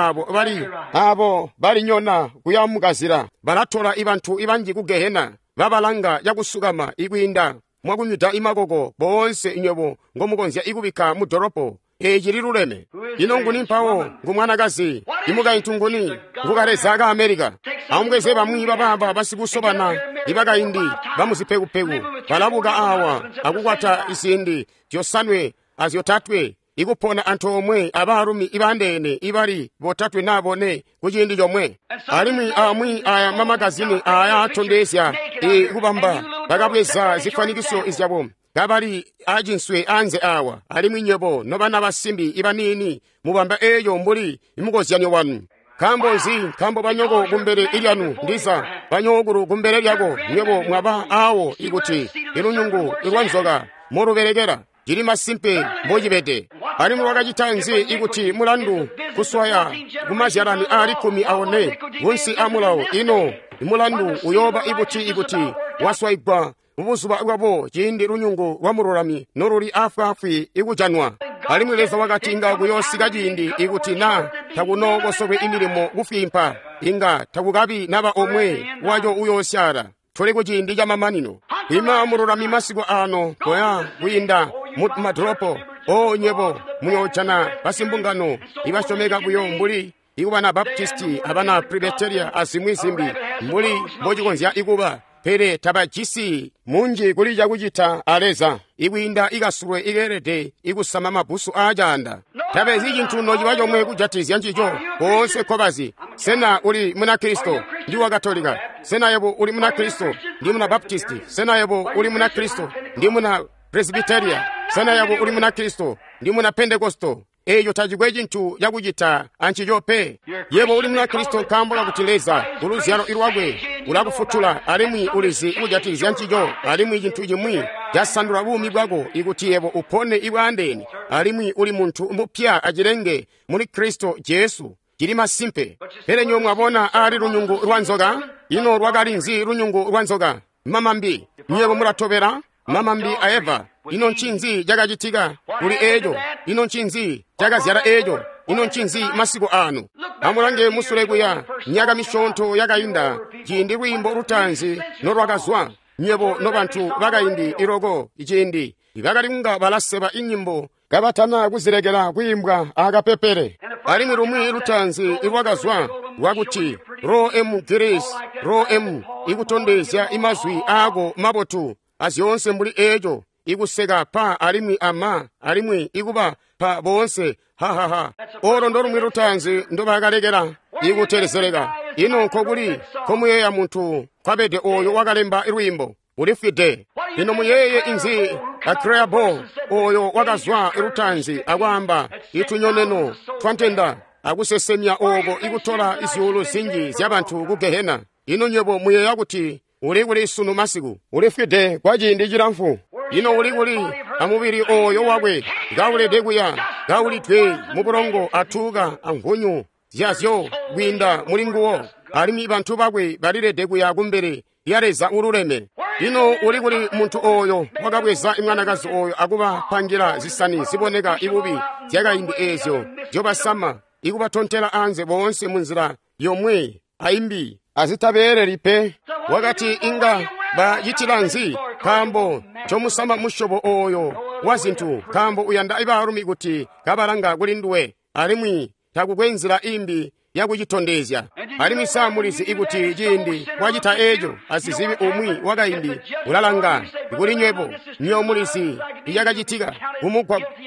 abo balinyona kuya mukazila. Balatola ibantu ibanji ku gehena, babalanga cakusukama ikwiinda mwakunywida imakoko boonse nywebo ngomukonzya ikubikka mu dolopo. Eeci liluleme. Ino nguni mpawo ngu mwanakazi? Imukaintu nguni? Ngu kaleza ka Amerika. Amubweze bamwi babaaba basikusobana ibakaindi bamuzipekupeku balabuka awa akukwata izindi 5 a 3 ikupona antoomwe abaalumi ibandeene ibali 3 na 4 kuciindi comwe. Alimwi amwi aya mamagazini aya atondezya ikubamba bakabweza zifwanikiso izyabo. kabali acinswe anze awa, alimwi nywebo nobana basimbi ibaniini mubamba eeyo mbuli imukozyanyo wanu. Nkaambo nzi? Nkaambo banyoko kumbele ilyanu, ndiza banyokulu kumbele lyako, nywebo mwaba awo ikuti ilunyungu ilwanzoka molubelekela. Cili masimpe mbocibede. Alimwi wakacita nzi ikuti mulandu kuswaya kumazyalani aali 14 kunsi amulawo? Ino mulandu uyooba ibuti ikuti waswaigwa mubuzuba bwabo ciindi lunyungu lwa mululami noluli afwaafwi ikujanwa? Alimwi Leza wakati inga kuyoosika ciindi ikuti na takunookosolwe imilimo kufwimpa, inga takukabi naba omwe waco uyoosyaala. Tuli ku ciindi camamanino. Ima mululami masiku ano koya kwiinda mu madolopo. O nywebo muyoojana basimbungano ibasyomeka buyo mbuli ikubana Baptisti abana Presbyteria azimwi zimbi mbuli mbocikonzya ikuba, pele tabajisi munji kuli cakucita a Leza ikwiinda ikasulwe ikeelede ikusama mabbusu aacaanda. Tabezi cintu nociba comwe kujatizya ncico. Koonse nkobazi. Sena uli Munakristo? Ndi wa Katolika. Sena yebo uli Munakristo? Ndi muna Baptisti. Sena yebo uli Munakristo? Ndi muna Presbyteria. Sena yebo uli Munakristo? Ndi muna Pentekosto. Eeyo tacikwe cintu cakucita ancico pe. Yebo uli Munakristo nkaambo kakuti Leza kuluzyalo lwakwe ulakufutula, alimwi ulizi kujatikizya ncico, alimwi cintu cimwi casandula buumi bwako ikuti yebo upone ibwaandeene, alimwi uli muntu mupya acilenge muli Kristo Jesu. Cili masimpe. Pele nywebo mwabona ali lunyungu lwa nzoka? Ino lwakali nzi lunyungu lwa nzoka? Mamambi. Nywebo mulatobela mamambi a Eva. Ino ncinzi cakacitika kuli eeco? Ino ncinzi cakazyala eeco? Ino ncinzi masiku ano? Amulange musule kuya myaka misyoonto yakainda, ciindi lwiimbo lutaanzi nolwakazwa. Nywebo nobantu bakaindi iloko ciindi bakali kunga balaseba inyimbo kabatana kuzilekela kwiimbwa akapepele. Alimwi lumwi lutaanzi ilwakazwa lwakuti ro m Grace ro m, ikutondezya imazwi aako mabotu azyoonse mbuli eeco, ikuseka pa alimwi ama alimwi ikuba pa boonse hahaha. Olo ndolumwi lutaanzi ndobakalekela ikutelezeleka. Ino nkokuli nkomuyeeya muntu kwabede oyo wakalemba lwiimbo? Ulifwide. Ino muyeeye inzi Akreabo oyo wakazwa lutaanzi akwaamba itunyoneno twantenda akusesemya oko ikutola izyuulu zinji zyabantu ku Gehena? Ino nywebo muyeeya kuti uli kuli sunu masiku? Ulifwide kwa ciindi cilamfu. Ino uli kuli amubili oyo wakwe kaulede kuya kaulidwe mubulongo atuuka amvunyu zyazyo kwiinda muli nguwo, alimwi bantu bakwe balilede kuya kumbele lya Leza ululeme. Ino uli kuli muntu oyo wakabweza imwanakazi oyo akubapangira zisani ziboneka ibubi zyakaindi eezyo zyobasama ikubatontela anze boonse munzila yomwe aimbi azitabeeleli pe? Wakati inga bacitila nzi? Nkaambo ncomusama musyobo oyo wa zintu, nkaambo uyanda ibaalumi kuti kabalanga kuli nduwe, alimwi takukwe nzila imbi yakucitondezya. Alimwi sa mulizi ikuti ciindi wacita eeco asizibi umwi wakaindi ulalanga kuli nywebo? Nywebo mulizi icakacitika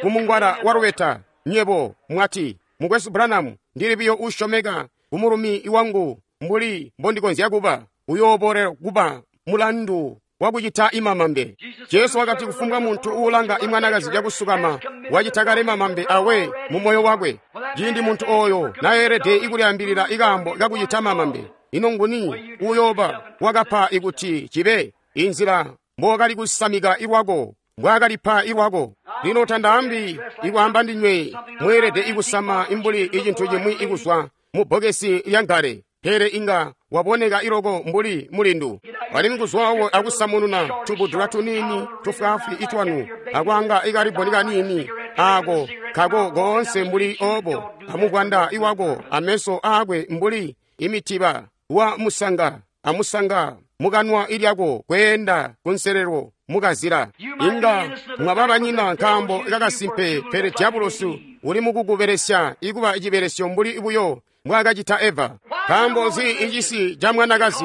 kumungwala wa lubeta. Nywebo mwati, Mukwesu Branham, ndili biyo usyomeka kumulumi wangu mbuli mbondikonzya kuba. Uyoobolela kuba mulandu wakucita imamambe. Jesu wakati kufumbwa muntu uulanga imwanakazi cakusukama wacita kale mamambe awe mu moyo wakwe. Ciindi muntu oyo nayeelede ikulyaambilila ikaambo kakucita mamambe, ino nguni uyooba wakapa ikuti cibe inzila mbokali kusamika ilwako, mbwaakalipa ilwako? Lino tandaambi ikwaamba ndinywe mweelede ikusama imbuli icintu cimwi ikuzwa mu bbokesi lyangale, pele inga waboneka iloko mbuli mulindu. Alimwi kuzwawo akusamununa tubudula tuniini tufwaafwi itwanu akwaanga ikaliboni kaniini ako kako koonse mbuli obo, amubwanda iwako ameso aakwe mbuli imitiba wa musanga amusanga mukanwa ilyako kweenda kunselelo mukazila. Inga mwaba banyina nkaambo kakasimpe, pele diabulosi uli mukukubelesya ikuba icibelesyo mbuli buyo mbwaakacita Eva. Nkaambo nzi icisi ca mwanakazi?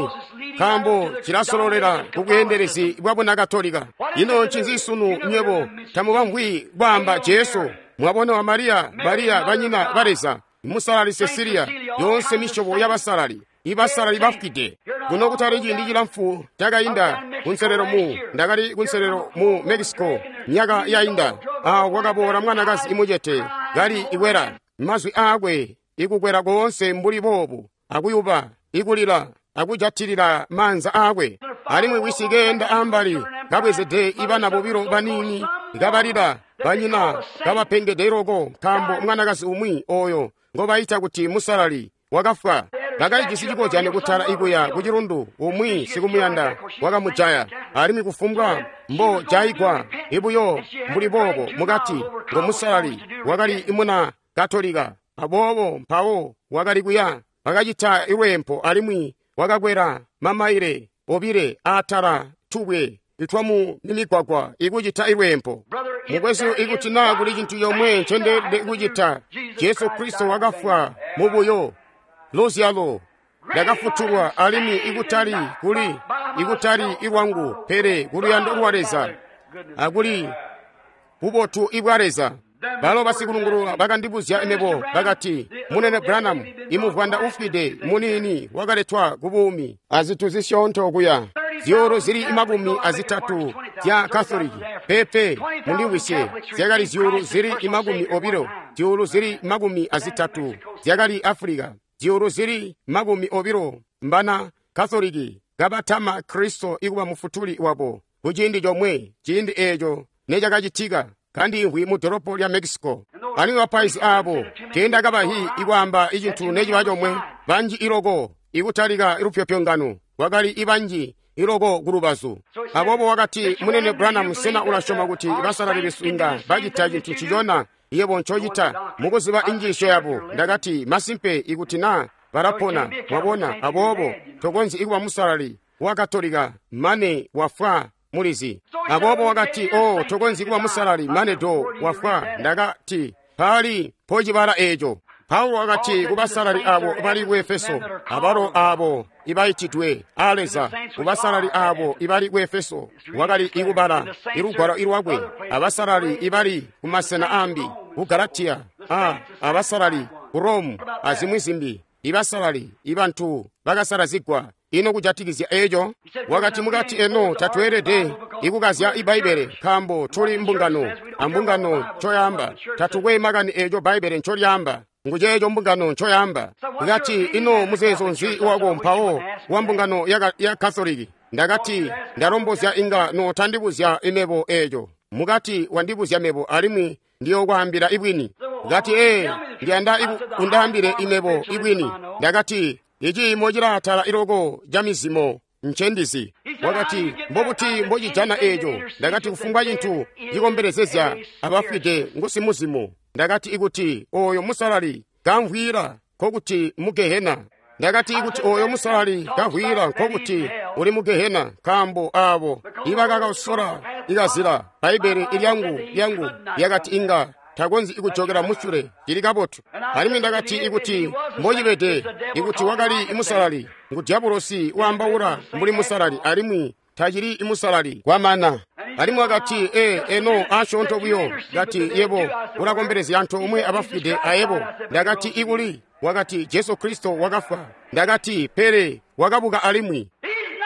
Nkaambo cilasololela kubweendelezi bwa Bunakatolika. Ino ncinzi sunu nywebo tamubamvwi kwaamba Jesu? Mwabona wa Mariya, Mariya banyina ba Leza, musalali Cecilia, yoonse misyobo y'abasalali, ibasalali bafwide. Kuno kutali ciindi cilamfu cakainda kunselelo mu ndakali kunselelo mu Mexico myaka yainda. Awo kwakaboola mwanakazi imucete kali ikwela mazwi aakwe ikukwela koonse mbuli boobu akuyuba ikulila akujatilila maanza aakwe. Alimwi wisi keenda ambali kabwezede ibana bobilo baniini kabalila banyina kabapengede loko nkaambo mwanakazi umwi oyo ngobayita kuti musalali wakafwa. Bakalijisi cikozyano kutala ikuya ku cilundu, umwi sikumuyanda wakamujaya. Alimwi kufumbwa mbo jayigwa ibuyo mbuli boobo mukati ngo musalali wakali imuna Katolika. Aboobo mpawo wakali kuya bakacita ilweempo alimwi wakakwela mamaile obile aatala tubwe itwamu mimigwagwa ikucita ilweempo. Mukwesu, ikuti naa kuli cintu yomwe ncendeelede kucita, Jesu Kristo wakafwa mubuyo luzyalo ndakafutulwa, alimwi ikutali kuli ikutali ilwangu pele kuluyando lwa Leza akuli bubotu ibwa Leza. Balo basikulungulula bakandibuzya mebo bakati, Munene Branham, imuvwanda ufwide muniini wakaletwa ku buumi azintu zisyoonto kuya zyuulu zili 30 zya Katoliki. Pepe mundimvwisye, zyakali zyuulu zili 20, zyuulu zili 30 zyakali Afulika, zyuulu zili 20 mbana Katoliki kabatama Kristo ikuba mufutuli wabo kuciindi comwe. Ciindi eeco necakacitika kandiimvwi mu dolopo lya Mexico. Alimwi bapaizi aabo teendakabahi ikwaamba icintu neciba comwe. Banji iloko ikutalika lupyopyongano kwakali ibanji iloko kulubazu. Aboobo wakati, Munene Branham, sena ulasyoma kuti basalali besu inga bacita cintu ncicona yebo ncocita mukuziba injiisyo yabo? Ndakati, masimpe, ikuti naa balapona, mwabona. Aboobo tokonzyi ikuba musalali wa Katolika mane wafwa mulizi. Aboobo wakati, oh, tokonzyi kuba musalali mane do wafwa. Ndakati, pali mpocibala eeco. Paulo wakati kubasalali abo bali ku Efeso, abalo abo ibaitidwe a Leza, kubasalali abo ibali ku Efeso, wakali ikubala ilugwalo ilwakwe, abasalali ibali kumasena ambi, ku Galatiya, abasalali ku Romu, azimwi zimbi, ibasalali ibantu bakasalazigwa. Ino kujatikizya eeco? Wakati, mukati eno tatweelede ikukazya iBbaibele nkaambo tuli mbungano, ambungano ncoyaamba. Tatukwe makani eeco Bbaibbele ncolyaamba, nguceeco mbungano ncoyaamba. Ndakati, ino muzeezo nzi wako mpawo wa mbungano ya Katoliki? Ndakati, ndalombozya inga notandibuzya imebo eeco. Mukati wandibuzya mebo alimwi ndiyokwaambila ibwini. Ndakati, ee, ndiyanda undaambile imebo ibwini. Ndakati, iciimo cilaatala iloko ca mizimo ncendizi. Wakati, mbobuti mbocijana eeco? Ndakati, kufumbwa cintu cikombelezezya abafwide ngusimuzimo. Ndakati, ikuti oyo musalali kamvwila nkokuti mu Gehena. Ndakati, ikuti oyo musalali kamvwila nkokuti uli mu Gehena, nkaambo aabo ibakakasola ikazila Bbaibbele ilyangu lyakati inga takonzyi ikujokela musule. Cili kabotu. Alimwi ndakati, ikuti mbocibede, ikuti wakali musalali, ngu dyabulosi waambaula mbuli musalali, alimwi tacili imusalali kwamana. Alimwi wakati, ee, eno asyoonto buyo. Kati, yebo ulakombelezya antoomwe abafwide ayebo. Ndakati, ikuli? Wakati, Jesu Kristo wakafwa. Ndakati, pele wakabuka alimwi.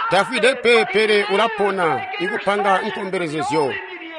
Tafwide pe, pele ulapona ikupanga nkombelezezyo.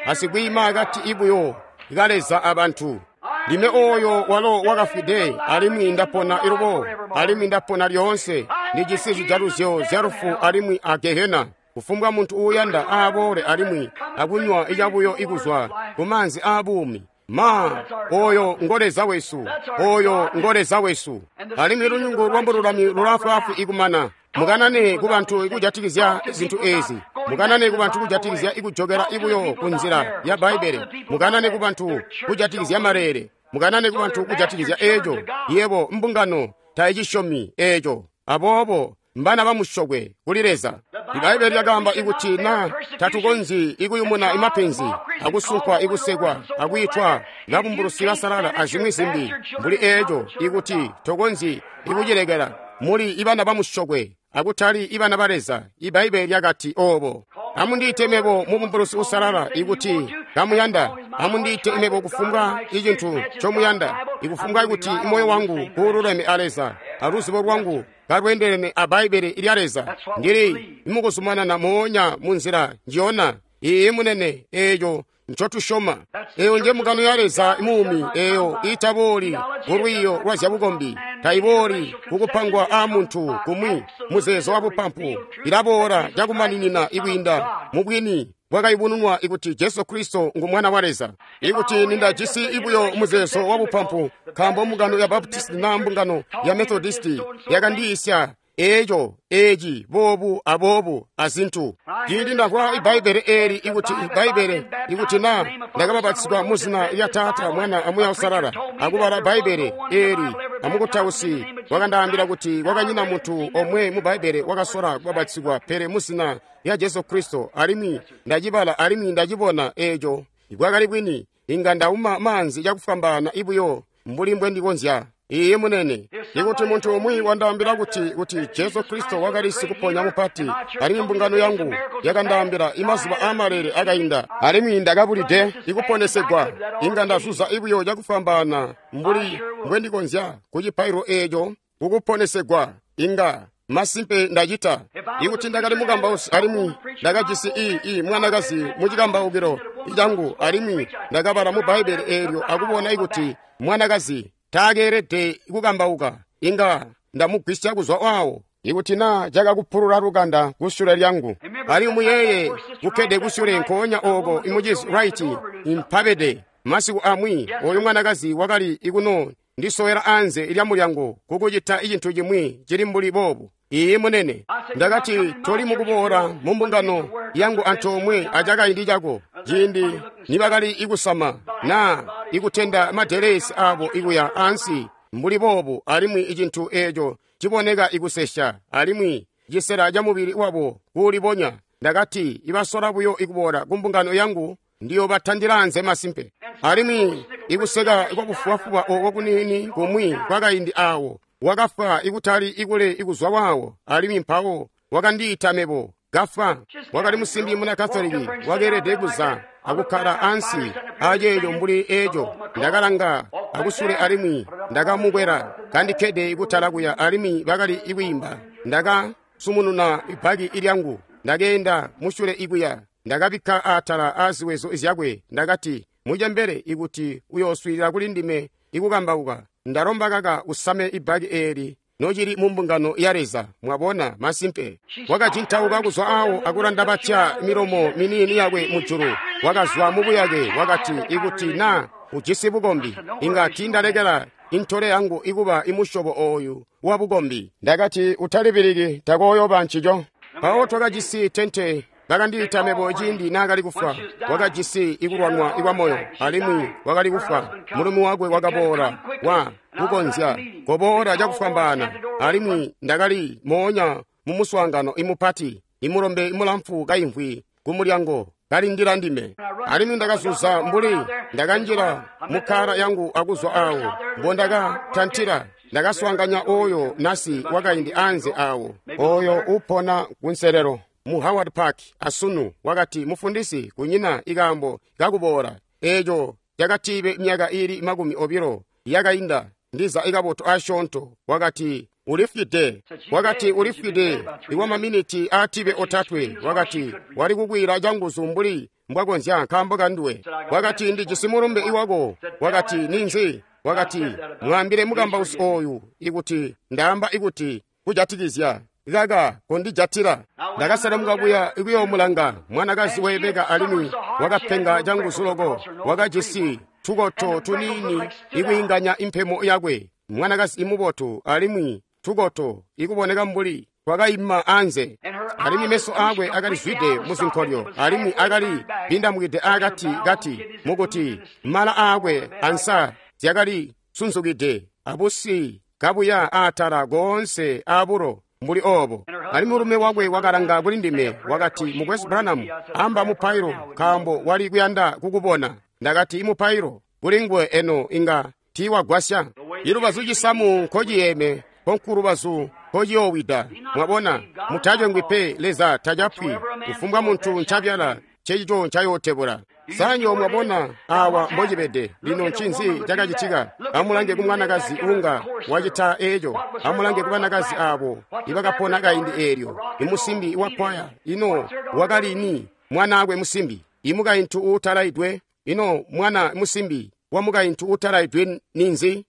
Asikwiima akati ibuyo kaleza abantu. Ndime oyo walo wakafwide, alimwi ndapona ilubo, alimwi ndapona lyoonse. Ndijisi zijaluzyo zya lufu alimwi a Gehena. Kufumbwa muntu uuyanda aaboole alimwi akunywa icabuyo ikuzwa kumaanzi aabuumi. Ma, oyo ngo Leza wesu, oyo ngo Leza wesu. Alimwi lunyungu lwambululami lulaafwaafwi ikumana. Mukanane kubantu ikujatikizya zintu eezi. Mukanane kubantu kujatikizya ikujokela ibuyo kunzila ya Bbaibbele. Mukanane kubantu kujatikizya maleele. Mukanane kubantu kujatikizya eeco. Yebo mbungano taicisyomi eeco. Aboobo mbana bamusyokwe kuli Leza. Ibbaibbele lyakaamba ikuti na tatukonzyi ikuyumuna imapenzi akusunkwa ikusekwa akwiitwa babumbulusi basalala azimwi zimbi mbuli eeco, ikuti tokonzyi ikucilekela, muli ibana bamusyokwe akutali ibana ba Leza. Ibbaibbele lyakati oobo. Amundiite mebo mubumbulusi usalala ikuti kamuyanda. Amundiite imebo kufumbwa icintu ncomuyanda, ikufumbwa kuti moyo wangu kuululeme a Leza, aluzibo lwangu kalweendelene a Bbaibbele lya Leza. Ndili mukuzumanana moonya munzila njiyona. Iiyi munene, eeco ncotusyoma. Eyo nje mbungano ya Leza muumi, eyo itabooli kulwiiyo lwa zyabukombi, taibooli kukupangwa aamuntu kumwi muzeezo wa bupampu. Ilaboola cakumaninina ikwiinda mubwini bwakayubununwa ikuti Jesu Kristo ngu Mwana wa Leza. Ikuti nindajisi ibuyo muzeezo wa bupampu, nkaambo mbungano ya Baptisti na mbungano ya Methodisti yakandiisya eeco, eeci, boobu aboobu azintu. Ciindi ndamvwa Ibbaibbele eeli ikuti Ibbaibbele, ikuti na ndakabapatizigwa muzina lya Taata, Mwana aMuuya Uusalala, akubala Bbaibbele eeli amukutausi wakandaambila kuti kwakanyina muntu omwe mu Bbaibbele wakasola kubapatizigwa pele muzina lya Jesu Kristo, alimwi ndacibala alimwi ndacibona eeco bwakali bwini, inga ndauma maanzi cakufwambaana ibuyo mbuli mbwendikonzya. Iiyi munene. Ikuti muntu umwi wandaambila kuti Jesu Kristo wakali sikuponya mupati, alimwi mbungano yangu yakandaambila imazuba aamalele akainda, alimwi ndakabulide ikuponesegwa, inga ndazuza ibuyo cakufwambaana mbuli mbwendikonzya kucipaililo eeco kukuponesegwa. Inga masimpe ndacita. Ikuti ndakali mukambausi alimwi ndakajisi ii mwanakazi mucikambaukilo cangu, alimwi ndakabala mu Bbaibbele eelyo akubona ikuti mwanakazi taakeelede kukambauka, inga ndamugwisya kuzwa waawo. Ikuti naa cakakupulula lukanda kusyule lyangu. Alimwi muyeeye kukkede kusyule nkoonya ooko imucizi Wright impabede masiku amwi, oyu mwanakazi wakali ikuno ndisowela anze lya mulyango kukucita icintu cimwi cili mbuli boobu. Iiyi munene. Ndakati toli mukuboola mu mbungano yangu antoomwe acakaindi cako, ciindi nibakali ikusama naa ikutenda madelesi abo ikuya ansi mbuli boobu, alimwi icintu eeco ciboneka ikusesya alimwi cisela ca mubili wabo kuulibonya. Ndakati ibasola buyo ikuboola ku mbungano yangu ndiyobatandila anze masimpe. Alimwi ikuseka kwabufubafuba ooko kuniini kumwi kwakaindi aawo, wakafwa ikutali ikule ikuzwa waawo, alimwi mpawo wakandiita mebo kafwa. Wakali musimbi muna Katoliki wakeelede kuza akukkala ansi aceeco mbuli eeco. Ndakalanga akusule alimwi ndakamukwela kandikkede ikutala kuya, alimwi bakali ikwiimba. Ndakasumununa ibbaki ilyangu, ndakeenda musyule ikuya, ndakabikka atala aaziwezo zyakwe. Ndakati, mucembele, ikuti uyooswiilila kuli ndime ikukambauka, ndalomba kaka usame ibbaki eeli nocili mu mbungano ya Leza. Mwabona, masimpe. Wakajintauka kuzwa awo akulanda batya milomo miniini yakwe mujulu. Wakazwa mubuyake, wakati, ikuti na ujisi bukombi, inga tiindalekela intole yangu ikuba imusyobo ooyu wa bukombi. Ndakati, utalibiliki, takooyoba ncico. Mpawo twakajisi tente. Bakandiita mebo ciindi naakali kufwa. Wakajisi ikulwanwa ikwamoyo, alimwi wakali kufwa. Mulumi wakwe wakaboola, wa kukonzya koboola cakufwambaana, alimwi ndakali moonya mumuswaangano imupati, imulombe imulamfu kaimvwi kumulyango kalindila ndime. Alimwi ndakazuza mbuli ndakanjila mukkala yangu akuzwa awo mbondakatantila. Ndakaswaanganya oyo nasi wakaindi anze awo, oyo upona kunselelo mu Howard Park asunu. Wakati, mufundisi, kunyina ikaambo kakuboola. Eeco cakatibe myaka iili 20 yakainda, ndiza ikabotu asyoonto. Wakati, ulifwide. Wakati, ulifwide ikwa maminiti aatibe 3. Wakati, wali kukwila canguzu mbuli mbwakonzya nkaambo kanduwe. Wakati, ndijisi mulumbe iwako. Wakati, ninzi? Wakati, mwaambile mukambausi ooyu ikuti ndaamba ikuti kujatikizya kaka kondijatila. Ndakaselemuka kuya ikuyoomulanga mwanakazi weebeka, alimwi wakapenga canguzu loko. Wakajisi tukoto tuniini ikwiinganya impemo yakwe, mwanakazi imubotu, alimwi tukoto ikuboneka mbuli twakaima anze, alimwi meso aakwe akali zwide muzinkolyo, alimwi akali bindamukide akati kati, mukuti mala aakwe ansa zyakali sunzukide abusi kabuya atala koonse aabulo mbuli oobo. Alimwi mulume wakwe wakalanga kuli ndime, wakati, Mukwesu Branham, amba mupailo, nkaambo wali kuyanda kukubona. Ndakati, imupailo kuli nguwe eno inga tiiwagwasya. Ilubazu cisamu nkociyeme konkulubazu nkociyoowida. Mwabona, mutacengwi pe, Leza tacapwi. Kufumbwa muntu ncabyala, ncecico ncayootebula. Sa nywebo mwabona awa mbocibede? Lino ncinzi cakacitika? Amulange ku mwanakazi unga wacita eco. Amulange ku banakazi abo ibakapona kaindi eelyo. Imusimbi wakwaya, ino wakali ni mwanaakwe musimbi? Imukaintu uutalaidwe, ino mwana musimbi wa mukaintu uutalaidwe ninzi?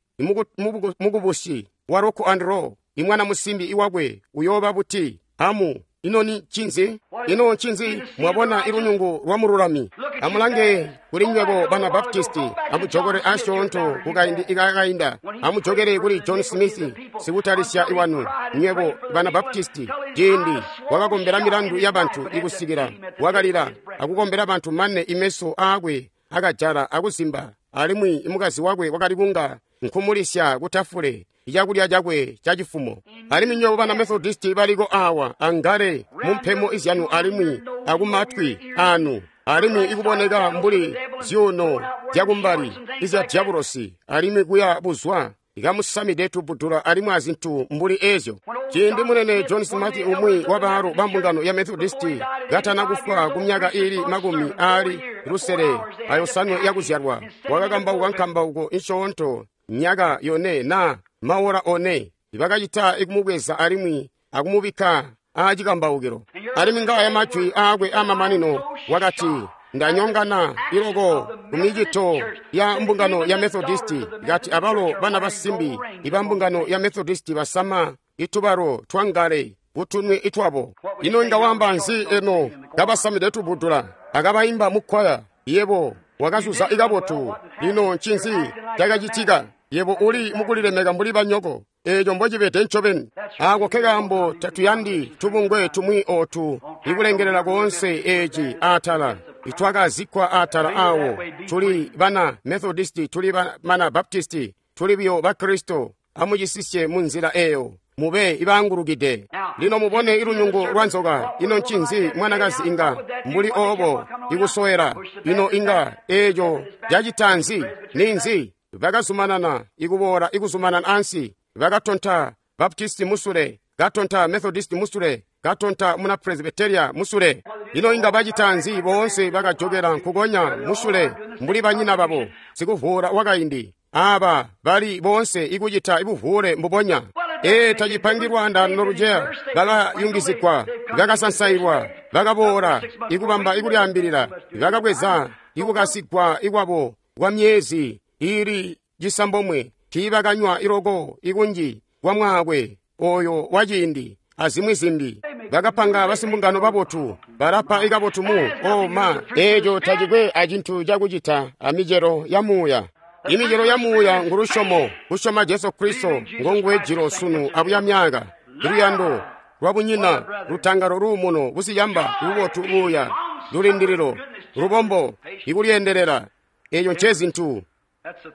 Mukubusi wa rock and roll, imwana musimbi iwakwe uyooba buti? Amu ino ni ncinzi? Ino ncinzi? Mwabona ilunyungu lwa mululami. Amulange kuli nywebo bana Baptisti, amujokole asyoonto kukaindi ikakainda. Amujokele kuli John Smith, sikutalisya iwanu. Nywebo bana Baptisti, ciindi wakakombela milandu ya bantu ikusikila wakalila akukombela bantu mane imeso aakwe akajala akuzimba, alimwi imukazi wakwe wakali kunga nkumulisya kutafule icakulya cakwe cacifumo. Alimwi nywebo bana Methodisti baliko awa angale mumpemo izyanu alimwi akumatwi anu, alimwi ikuboneka mbuli zyuuno zyakumbali izya dyabulosi, alimwi kuya buzwa ikamusamide tubudula alimwi azintu mbuli ezyo. Ciindi munene John Smith, umwi wa baalu ba mbungano ya Methodisti, katana kufwa ku myaka iili 65 yakuzyalwa, wakakambauka nkambauko insyoonto myaka 4 na maora 4. Bakacita ikumubweza alimwi akumubikka aacikambaukilo. Alimwi ngaaya majwi aakwe aamamanino, wakati, ndanyongana iloko kumicito ya mbungano ya Methodisti, kati abalo bana basimbi iba mbungano ya Methodisti basama itubalo twangale kutunwe itwabo. Ino inga wamba nzi eno kabasamide tubudula akabaimba mukwaya? Yebo wakazuza ikabotu. Lino ncinzi cakacitika? Yebo uli mukulilemeka mbuli banyoko. Eeco mbocibede ncobeni. Aako kekaambo tatuyandi tubungwe tumwi ootu ikulengelela koonse eeci aatala itwakazikkwa aatala awo. Tuli bana Methodisti, tuli bana Baptisti, tuli biyo Bakristo. Amucisisye munzila eeyo, mube ibangulukide. Lino mubone ilunyungu lwa nzoka. Ino ncinzi mwanakazi inga mbuli oobo ikusowela? Ino inga eeco cacita nzi? Ninzi? Bakazumanana ikuboola ikuzumanana ansi. Bakatonta Baptisti musule, katonta Methodisti musule, katonta muna Presbyteria musule. Ino inga bacita nzi? Boonse bakajokela nkukonya musule mbuli banyina babo, sikuvuula wakaindi. Aba bali boonse ikucita ibuvuule mbubonya. Ee, tacipangilwa ndano luceya. Bakayungizigwa, bakasansailwa, bakaboola ikubamba ikulyaambilila, bakabweza ikukasigwa ikwabo kwa myezi iili 9. Tiibakanywa iloko ikunji kwa mwaakwe oyo waciindi azimwi zimbi. Bakapanga basimbungano babotu, balapa ikabotu mu oma. Eeco tacikwe acintu cakucita amicelo ya muuya. Imicelo ya muuya ngulusyomo, kusyoma Jesu Kristo ngonguwe jilo sunu abuya myaka, luyando lwabunyina, lutangalo, luumuno, busiyamba, lubotu, buya, lulindililo, lubombo, ikulyeendelela. Eeco ncezintu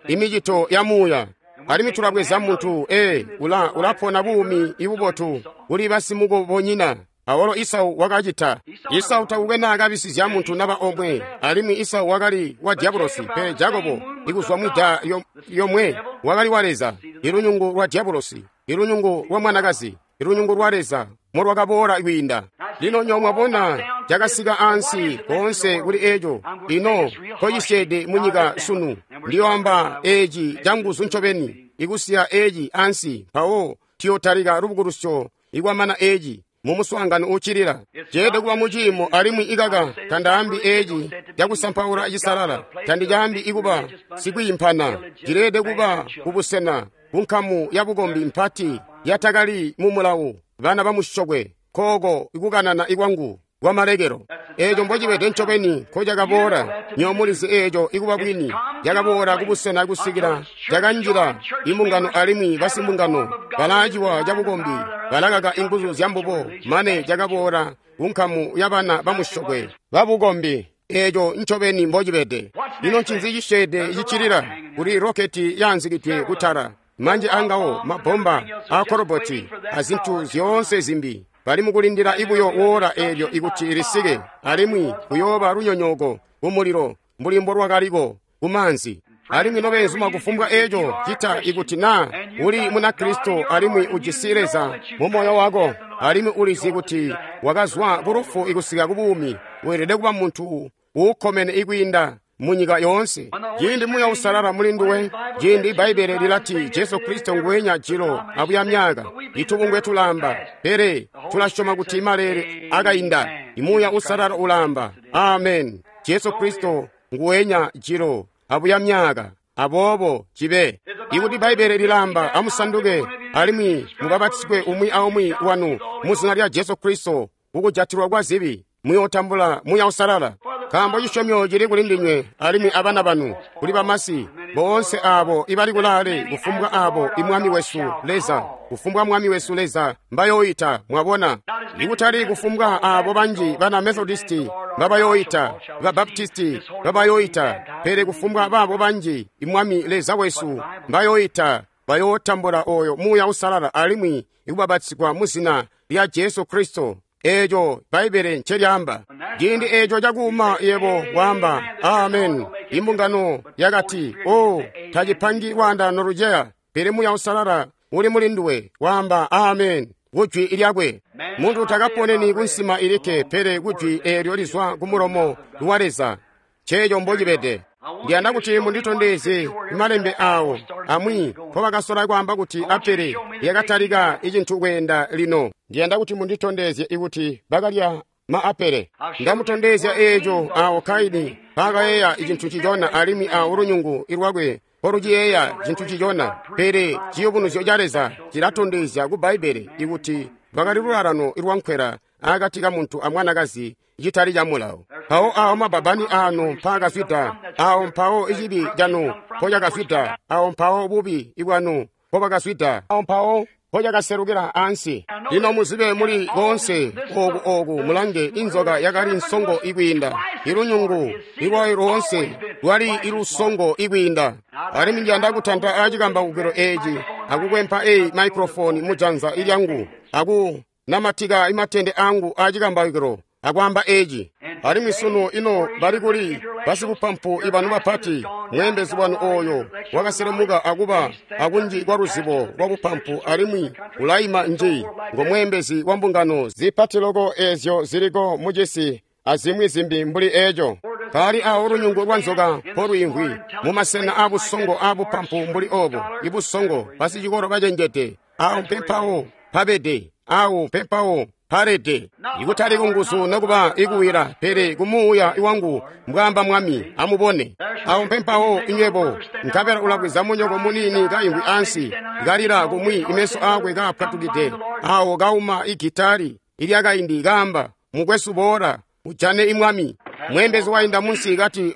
imicito ya muuya. Alimwi tulabweza muntu ulapona buumi ibubotu kuli basimukobonyina. Awalo Isau wakacita. Isau takukwe naakabisizya muntu naba omwe, alimwi Isau wakali wa dyabulosi, pele Jakobo ikuzwa mwida yomwe wakali wa Leza. Ilunyungu lwa dyabulosi, ilunyungu lwa mwanakazi, ilunyungu lwa Leza molwakaboola kwiinda. Lino nywebo mwabona cakasika ansi koonse kuli eco. Ino kocisyeede munyika sunu. Ndiyoamba eeci canguzu ncobeni, ikusiya eeci ansi, mpawo tuyotalika lubukulusyo ikwamana eeci mumuswaangano uccilila. Ceelede kuba muciimo, alimwi ikaka tandaambi eeci cakusampaula cisalala, tandicaambi ikuba sikwiimpana. Cileelede kuba kubusena kunkamu yabukombi mpati yatakali mumulawu, bana bamusyokwe, kooko ikukanana ikwangu kwamalekelo. Eeco mbocibede ncobeni nkocakaboola. Nywebo mulizi eeco ikuba bwini. Cakaboola kubusena kusikila cakanjila imbungano, alimwi basimbungano balaaciwa cabukombi balakaka inguzu zyambubo, mane cakaboola kunkamu yabana bamusyokwe babukombi. Eeco ncobeni mbocibede. Lino ncinzi cisyeede ciccilila? Kuli roketi yaanzikidwe kutala, manji angawo mabomba aakoroboti azintu zyoonse zimbi. Bali mukulindila ibuyo woola eelyo ikuti lisike, alimwi kuyooba lunyonyooko kumulilo mbuli mbolwakaliko kumaanzi. Alimwi nobeenzuma kufumbwa eeco cita ikuti naa uli Munakristo alimwi ujisi Leza mu moyo wako, alimwi ulizi kuti wakazwa ku lufu ikusika ku buumi, weelede kuba muntu uukkomene ikwiinda munyika yoonse. Ciindi Muuya Uusalala muli nduwe, ciindi Bbaibbele lilati Jesu Kristo nguwenya jilo abuya myaka, itubungwe tulamba, pele tulasyoma kuti maleele akainda. Imuuya Uusalala ulamba, amen, Jesu Kristo nguwenya jilo abuya myaka. Aboobo cibe. Ikuti Bbaibbele lilamba, amusanduke alimwi mubapatizwe umwi aumwi wanu mu zina lya Jesu Kristo kukujatilwa kwa zibi, muyootambula Muuya Uusalala. Nkaambo cisyomyo cili kuli ndinywe alimwi abana banu, kuli bamasi boonse aabo ibali kulaale, kufumbwa aabo imwami wesu Leza, kufumbwa mwami wesu Leza mbayooita. Mwabona, ikutali kufumbwa aabo banji bana Methodisti mbabayooita, ba Baptisti mbabayooita, pele kufumbwa baabo banji imwami Leza wesu mbayooita, bayootambula oyo Muuya Uusalala alimwi ikubapatizigwa mu zina lya Jesu Kristo. Eeco Bbaibbele ncelyaamba. Ciindi eeco cakuuma yebo waamba amen. Imbungano yakati, o tacipangi lwaandaano luceya, pele Muuya Uusalala uli muli nduwe waamba amen kujwi lyakwe. Muntu takaponeni kunsima ilikke, pele kujwi eelyo lizwa kumulomo wa Leza. Nceeco mbocibede. Ndiyanda kuti munditondezye malembe aawo amwi mpobakasola kwaamba kuti apele lyakatalika icintu kweenda lino. Ndiyanda kuti munditondezye ikuti bakalya maapele. Ndamutondezya eeco aawo Kaini mpaakayeeya icintu ncicona alimwi awo lunyungu lwakwe mpoluciyeeya cintu ncicona. Pele ciyubunuzyo ca Leza cilatondezya ku Bbaibbele ikuti lwakali lulalano lwankwela akati kamuntu amwanakazi citali ca mulawo. Mpawo awo mababani aanu mpaakazwida, awo mpawo icibi canu mpocakazwida, awo mpawo bubi bwanu mpobwakazwida, awo mpawo mpocakaselukila ansi. Lino muzibe muli koonse ooku ooku mulange inzoka yakali nsongo ikwiinda, ilunyungu ilwayo loonse lwali ilusongo ikwiinda. Alimwi ndiyanda kutanta aacikambawukilo eeci akukwempa eyi maikrofoni mujanza ilyangu aku namatika imatende angu aacikambawukilo akwaamba eeci. Alimwi sunu ino bali kuli basibupampu ibanu bapati, mweembezi wanu ooyo wakaselemuka akuba akunji kwa luzibo lwa bupampu alimwi ulaima nji ngo mweembezi wa mbungano zipati loko eezyo ziliko mucisi azimwi zimbi mbuli eeco. Paali awo lunyungu lwa nzoka mpolwiimvwi mumasena aabusongo aabupampu mbuli oobo, ibusongo basicikolo bacenjede, awo mpempawo pabede, awo mpempawo palede. Ikutali kunguzu nokuba ikuwila, pele kumuuya wangu, mbwaamba Mwami. Amubone, awo mpempawo inywebo. Nkabela ulabweza munyoko muniini kaimvwi ansi, kalila kumwi imeso aakwe kaapwatukide, awo kauma igitali ilyakaindi kaamba, mukwesu boola ujane imwami. Mweembezi wainda munsi kati,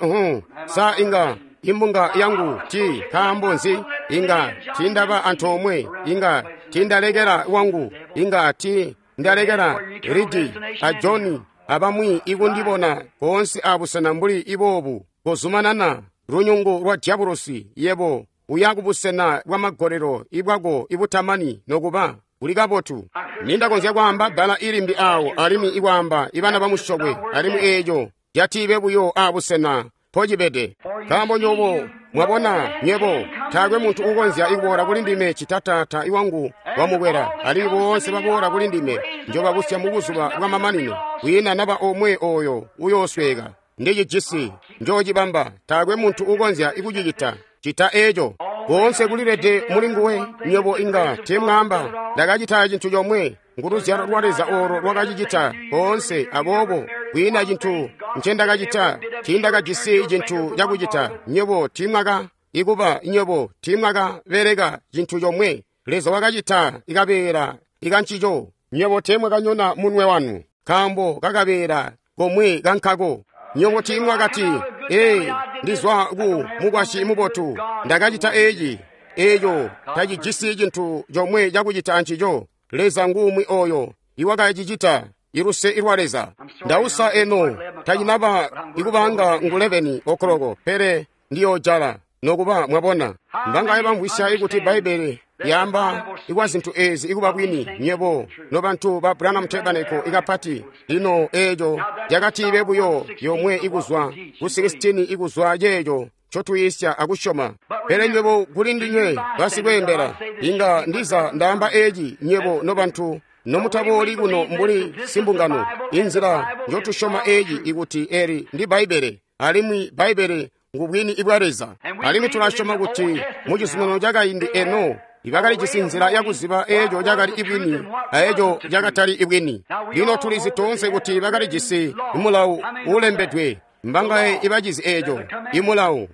sa inga imbunga yangu ti nkaambo nzi inga tindaba antoomwe, inga tindalekela wangu, inga ti ndalekela Ridi a Joni abamwi ikundibona koonse abusena mbuli iboobu. Kozumanana lunyungu lwa dyabulosi, yebo uya kubusena bwa magolelo ibwako ibutamani nokuba kuli kabotu. Nindakonzya kwaamba bbala ilimbi awo alimwi ikwaamba ibana bamusyokwe, alimwi eeco catiibe buyo abusena mpocibede. Nkaambo nyobo mwabona, nywebo taakwe muntu uukonzya ikuboola kuli ndime cita Taata iwangu wamukwela, alimwi boonse baboola kuli ndime njobabusya mubuzuba bwamamanino. Kwiina naba omwe ooyo uyoosweeka. Ndicijisi, njoocibamba. Taakwe muntu uukonzya ikucicita cita eeco. Koonse kulilede muli nguwe. Nywebo inga teemwaamba, ndakacita cintu comwe, nguluzyalo lwa Leza oolo lwakacicita koonse. Aboobo kwiina cintu ncendakacita, tiindakajisi cintu cakucita. Nywebo tiimwaka ikuba, nywebo tiimwakabeleka cintu comwe. Leza wakacita ikabeela ikancico. Nywebo teemwakanyona munwe wanu, nkaambo kakabeela komwe kankako. Nywebo tiimwakati, ee, ndizwa ku mukwasyi mubotu, ndakacita eeci. Eeco tacijisi cintu comwe cakucita ancico. Leza ngumwi oyo iwakacicita, iluse ilwa Leza. Ndausa eno tacinaba ikubanga ngu 11 okoloko, pele ndiyojala nokuba mwabona. Mbangaye bamvwisya ikuti Bbaibbele yaamba ikwa zintu eezi ikuba bwini, nywebo nobantu ba Branham Tabernacle ikapati. Lino eeco yakatiibe buyo yomwe ikuzwa ku 16 ikuzwa ceeco ncotuyisya akusyoma. Pele nywebo kuli ndinywe basikweembela, inga ndiza ndaamba eeci, nywebo nobantu nomutabooli kuno mbuli simbungano, inzila njotusyoma eeci ikuti eli ndi Bbaibbele, alimwi Bbaibbele ngu bwini bwa Leza. Alimwi tulasyoma kuti mu Cizuminano Cakaindi eno ibakalijisi nzila yakuziba eeco cakali ibwini aeco cakatali ibwini. Lino tulizi toonse kuti bakalijisi mulawu uulembedwe. Mbangaye ibacizi eeco imulawu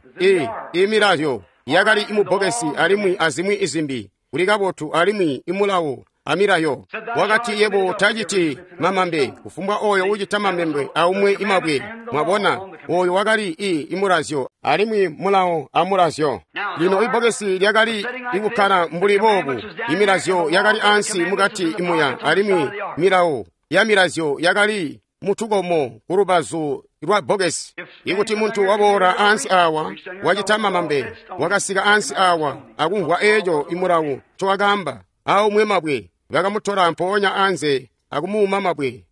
imilazyo yakali imubbokesi alimwi azimwi izimbi kuli kabotu alimwi imulawu amilayo. Wakati yebo taciti mamambe, kufumbwa oyo ucita mamambe aumwe imabwe. Mwabona, oyo wakali imulazyo alimwi mulawo amulazyo. Lino ibbokesi lyakali ikukkala mbuli boobu, imilazyo yakali ansi mukati imuya alimwi milawo ya milazyo yakali mutukomo kulubazu lwa bbokesi. Ikuti muntu waboola ansi awa wacita mamambe, wakasika ansi awa akumvwa eeco imulawu ncowakaamba, aumwe mabwe, bakamutola mpoonya anze akumuuma mabwe.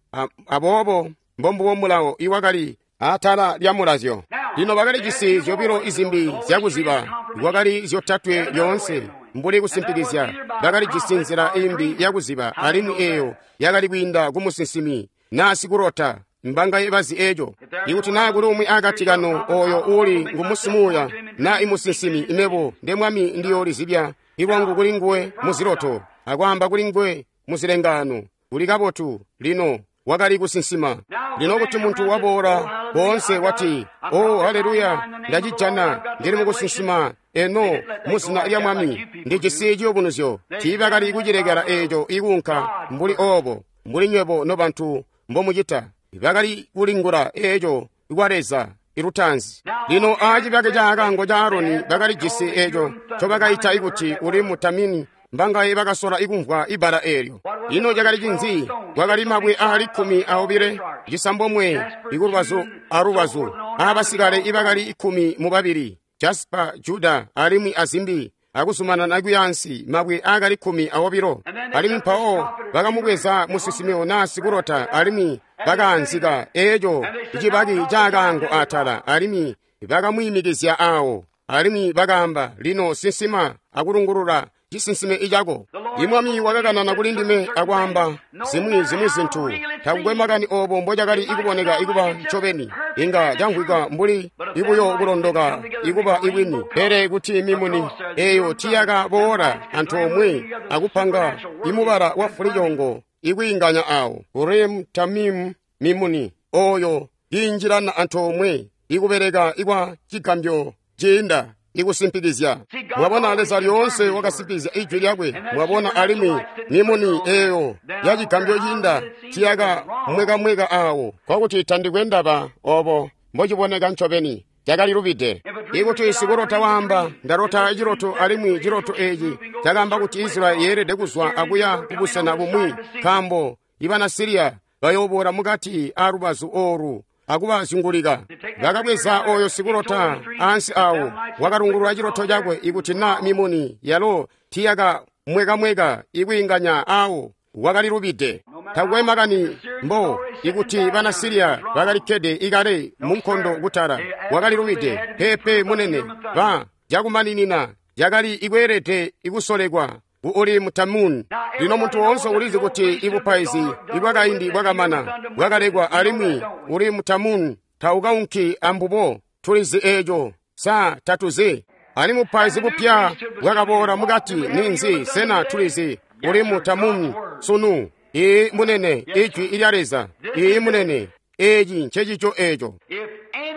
Aboobo mbombubo mulawo iwakali atala lya mulazyo. Lino bakalijisi zyobilo izimbi zyakuziba, kwakali zyotatwe lyoonse mbuli kusimpikizya. Bakalijisi nzila imbi yakuziba, alimwi eeyo yakali kwiinda kumusinsimi naa sikulota. Mbangaye bazi eeco. Ikuti naa kuli umwi akati kanu oyo uuli ngumusimuuya naa imusinsimi, imebo nde Mwami ndiyoolizibya ilwangu kuli nguwe muziloto akwaamba kuli nguwe muzilengaano. Kuli kabotu. Lino wakali kusinsima. Lino kuti muntu waboola koonse wati, "Oh, haleluya, ndacijana, ndili mukusinsima eno muzina lya Mwami, ndijisi ciyubunuzyo." Tiibakali kucilekela eeco ikuunka mbuli oobo, mbuli nywebo nobantu mbomucita. Bakali kulingula eeco kwa Leza ilutaanzi. Lino aacibaki ca kaango ca Aroni bakalijisi eeco ncobakaita ikuti uri mutamini. Mbangaye bakasola ikumvwa ibbala eelyo. Ino cakali cinzi? Kwakali mabwe aali 12, 9 ikulubazu alubazu, aabasikale ibakali 12, Jaspa, Juda alimwi azimbi, akuzumanana kuyaansi mabwe aakali 12. Alimwi mpawo bakamubweza musinsimi naa sikulota alimwi bakaanzika eeco cibaki ca kaango atala, alimwi bakamwiimikizya aawo, alimwi bakaamba, "Lino sinsima akulungulula cisinsime icako." Imwami wakakanana kuli ndime akwaamba zimwi zintu. Takukwe makani oobo mbocakali ikuboneka ikuba ncobeni, inga camvwika mbuli ibuyo kulondoka ikuba ibwini, pele kuti mimuni eeyo tiyakaboola antoomwe akupanga imubala wa fulicongo ikwiinganya aawo. Urim Tamim mimuni oyo iinjilana antoomwe ikubeleka ikwa cigambyo ciinda ikusimpikizya. Mwabona, Leza lyoonse wakasimpikizya ijwi lyakwe. Mwabona, alimwi mimuni eeyo ya cigambyo ciinda tiyaka mwekamweka aawo, kwakuti tandikwe ndaba oobo mbociboneka ncobeni, cakali lubide. Ikuti sikulota waamba, "Ndalota ciloto," alimwi ciloto eeci cakaamba kuti Israeli yeelede kuzwa akuya kubusena bumwi, nkaambo ibana Siriya bayooboola mukati aalubazu oolu akubazyungulika. Bakabweza oyo sikulota ansi awo, wakalungulula ciloto cakwe. Ikuti naa mimuni yalo tiyaka mwekamweka ikwiinganya aawo, wakali lubide. Takukwe makani mbo ikuti bana Siriya bakalikkede ikale mu nkondo kutala, wakali lubide. Pepe munene, ba cakumaninina cakali ikweelede ikusolekwa ku Urimu Tamuni. Lino muntu woonse ulizi kuti ibupaizi ibwakaindi bwakamana bwakalekwa, alimwi Urimu Tamuni taukaunki ambubo. Tulizi eeco, sa tatuzi? Alimwi bupaizi bupya bwakaboola mukati. Ninzi? Sena tulizi Urimu Tamuni sunu? Ii munene, ijwi ilya Leza. Ii munene, eeci ncecico eeco.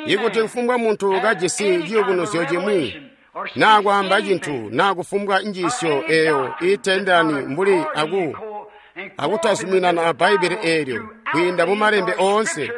Ikuti kufumbwa muntu kajisi ciyubunuzyo cimwi, naa kwaamba cintu naa kufumbwa njiisyo eeyo iiteendelani mbuli akutazuminana a Bbaibbele eelyo kwiinda mu malembe oonse,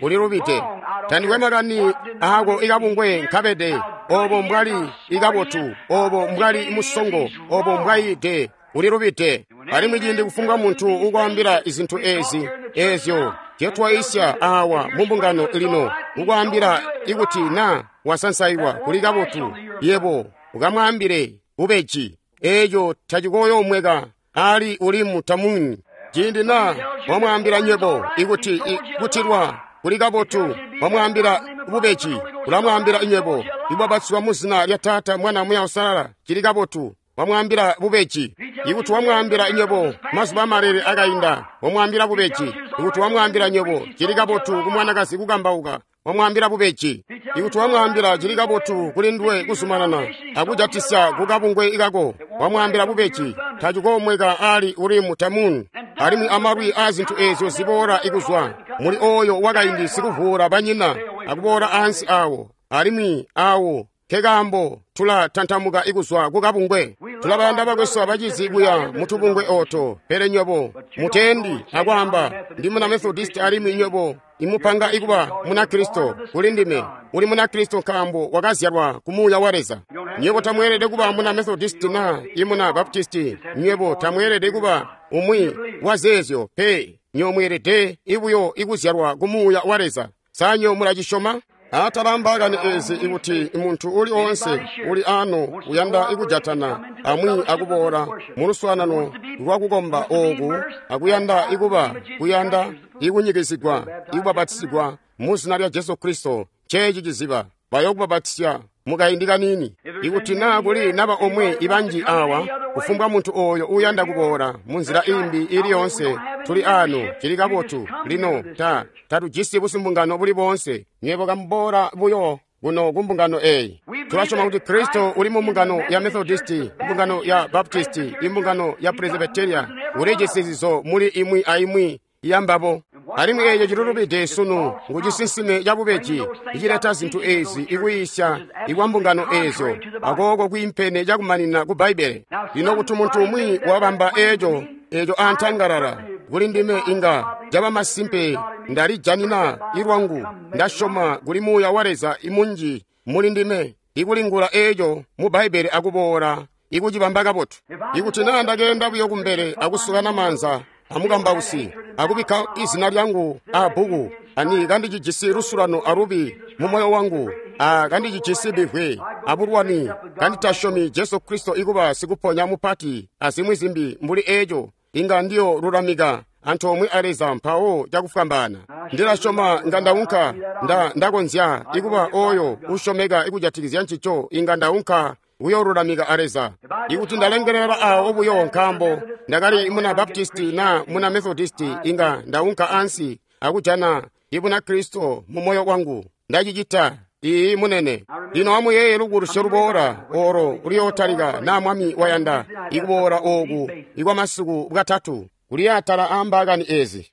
ulilubide. Tandikwe makani aako ikabungwe nkabede, oobo mbwali ikabotu, oobo mbwali musongo, oobo mbwayiide, ulilubide. Alimwi ciindi kufumbwa muntu ukwaambila izintu ezi eezyo zyotwaisya awa mu mbungano lino, ukwaambila ikuti naa wasansaiwa kuli kabotu, yebo ukamwaambile bubeji, eeco tacikoyoomweka ali Urimu Tamuni. Ciindi naa wamwaambila nywebo ikuti kutilwa kuli kabotu, wamwaambila bubeji, ulamwaambila nywebo ibwabatswa mu zina lya Taata, Mwana, Muya Usalala, cili kabotu, wamwaambila bubeji. Ikuti wamwaambila nywebo mazuba amalele akainda, wamwaambila bubeji. Ikuti wamwaambila nywebo cili kabotu kumwanakazi kukambauka, wamwaambila bubeji. Ikuti wamwaambila cili kabotu kuli nduwe kuzumanana akujatisya kukabungwe kako, wamwaambila bubeji. Tacikomweka ali Urimu Tamumu alimwi amalwi aa zintu eezyo ziboola ikuzwa muli oyo wakaindi sikuvuula banyina akuboola ansi awo, alimwi awo nkekaambo tulatantamuka ikuzwa kukabungwe. Tulabayanda bakwesu abacizi kuya mutubungwe oto, pele nywebo mutendi akwaamba ndi muna Methodist alimwi nywebo imupanga ikuba Munakristo. Kuli ndime uli Munakristo nkaambo wakazyalwa ku Muuya wa Leza. Nywebo tamweelede kuba muna Methodist na imuna Baptist. Nywebo tamweelede kuba umwi wa zeezyo pe. Nywebo mweelede ibuyo ikuzyalwa ku Muuya wa Leza. Sa nywebo mulacisyoma? Atala mbaakani ezi ikuti muntu uli oonse uli ano uyanda ikujatana amwi akuboola muluswaanano lwakukomba ooku akuyanda ikuba kuyanda ikunyikizigwa ikubapatisigwa mu zina lya Jesu Kristo, nceeci ciziba bayokubapatisya mukaindi kaniini. Ikuti naa kuli naba omwe ibanji awa, kufumbwa muntu oyo uyanda kuboola munzila imbi ili yoonse, tuli ano, cili kabotu. Lino tatujisi busimbungano buli boonse. Nywebo kamuboola buyo kuno ku mbungano eyi. Tulasyoma kuti Kristo uli mu mbungano ya Methodisti, mbungano ya Baptisti, imbungano ya Presbyteria, ulijisi zizo muli imwi aimwi yambabo. Alimwi eeco cilulubide sunu ngu cisinsime cabubeji icileta zintu ezi ikuyiisya ikwa mbungano eezyo akooko kwiimpene cakumanina ku Bbaibbele. Lino kuti muntu umwi wabamba eeco antangalala kuli ndime inga caba masimpe ndalijanina ilwangu, ndasyoma kuli Muuya wa Leza imunji muli ndime ikulingula eeco mu Bbaibbele akuboola ikucibamba kabotu. Ikuti naa ndakeenda buyo kumbele akusukana maanza amukambausi akubikka izina lyangu abbuku ani kandicijisi lusulano alubi mu moyo wangu, kandicijisi bivwe abulwani, kanditasyomi Jesu Kristo ikuba sikuponya mupati azimwi zimbi mbuli eeco, inga ndiyo lulamika antoomwe a Leza mpawo cakufwambaana. Ndilasyoma nga ndaunka ndakonzya ikuba oyo usyomeka ikujatikizya ncico, inga ndaunka kuyolulamika a Leza. Ikuti ndalengelela awo buyo nkaambo ndakali muna Baptisti na muna Methodisti, inga ndaunka ansi akujana Ibunakristo mu moyo wangu. Ndacicita. Iiyi munene. Lino amuyeeye lubukulusyo luboola olo luyootalika naa Mwami wayanda ikuboola ooku ikwamasiku bwatatu kuli atala aambaakani ezi.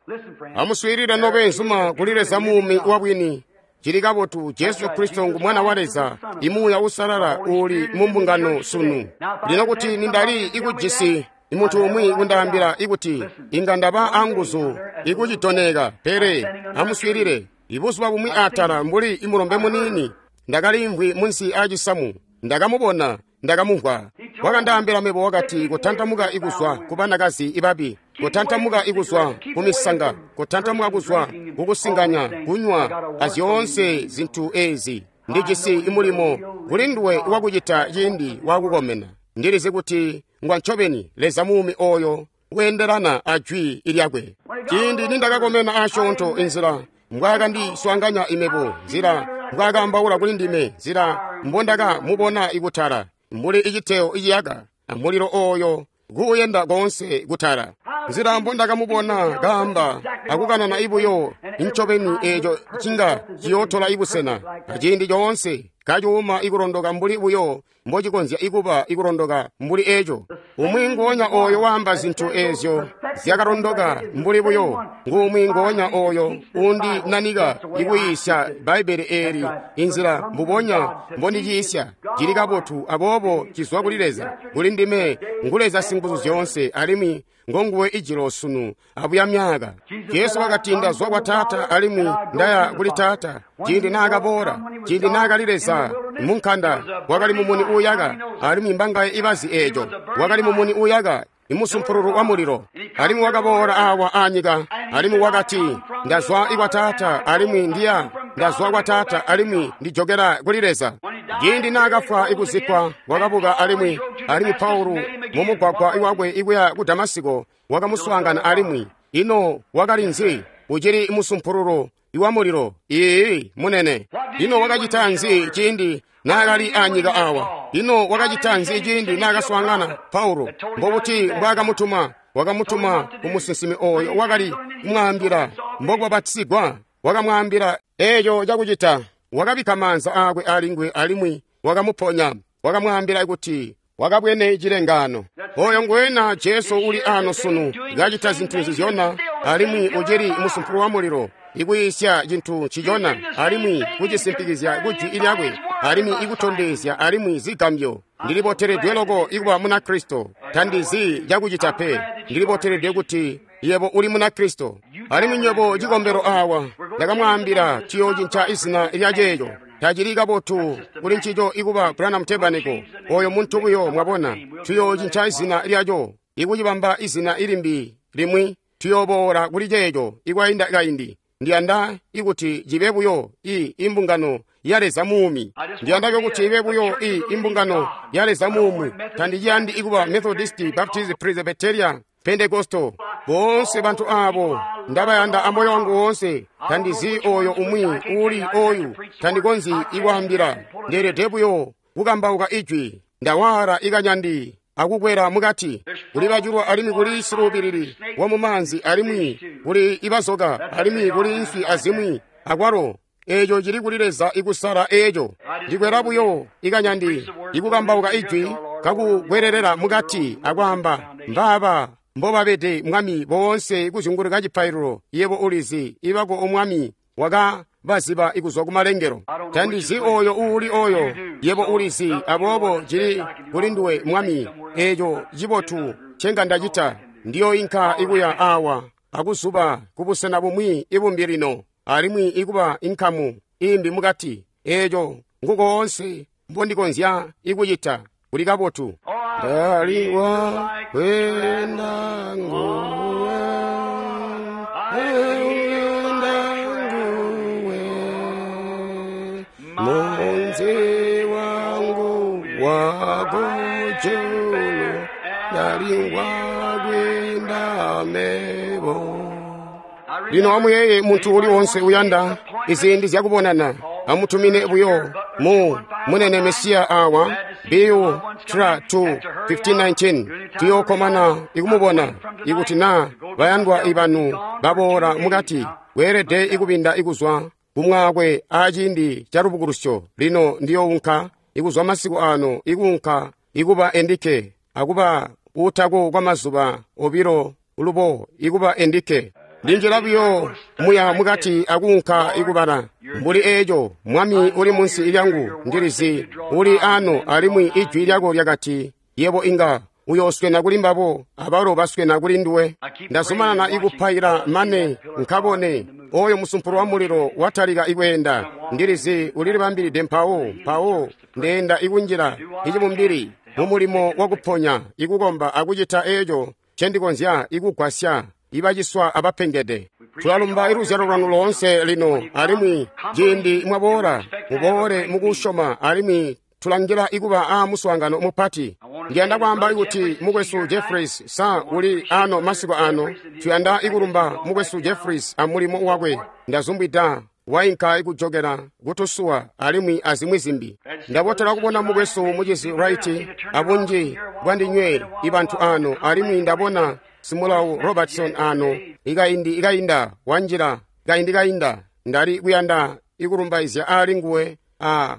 Amuswiilile nobeenzuma kuli Leza muumi wabwini. Cili kabotu, Jesu Kristo ngu Mwana wa Leza, imuuya usalala uli mu mbungano sunu. Lino kuti nindali ikujisi muntu umwi kundaambila ikuti inga ndaba anguzu ikucitoneka, pele amuswiilile. Ibuzuba bumwi atala mbuli imulombe muniini, ndakalimvwi munsi aacisamu, ndakamubona, ndakamumvwa. Wakandaambila mebo wakati, kutantamuka ikuzwa ku banakazi ibabi, kutantamuka ikuzwa ku misanga, kutantamuka kuzwa kukusinganya, kunywa, azyoonse zintu ezi. Ndijisi imulimo kuli nduwe wakucita ciindi wakukomena. Ndilizi kuti ngwa ncobeni Leza muumi oyo weendelana a jwi lyakwe. Ciindi nindakakomena asyoonto, inzila mbwaakandiswaanganya imebo, nzila mbwaakaambaula kuli ndime, nzila mbondakamubona ikutala mbuli iciteo iciyaka amulilo oyo kuuyenda koonse kutala, nzila mbondakamubona kaamba akukanana ibuyo incobeni eeco cinga ciyootola ibusena aciindi coonse kacuuma ikulondoka mbuli buyo mbocikonzya ikuba ikulondoka mbuli eeco. Umwi ngoonya oyo waamba zintu eezyo zyakalondoka mbuli buyo nguumwi ngoonya oyo undinanika ikuyiisya Bbaibbele eeli inzila mbubonya mbondiciisya. Cili kabotu, aboobo cizwa kuli Leza. Kuli ndime ngu Leza singuzu zyoonse, alimwi ngonguwe ijilo sunu abuya myaka. Jesu wakati, ndazwa kwa Taata alimwi ndaya kuli Taata. Ciindi naakaboola, ciindi naakali Leza munkanda, wakali mumuni uuyaka, alimwi mbangaye ibazi eeco. Wakali mumuni uuyaka, imusumpululu wa mulilo. Alimwi wakaboola awa anyika, alimwi wakati, ndazwa kwa Taata alimwi ndiya, ndazwa kwa Taata alimwi ndijokera kuli Leza. Ciindi naakafwa ikuzikkwa, wakabuka alimwi, alimwi Paulo mumugwagwa wakwe ikuya ku Damasiko wakamuswaangana alimwi. Ino wakali nzi? Ucili musumpululu iwa mulilo. Iiyi, munene. Ino wakacita nzi ciindi naakali anyika awa? Ino wakacita nzi ciindi naakaswaangana Paulo? Mbobuti mbwaakamutuma? Wakamutuma kumusinsimi oyo wakali kumwaambila mbokubapatisigwa. Wakamwaambila eeco cakucita. Wakabikka maanza aakwe alinguwe alimwi wakamuponya. Wakamwaambila kuti wakabwene cilengaano. Oyo ngwena Jesu uli ano sunu, kacita zintu nzizyona, alimwi ucili musumpulu wa mulilo, ikuyiisya cintu ncicona, alimwi kucisimpikizya kujwi lyakwe, alimwi ikutondezya alimwi zigambyo. Ndiliboteledwe loko ikuba Munakristo. Tandizi cakucita pe. Ndiliboteledwe kuti yebo uli Munakristo. Alimwi nywebo cikombelo awa, ndakamwaambila tuyocinca izina lya ceeco. Tacili kabotu kuli ncico ikuba Branham Tabernacle. Oyo muntu buyo, mwabona. Tuyocinca izina lyaco, ikucibamba izina ilimbi limwi. Tuyoboola kuli ceeco ikwainda kaindi. Ndiyanda ikuti cibe buyo imbungano ya Leza muumi. Ndiyanda kuti ibe buyo imbungano ya Leza muumi. Tandiciyandi ikuba Methodist, Baptist, Presbyterian, Pentecostal. Boonse bantu abo ndabayanda amoyo wangu woonse. Tandizi oyo umwi uli oyu. Tandikonzyi ikwaambila. Ndeelede buyo kukambauka ijwi. Ndawala ikanyandi akukwela mukati. Kuli bacilwa alimwi kuli siluubilili wa mumaanzi alimwi kuli ibazoka alimwi kuli nswi azimwi akwalo. Eeco cili kuli Leza ikusala eeco. Ndikwela buyo ikanyandi ikukambauka ijwi kakukwelela mukati akwaamba mbaaba mbobabede Mwami boonse kuzyunguluka cipaililo. Yebo ulizi ibako omwami wakabaziba ikuzwa kumalengelo. Tandizi oyo uuli oyo, yebo ulizi, aboobo cili kuli nduwe Mwami. Eeco cibotu ncenga ndacita. Ndiyoinka ikuya awa akuzuba kubusena bumwi ibumbi lino, alimwi ikuba inkamu imbi mukati. Eeco ngukoonse mbondikonzya ikucita. Kuli kabotu. Ndaliwa kwenda nguwe, kwenda nguwe, munzi wangu wakujulu, ndaliwa kwenda mebo. Lino amuyeye muntu uli wonse uyanda iziindi zyakubonana, amutumine buyo mu munene Mesiya awa BU tra 2 1519. Tuyokomana ikumubona ikuti na bayandwa ibanu baboola mukati. Weelede ikubinda ikuzwa kumwaakwe aciindi ca lubukulusyo. Lino ndiyounka ikuzwa masiku ano ikuunka ikuba endike akuba utako kwa mazuba obilo lubo ikuba endike. Ndinjila buyo muya mukati akuunka ikubala mbuli eeco. Mwami uli munsi lyangu, ndilizi uli ano, alimwi ijwi lyako lyakati yebo inga uyooswena kuli mbabo, abalo baswena kuli nduwe. Ndazumanana ikupaila mane nkabone oyo musumpulu wa mulilo watalika ikweenda. Ndilizi ulilibambilide mpawo mpawo ndeenda ikunjila icibumbili mumulimo wakuponya, ikukomba akucita eeco ncendikonzya ikugwasya ibaciswa abapengede. Tulalumba iluzyalo lwanu loonse lino, alimwi ciindi mwaboola muboole mukusyoma, alimwi tulangila ikuba a muswaangano mupati. Ndiyanda kwaamba kuti mukwesu Jeffries sa uli ano masiku ano. Tuyanda ikulumba mukwesu Jeffries amulimo wakwe. Ndazumbwida wainka ikujokela kutusuwa alimwi azimwi zimbi. Ndabotela kubona mukwesu mucizi Wright abunji bwandinywe ibantu ano, alimwi ndabona Simulawu Robertson ano ikaindi ikainda wanjila kaindi kainda. Ndali kuyanda ikulumbaizya ali nguwe a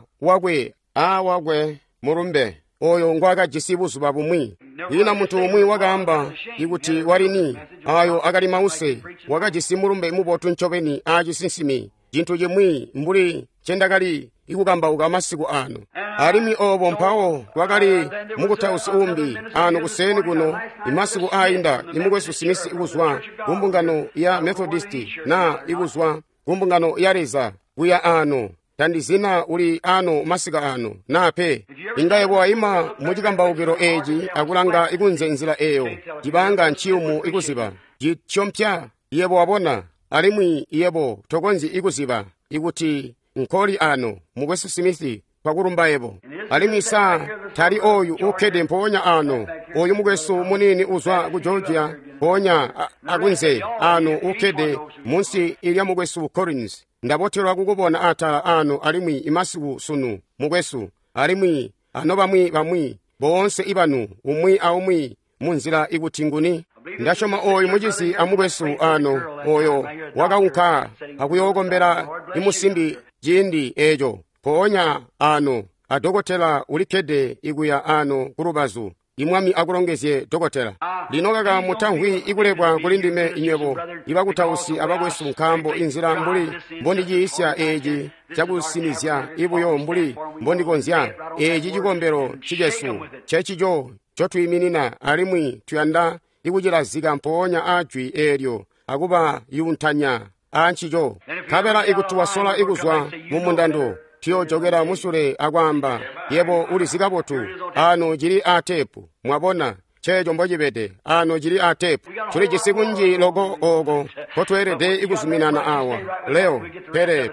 wakwe mulumbe oyo ngwakajisi buzuba bumwi. Ina muntu umwi wakaamba ikuti walini ayo akali mause, wakajisi mulumbe mubotu ncobeni acisinsimi, cintu cimwi mbuli ncendakali ikukambauka masiku ano. Alimwi obo mpawo kwakali mukutausi umbi ano kuseni kuno imasiku ainda, imukwesu Smith ikuzwa kumbungano ya Methodist na ikuzwa kumbungano ya Leza kuya ano. Tandizina uli ano masika ano na pe. Inga yebo waima mucikambaukilo eeci akulanga ikunze nzila eyo, cibanga nciyumu ikuziba cityompya yebo wabona, alimwi yebo tokonzyi ikuziba ikuti nkoli ano. Mukwesu Smith, twakulumba yebo. Alimwi sa tali oyu ukkede mpoonya ano, oyu mukwesu munini uzwa ku Georgia mpoonya akunze ano ukkede munsi ilya mukwesu Collins. Ndabotelwa kukubona atala ano alimwi imasiku sunu, mukwesu, alimwi ano bamwi boonse ibanu, umwi aumwi munzila ikuti nguni. Ndasyoma oyu mucizi amukwesu ano oyo wakaunka akuyookombela imusimbi ciindi eeco. Mpoonya ano adokotela ulikkede ikuya ano kulubazu. Imwami akulongezye dokotela. Lino kaka mutamvwi ikulebwa kuli ndime inywebo ibakutausi abakwesu, nkaambo inzila mbuli mbondiciisya eeci cakusinizya ibuyo mbuli mbondikonzya. Eeci cikombelo cicesu cecico ncotwiiminina, alimwi tuyanda ikucilazika mpoonya aajwi eelyo akubayuntanya aancico. Nkabela ikuti wasola ikuzwa mumundando, tuyojokela musule akwaamba, yebo ulizi kabotu, ano cili aatepu. Mwabona ceeco mbocibede, ano cili aatepu. Tulijisi kunji loko ooko nkotweelede ikuzuminana awa leo,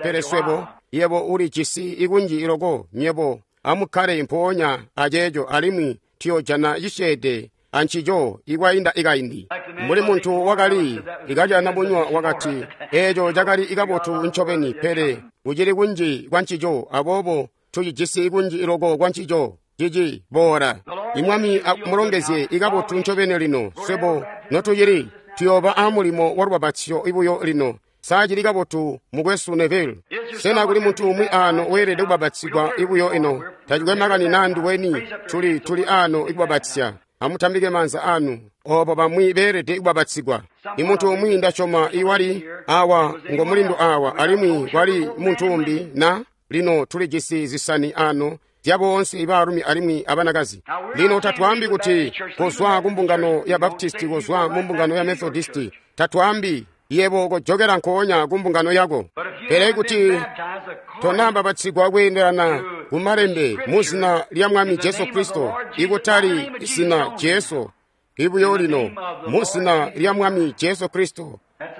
pele swebo, yebo ulijisi ikunji loko, nyebo amukkale mpoonya aceeco, alimwi tuyojana cisyeede ancico ikwainda ikaindi. Mbuli muntu wakali ikajana bunywa wakati, eeco cakali ikabotu ncobeni, pele kucili kunji kwancico, aboobo tucijisi kunji loko kwancico. Cici boola. Imwami amulongezye ikabotu ncobeni lino. Swebo notucili tuyooba amulimo wa lubapatizyo ibuyo lino. Sa cili kabotu, mukwesu Neville? Sena kuli muntu umwi ano weelede kubapatizigwa ibuyo ino? Tacikwe makani naa nduweni, tuli ano ikubapatizya. Amutambike maanza anu obo bamwi beelede kubapatizigwa. Imuntu umwi ndasyoma iwali awa ngo mulindu awa, alimwi kwali muntu umbi na lino tulijisi zisani ano zya boonse ibaalumi alimwi abanakazi. Lino tatwaambi kuti kozwa kumbungano ya Baptisti, kozwa mu mbungano ya Methodisti. Tatwaambi yebo kojokela nkoonya kumbungano yako. Pele kuti tonabapatizigwa kweendelana kumalembe muzina lya Mwami Jesu Kristo, ikutali zina Jesu ibuyo lino, muzina lya Mwami Jesu Kristo,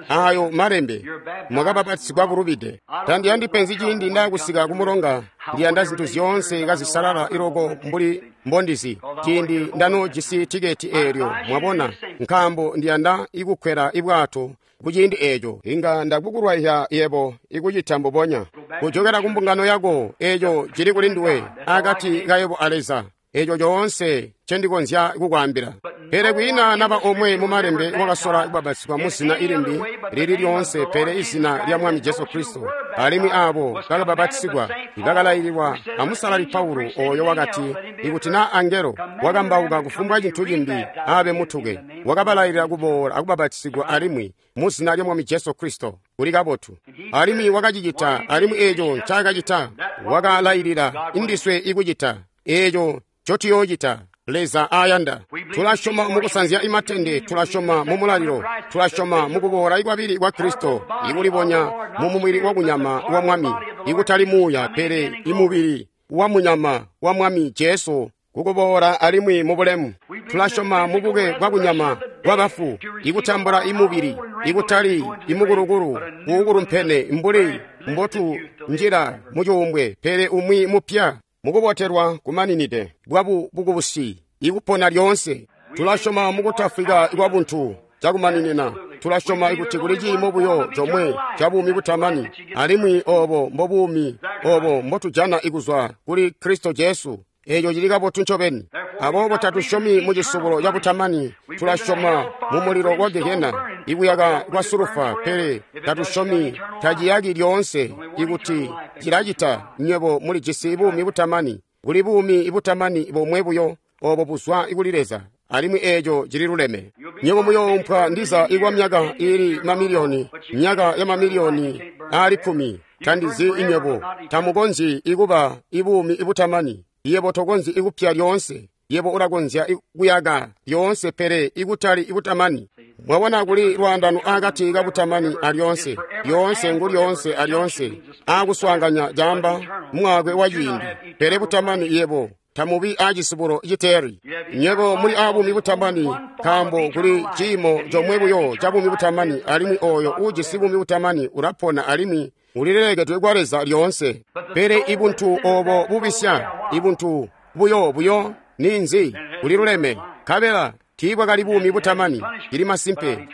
ayo malembe, mwakabapatizigwa bulubide. Tandiyandi penzi ciindi ndakusika kumulonga, ndiyanda zintu zyoonse kazisalala iloko mbuli mbondizi ciindi ndanojisi tiketi eelyo, mwabona, nkaambo ndiyanda ikukwela ibwato kuciindi eeco. Inga ndakukulwaizya yebo ikucita mbubonya, kujokela kumbungano yako. Eeco cili kuli nduwe, akati kayebo a Leza. Eeco coonse ncendikonzya kukwaambila. Pele kwiina naba omwe mumalembe wakasola kubapatizigwa muzina ilimbi lili lyoonse pele izina lya Mwami Jesu Kristo. Alimwi aabo bakabapatizigwa ibakalaililwa amusalali Paulo, oyo wakati, ikuti naa angelo wakambauka kufumbwa cintu cimbi aabe mutuke, wakabalailila kuboola akubapatizigwa alimwi muzina lya Mwami Jesu Kristo. Kuli kabotu. Alimwi wakacicita, alimwi eeco ncaakacita wakalailila indiswe ikucita eeco ncotuyoocita. Leza ayanda. Tulasyoma mukusanzya imatende, tulasyoma mumulalilo, tulasyoma mukuboola ikwabili kwa Kristo, ikulibonya mumubili wakunyama wa Mwami, ikutali muuya pele imubili wa munyama wa Mwami Jesu kukuboola alimwi mubulemu. Tulasyoma mubuke bwakunyama bwabafu, ikutambula imubili, ikutali imukulukulu uukulumpene mbuli mbotu njila mucuumbwe, pele umwi mupya mukubotelwa kumaninide bwabu bukubusi ikupona lyoonse. Tulasyoma mukutafwika kwabuntu cakumaninina. Tulasyoma ikuti kuli ciimo buyo comwe ca buumi butamani, alimwi obo mbobuumi obo mbotujana ikuzwa kuli Kristo Jesu. Eeco cili kabotu ncobeni. Aboobo tatusyomi mucisubulo cabutamani, tulasyoma mumulilo wa Gehena ikuyaka kwa sulufa, pele tatusyomi taciyaki lyoonse. Ikuti cilacita, nywebo mulijisi buumi butamani. Kuli buumi butamani bomwe buyo, obo buzwa kuli Leza, alimwi eeco cililuleme. Nywebo muyoompwa ndiza ikwa myaka iili mamiliyoni, myaka ya mamiliyoni aali 10. Tandizi inywebo tamukonzyi ikuba ibuumi butamani. Yebo tokonzyi ikupya lyoonse. Yebo ulakonzya kuyaka lyoonse, pele ikutali ibutamani. Mwabona, kuli lwaandano akati kabutamani alyoonse. Lyoonse ngu lyoonse alyoonse, aakuswaanganya caamba mwaakwe wa ciindi. Pele butamani yebo tamubi aacisubulo citeeri. Nywebo muli aabuumi butamani, nkaambo kuli ciimo comwe buyo ca buumi butamani, alimwi oyo uujisi buumi butamani ulapona alimwi ulilelekedwe kwa Leza lyoonse. Pele ibuntu obo bubisya, ibuntu buyo buyo ninzi? Buliluleme. Nkabela tiibwakali buumi butamani. Cili masimpe,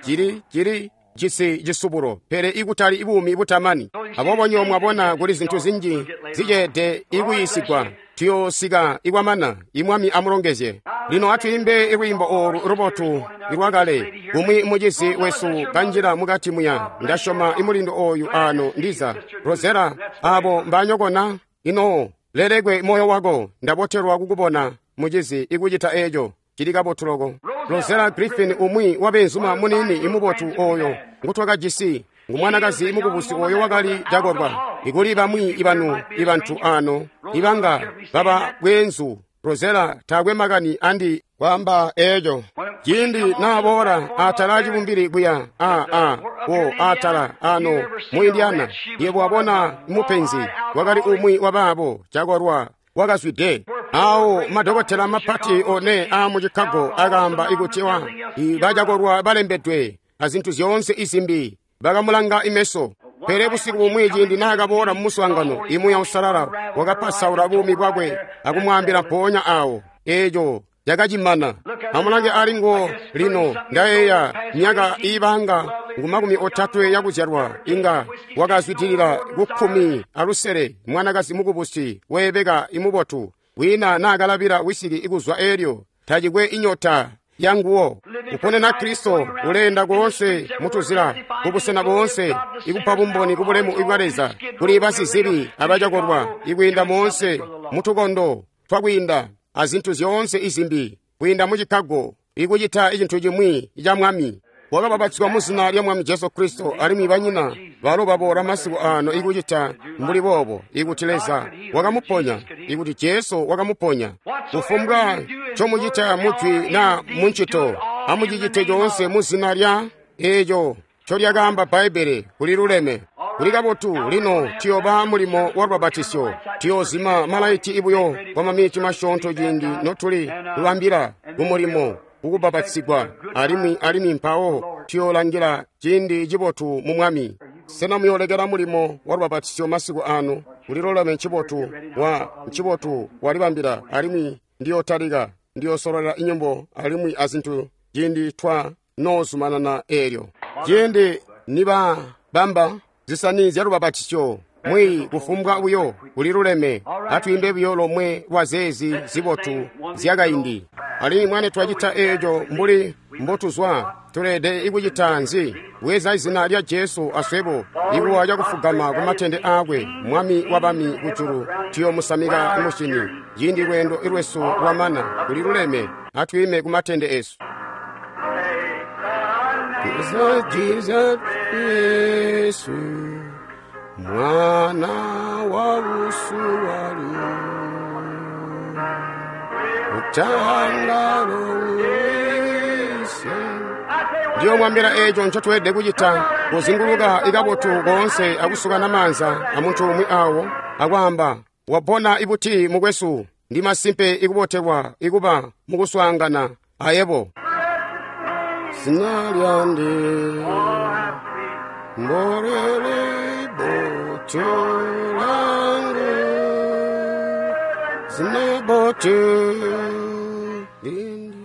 cili jisi cisubulo, pele ikutali buumi butamani. Aboobo nywebo mwabona kuli zintu zinji ziceede ikuyiisigwa. Tuyoosika ikwamana. Imwami amulongezye. Lino atwiimbe lwiimbo oolu lubotu lwakale. Umwi mucizi wesu kanjila mukati muya. Ndasyoma imulindo oyu ano ndiza. Rosella, abo mbanyokona? Ino lelekwe moyo wako. Ndabotelwa kukubona mucizi ikucita eco. Cili kabotu loko. Rosella Griffin, umwi wabeenzuma munini imubotu oyo ngutwakajisi, ngumwanakazi mukubusi oyo wakali cakolwa. Ikuli bamwi ibanu ibantu ano ibanga baba bweenzu. Rosella taakwe makani andi kwaamba eco. Ciindi naaboola atala cibumbili kuya wo atala ano mu Indiana, yebo wabona mupenzi wakali umwi wabaabo cakolwa wakazwide. Awo madokotela mapati one a mu Chicago akaamba ikuti wa bacakolwa balembedwe azintu zyoonse izimbi bakamulanga imeso. Pele busiku bumwi ciindi naakaboola mumuswaangano, imuya usalala wakapasaula buumi bwakwe akumwaambila mpoonya awo eeco cakacimana. Amulange alingo lino, ndayeeya myaka iibanga ngu 30 yakuzyalwa, inga wakazwidilila ku 16, mwanakazi mukubusi weebeka imubotu, wina naakalabila wisiki ikuzwa eelyo, tacikwe inyota yanguwo. Kuponena Kristo uleenda koonse mutuzila, kubusena boonse, ikupa bumboni kubulemu ibwa Leza kuli basizibi abacakolwa, ikwiinda moonse mutukondo twakwiinda azintu zyoonse izimbi, kwiinda mu Chicago, ikucita icintu cimwi ca Mwami. Wakabapatizwa mu zina lya Mwami Jesu Kristo, alimwi banyina balo baboola masiku ano ikucita mbuli boobo, ikuti Leza wakamuponya, ikuti Jesu wakamuponya. Kufumbwa ncomucita mujwi na muncito, amucicite coonse mu zina lya eeco ncolyakaamba Bbaibbele kuli luleme. Kuli kabotu. Lino tuyooba mulimo wa lubabatisyo. Tuyoozima malaiti ibuyo kwa maminiti masyoonto ciindi notuli kubambila kumulimo kukubapatisigwa, alimwi mpawo tuyoolangila ciindi cibotu mu Mwami. Sena muyoolekela mulimo wa lubabatisyo masiku ano? Kulilolame ncibotu wa ncibotu walibambila, alimwi ndiyootalika, ndiyoosololela inyimbo alimwi azintu ciindi twa noozumanana eelyo. Ciindi nibabamba zisani zya lubabatisyo, mwi kufumbwa buyo kuliluleme, atwiimbe buyo lomwe lwa zeezi zibotu zyakaindi. Alimwi mwane twacita eeco mbuli mbotuzwa, tuleede ikucita nzi? Bweza izina lya Jesu aswebo, ikuwa cakufugama ku matende aakwe, Mwami wabami kujulu, tuyoomusamika musyini. Ciindi lweendo lwesu lwamana, kuliluleme, atwiime ku matende esu. Jesus, Yesu, mwana wa usuwalu, utangalo wese. Ndiyo mwambira eco ncotweelede kucita, kuzinguluka ikabotu koonse akusukana maanza amuntu umwi awo akwaamba, wapona ibuti mukwesu, ndi masimpe ikubotelwa ikuba mukuswaangana ayebo. Zina lyande mbolele botu langu, zina botu lindi.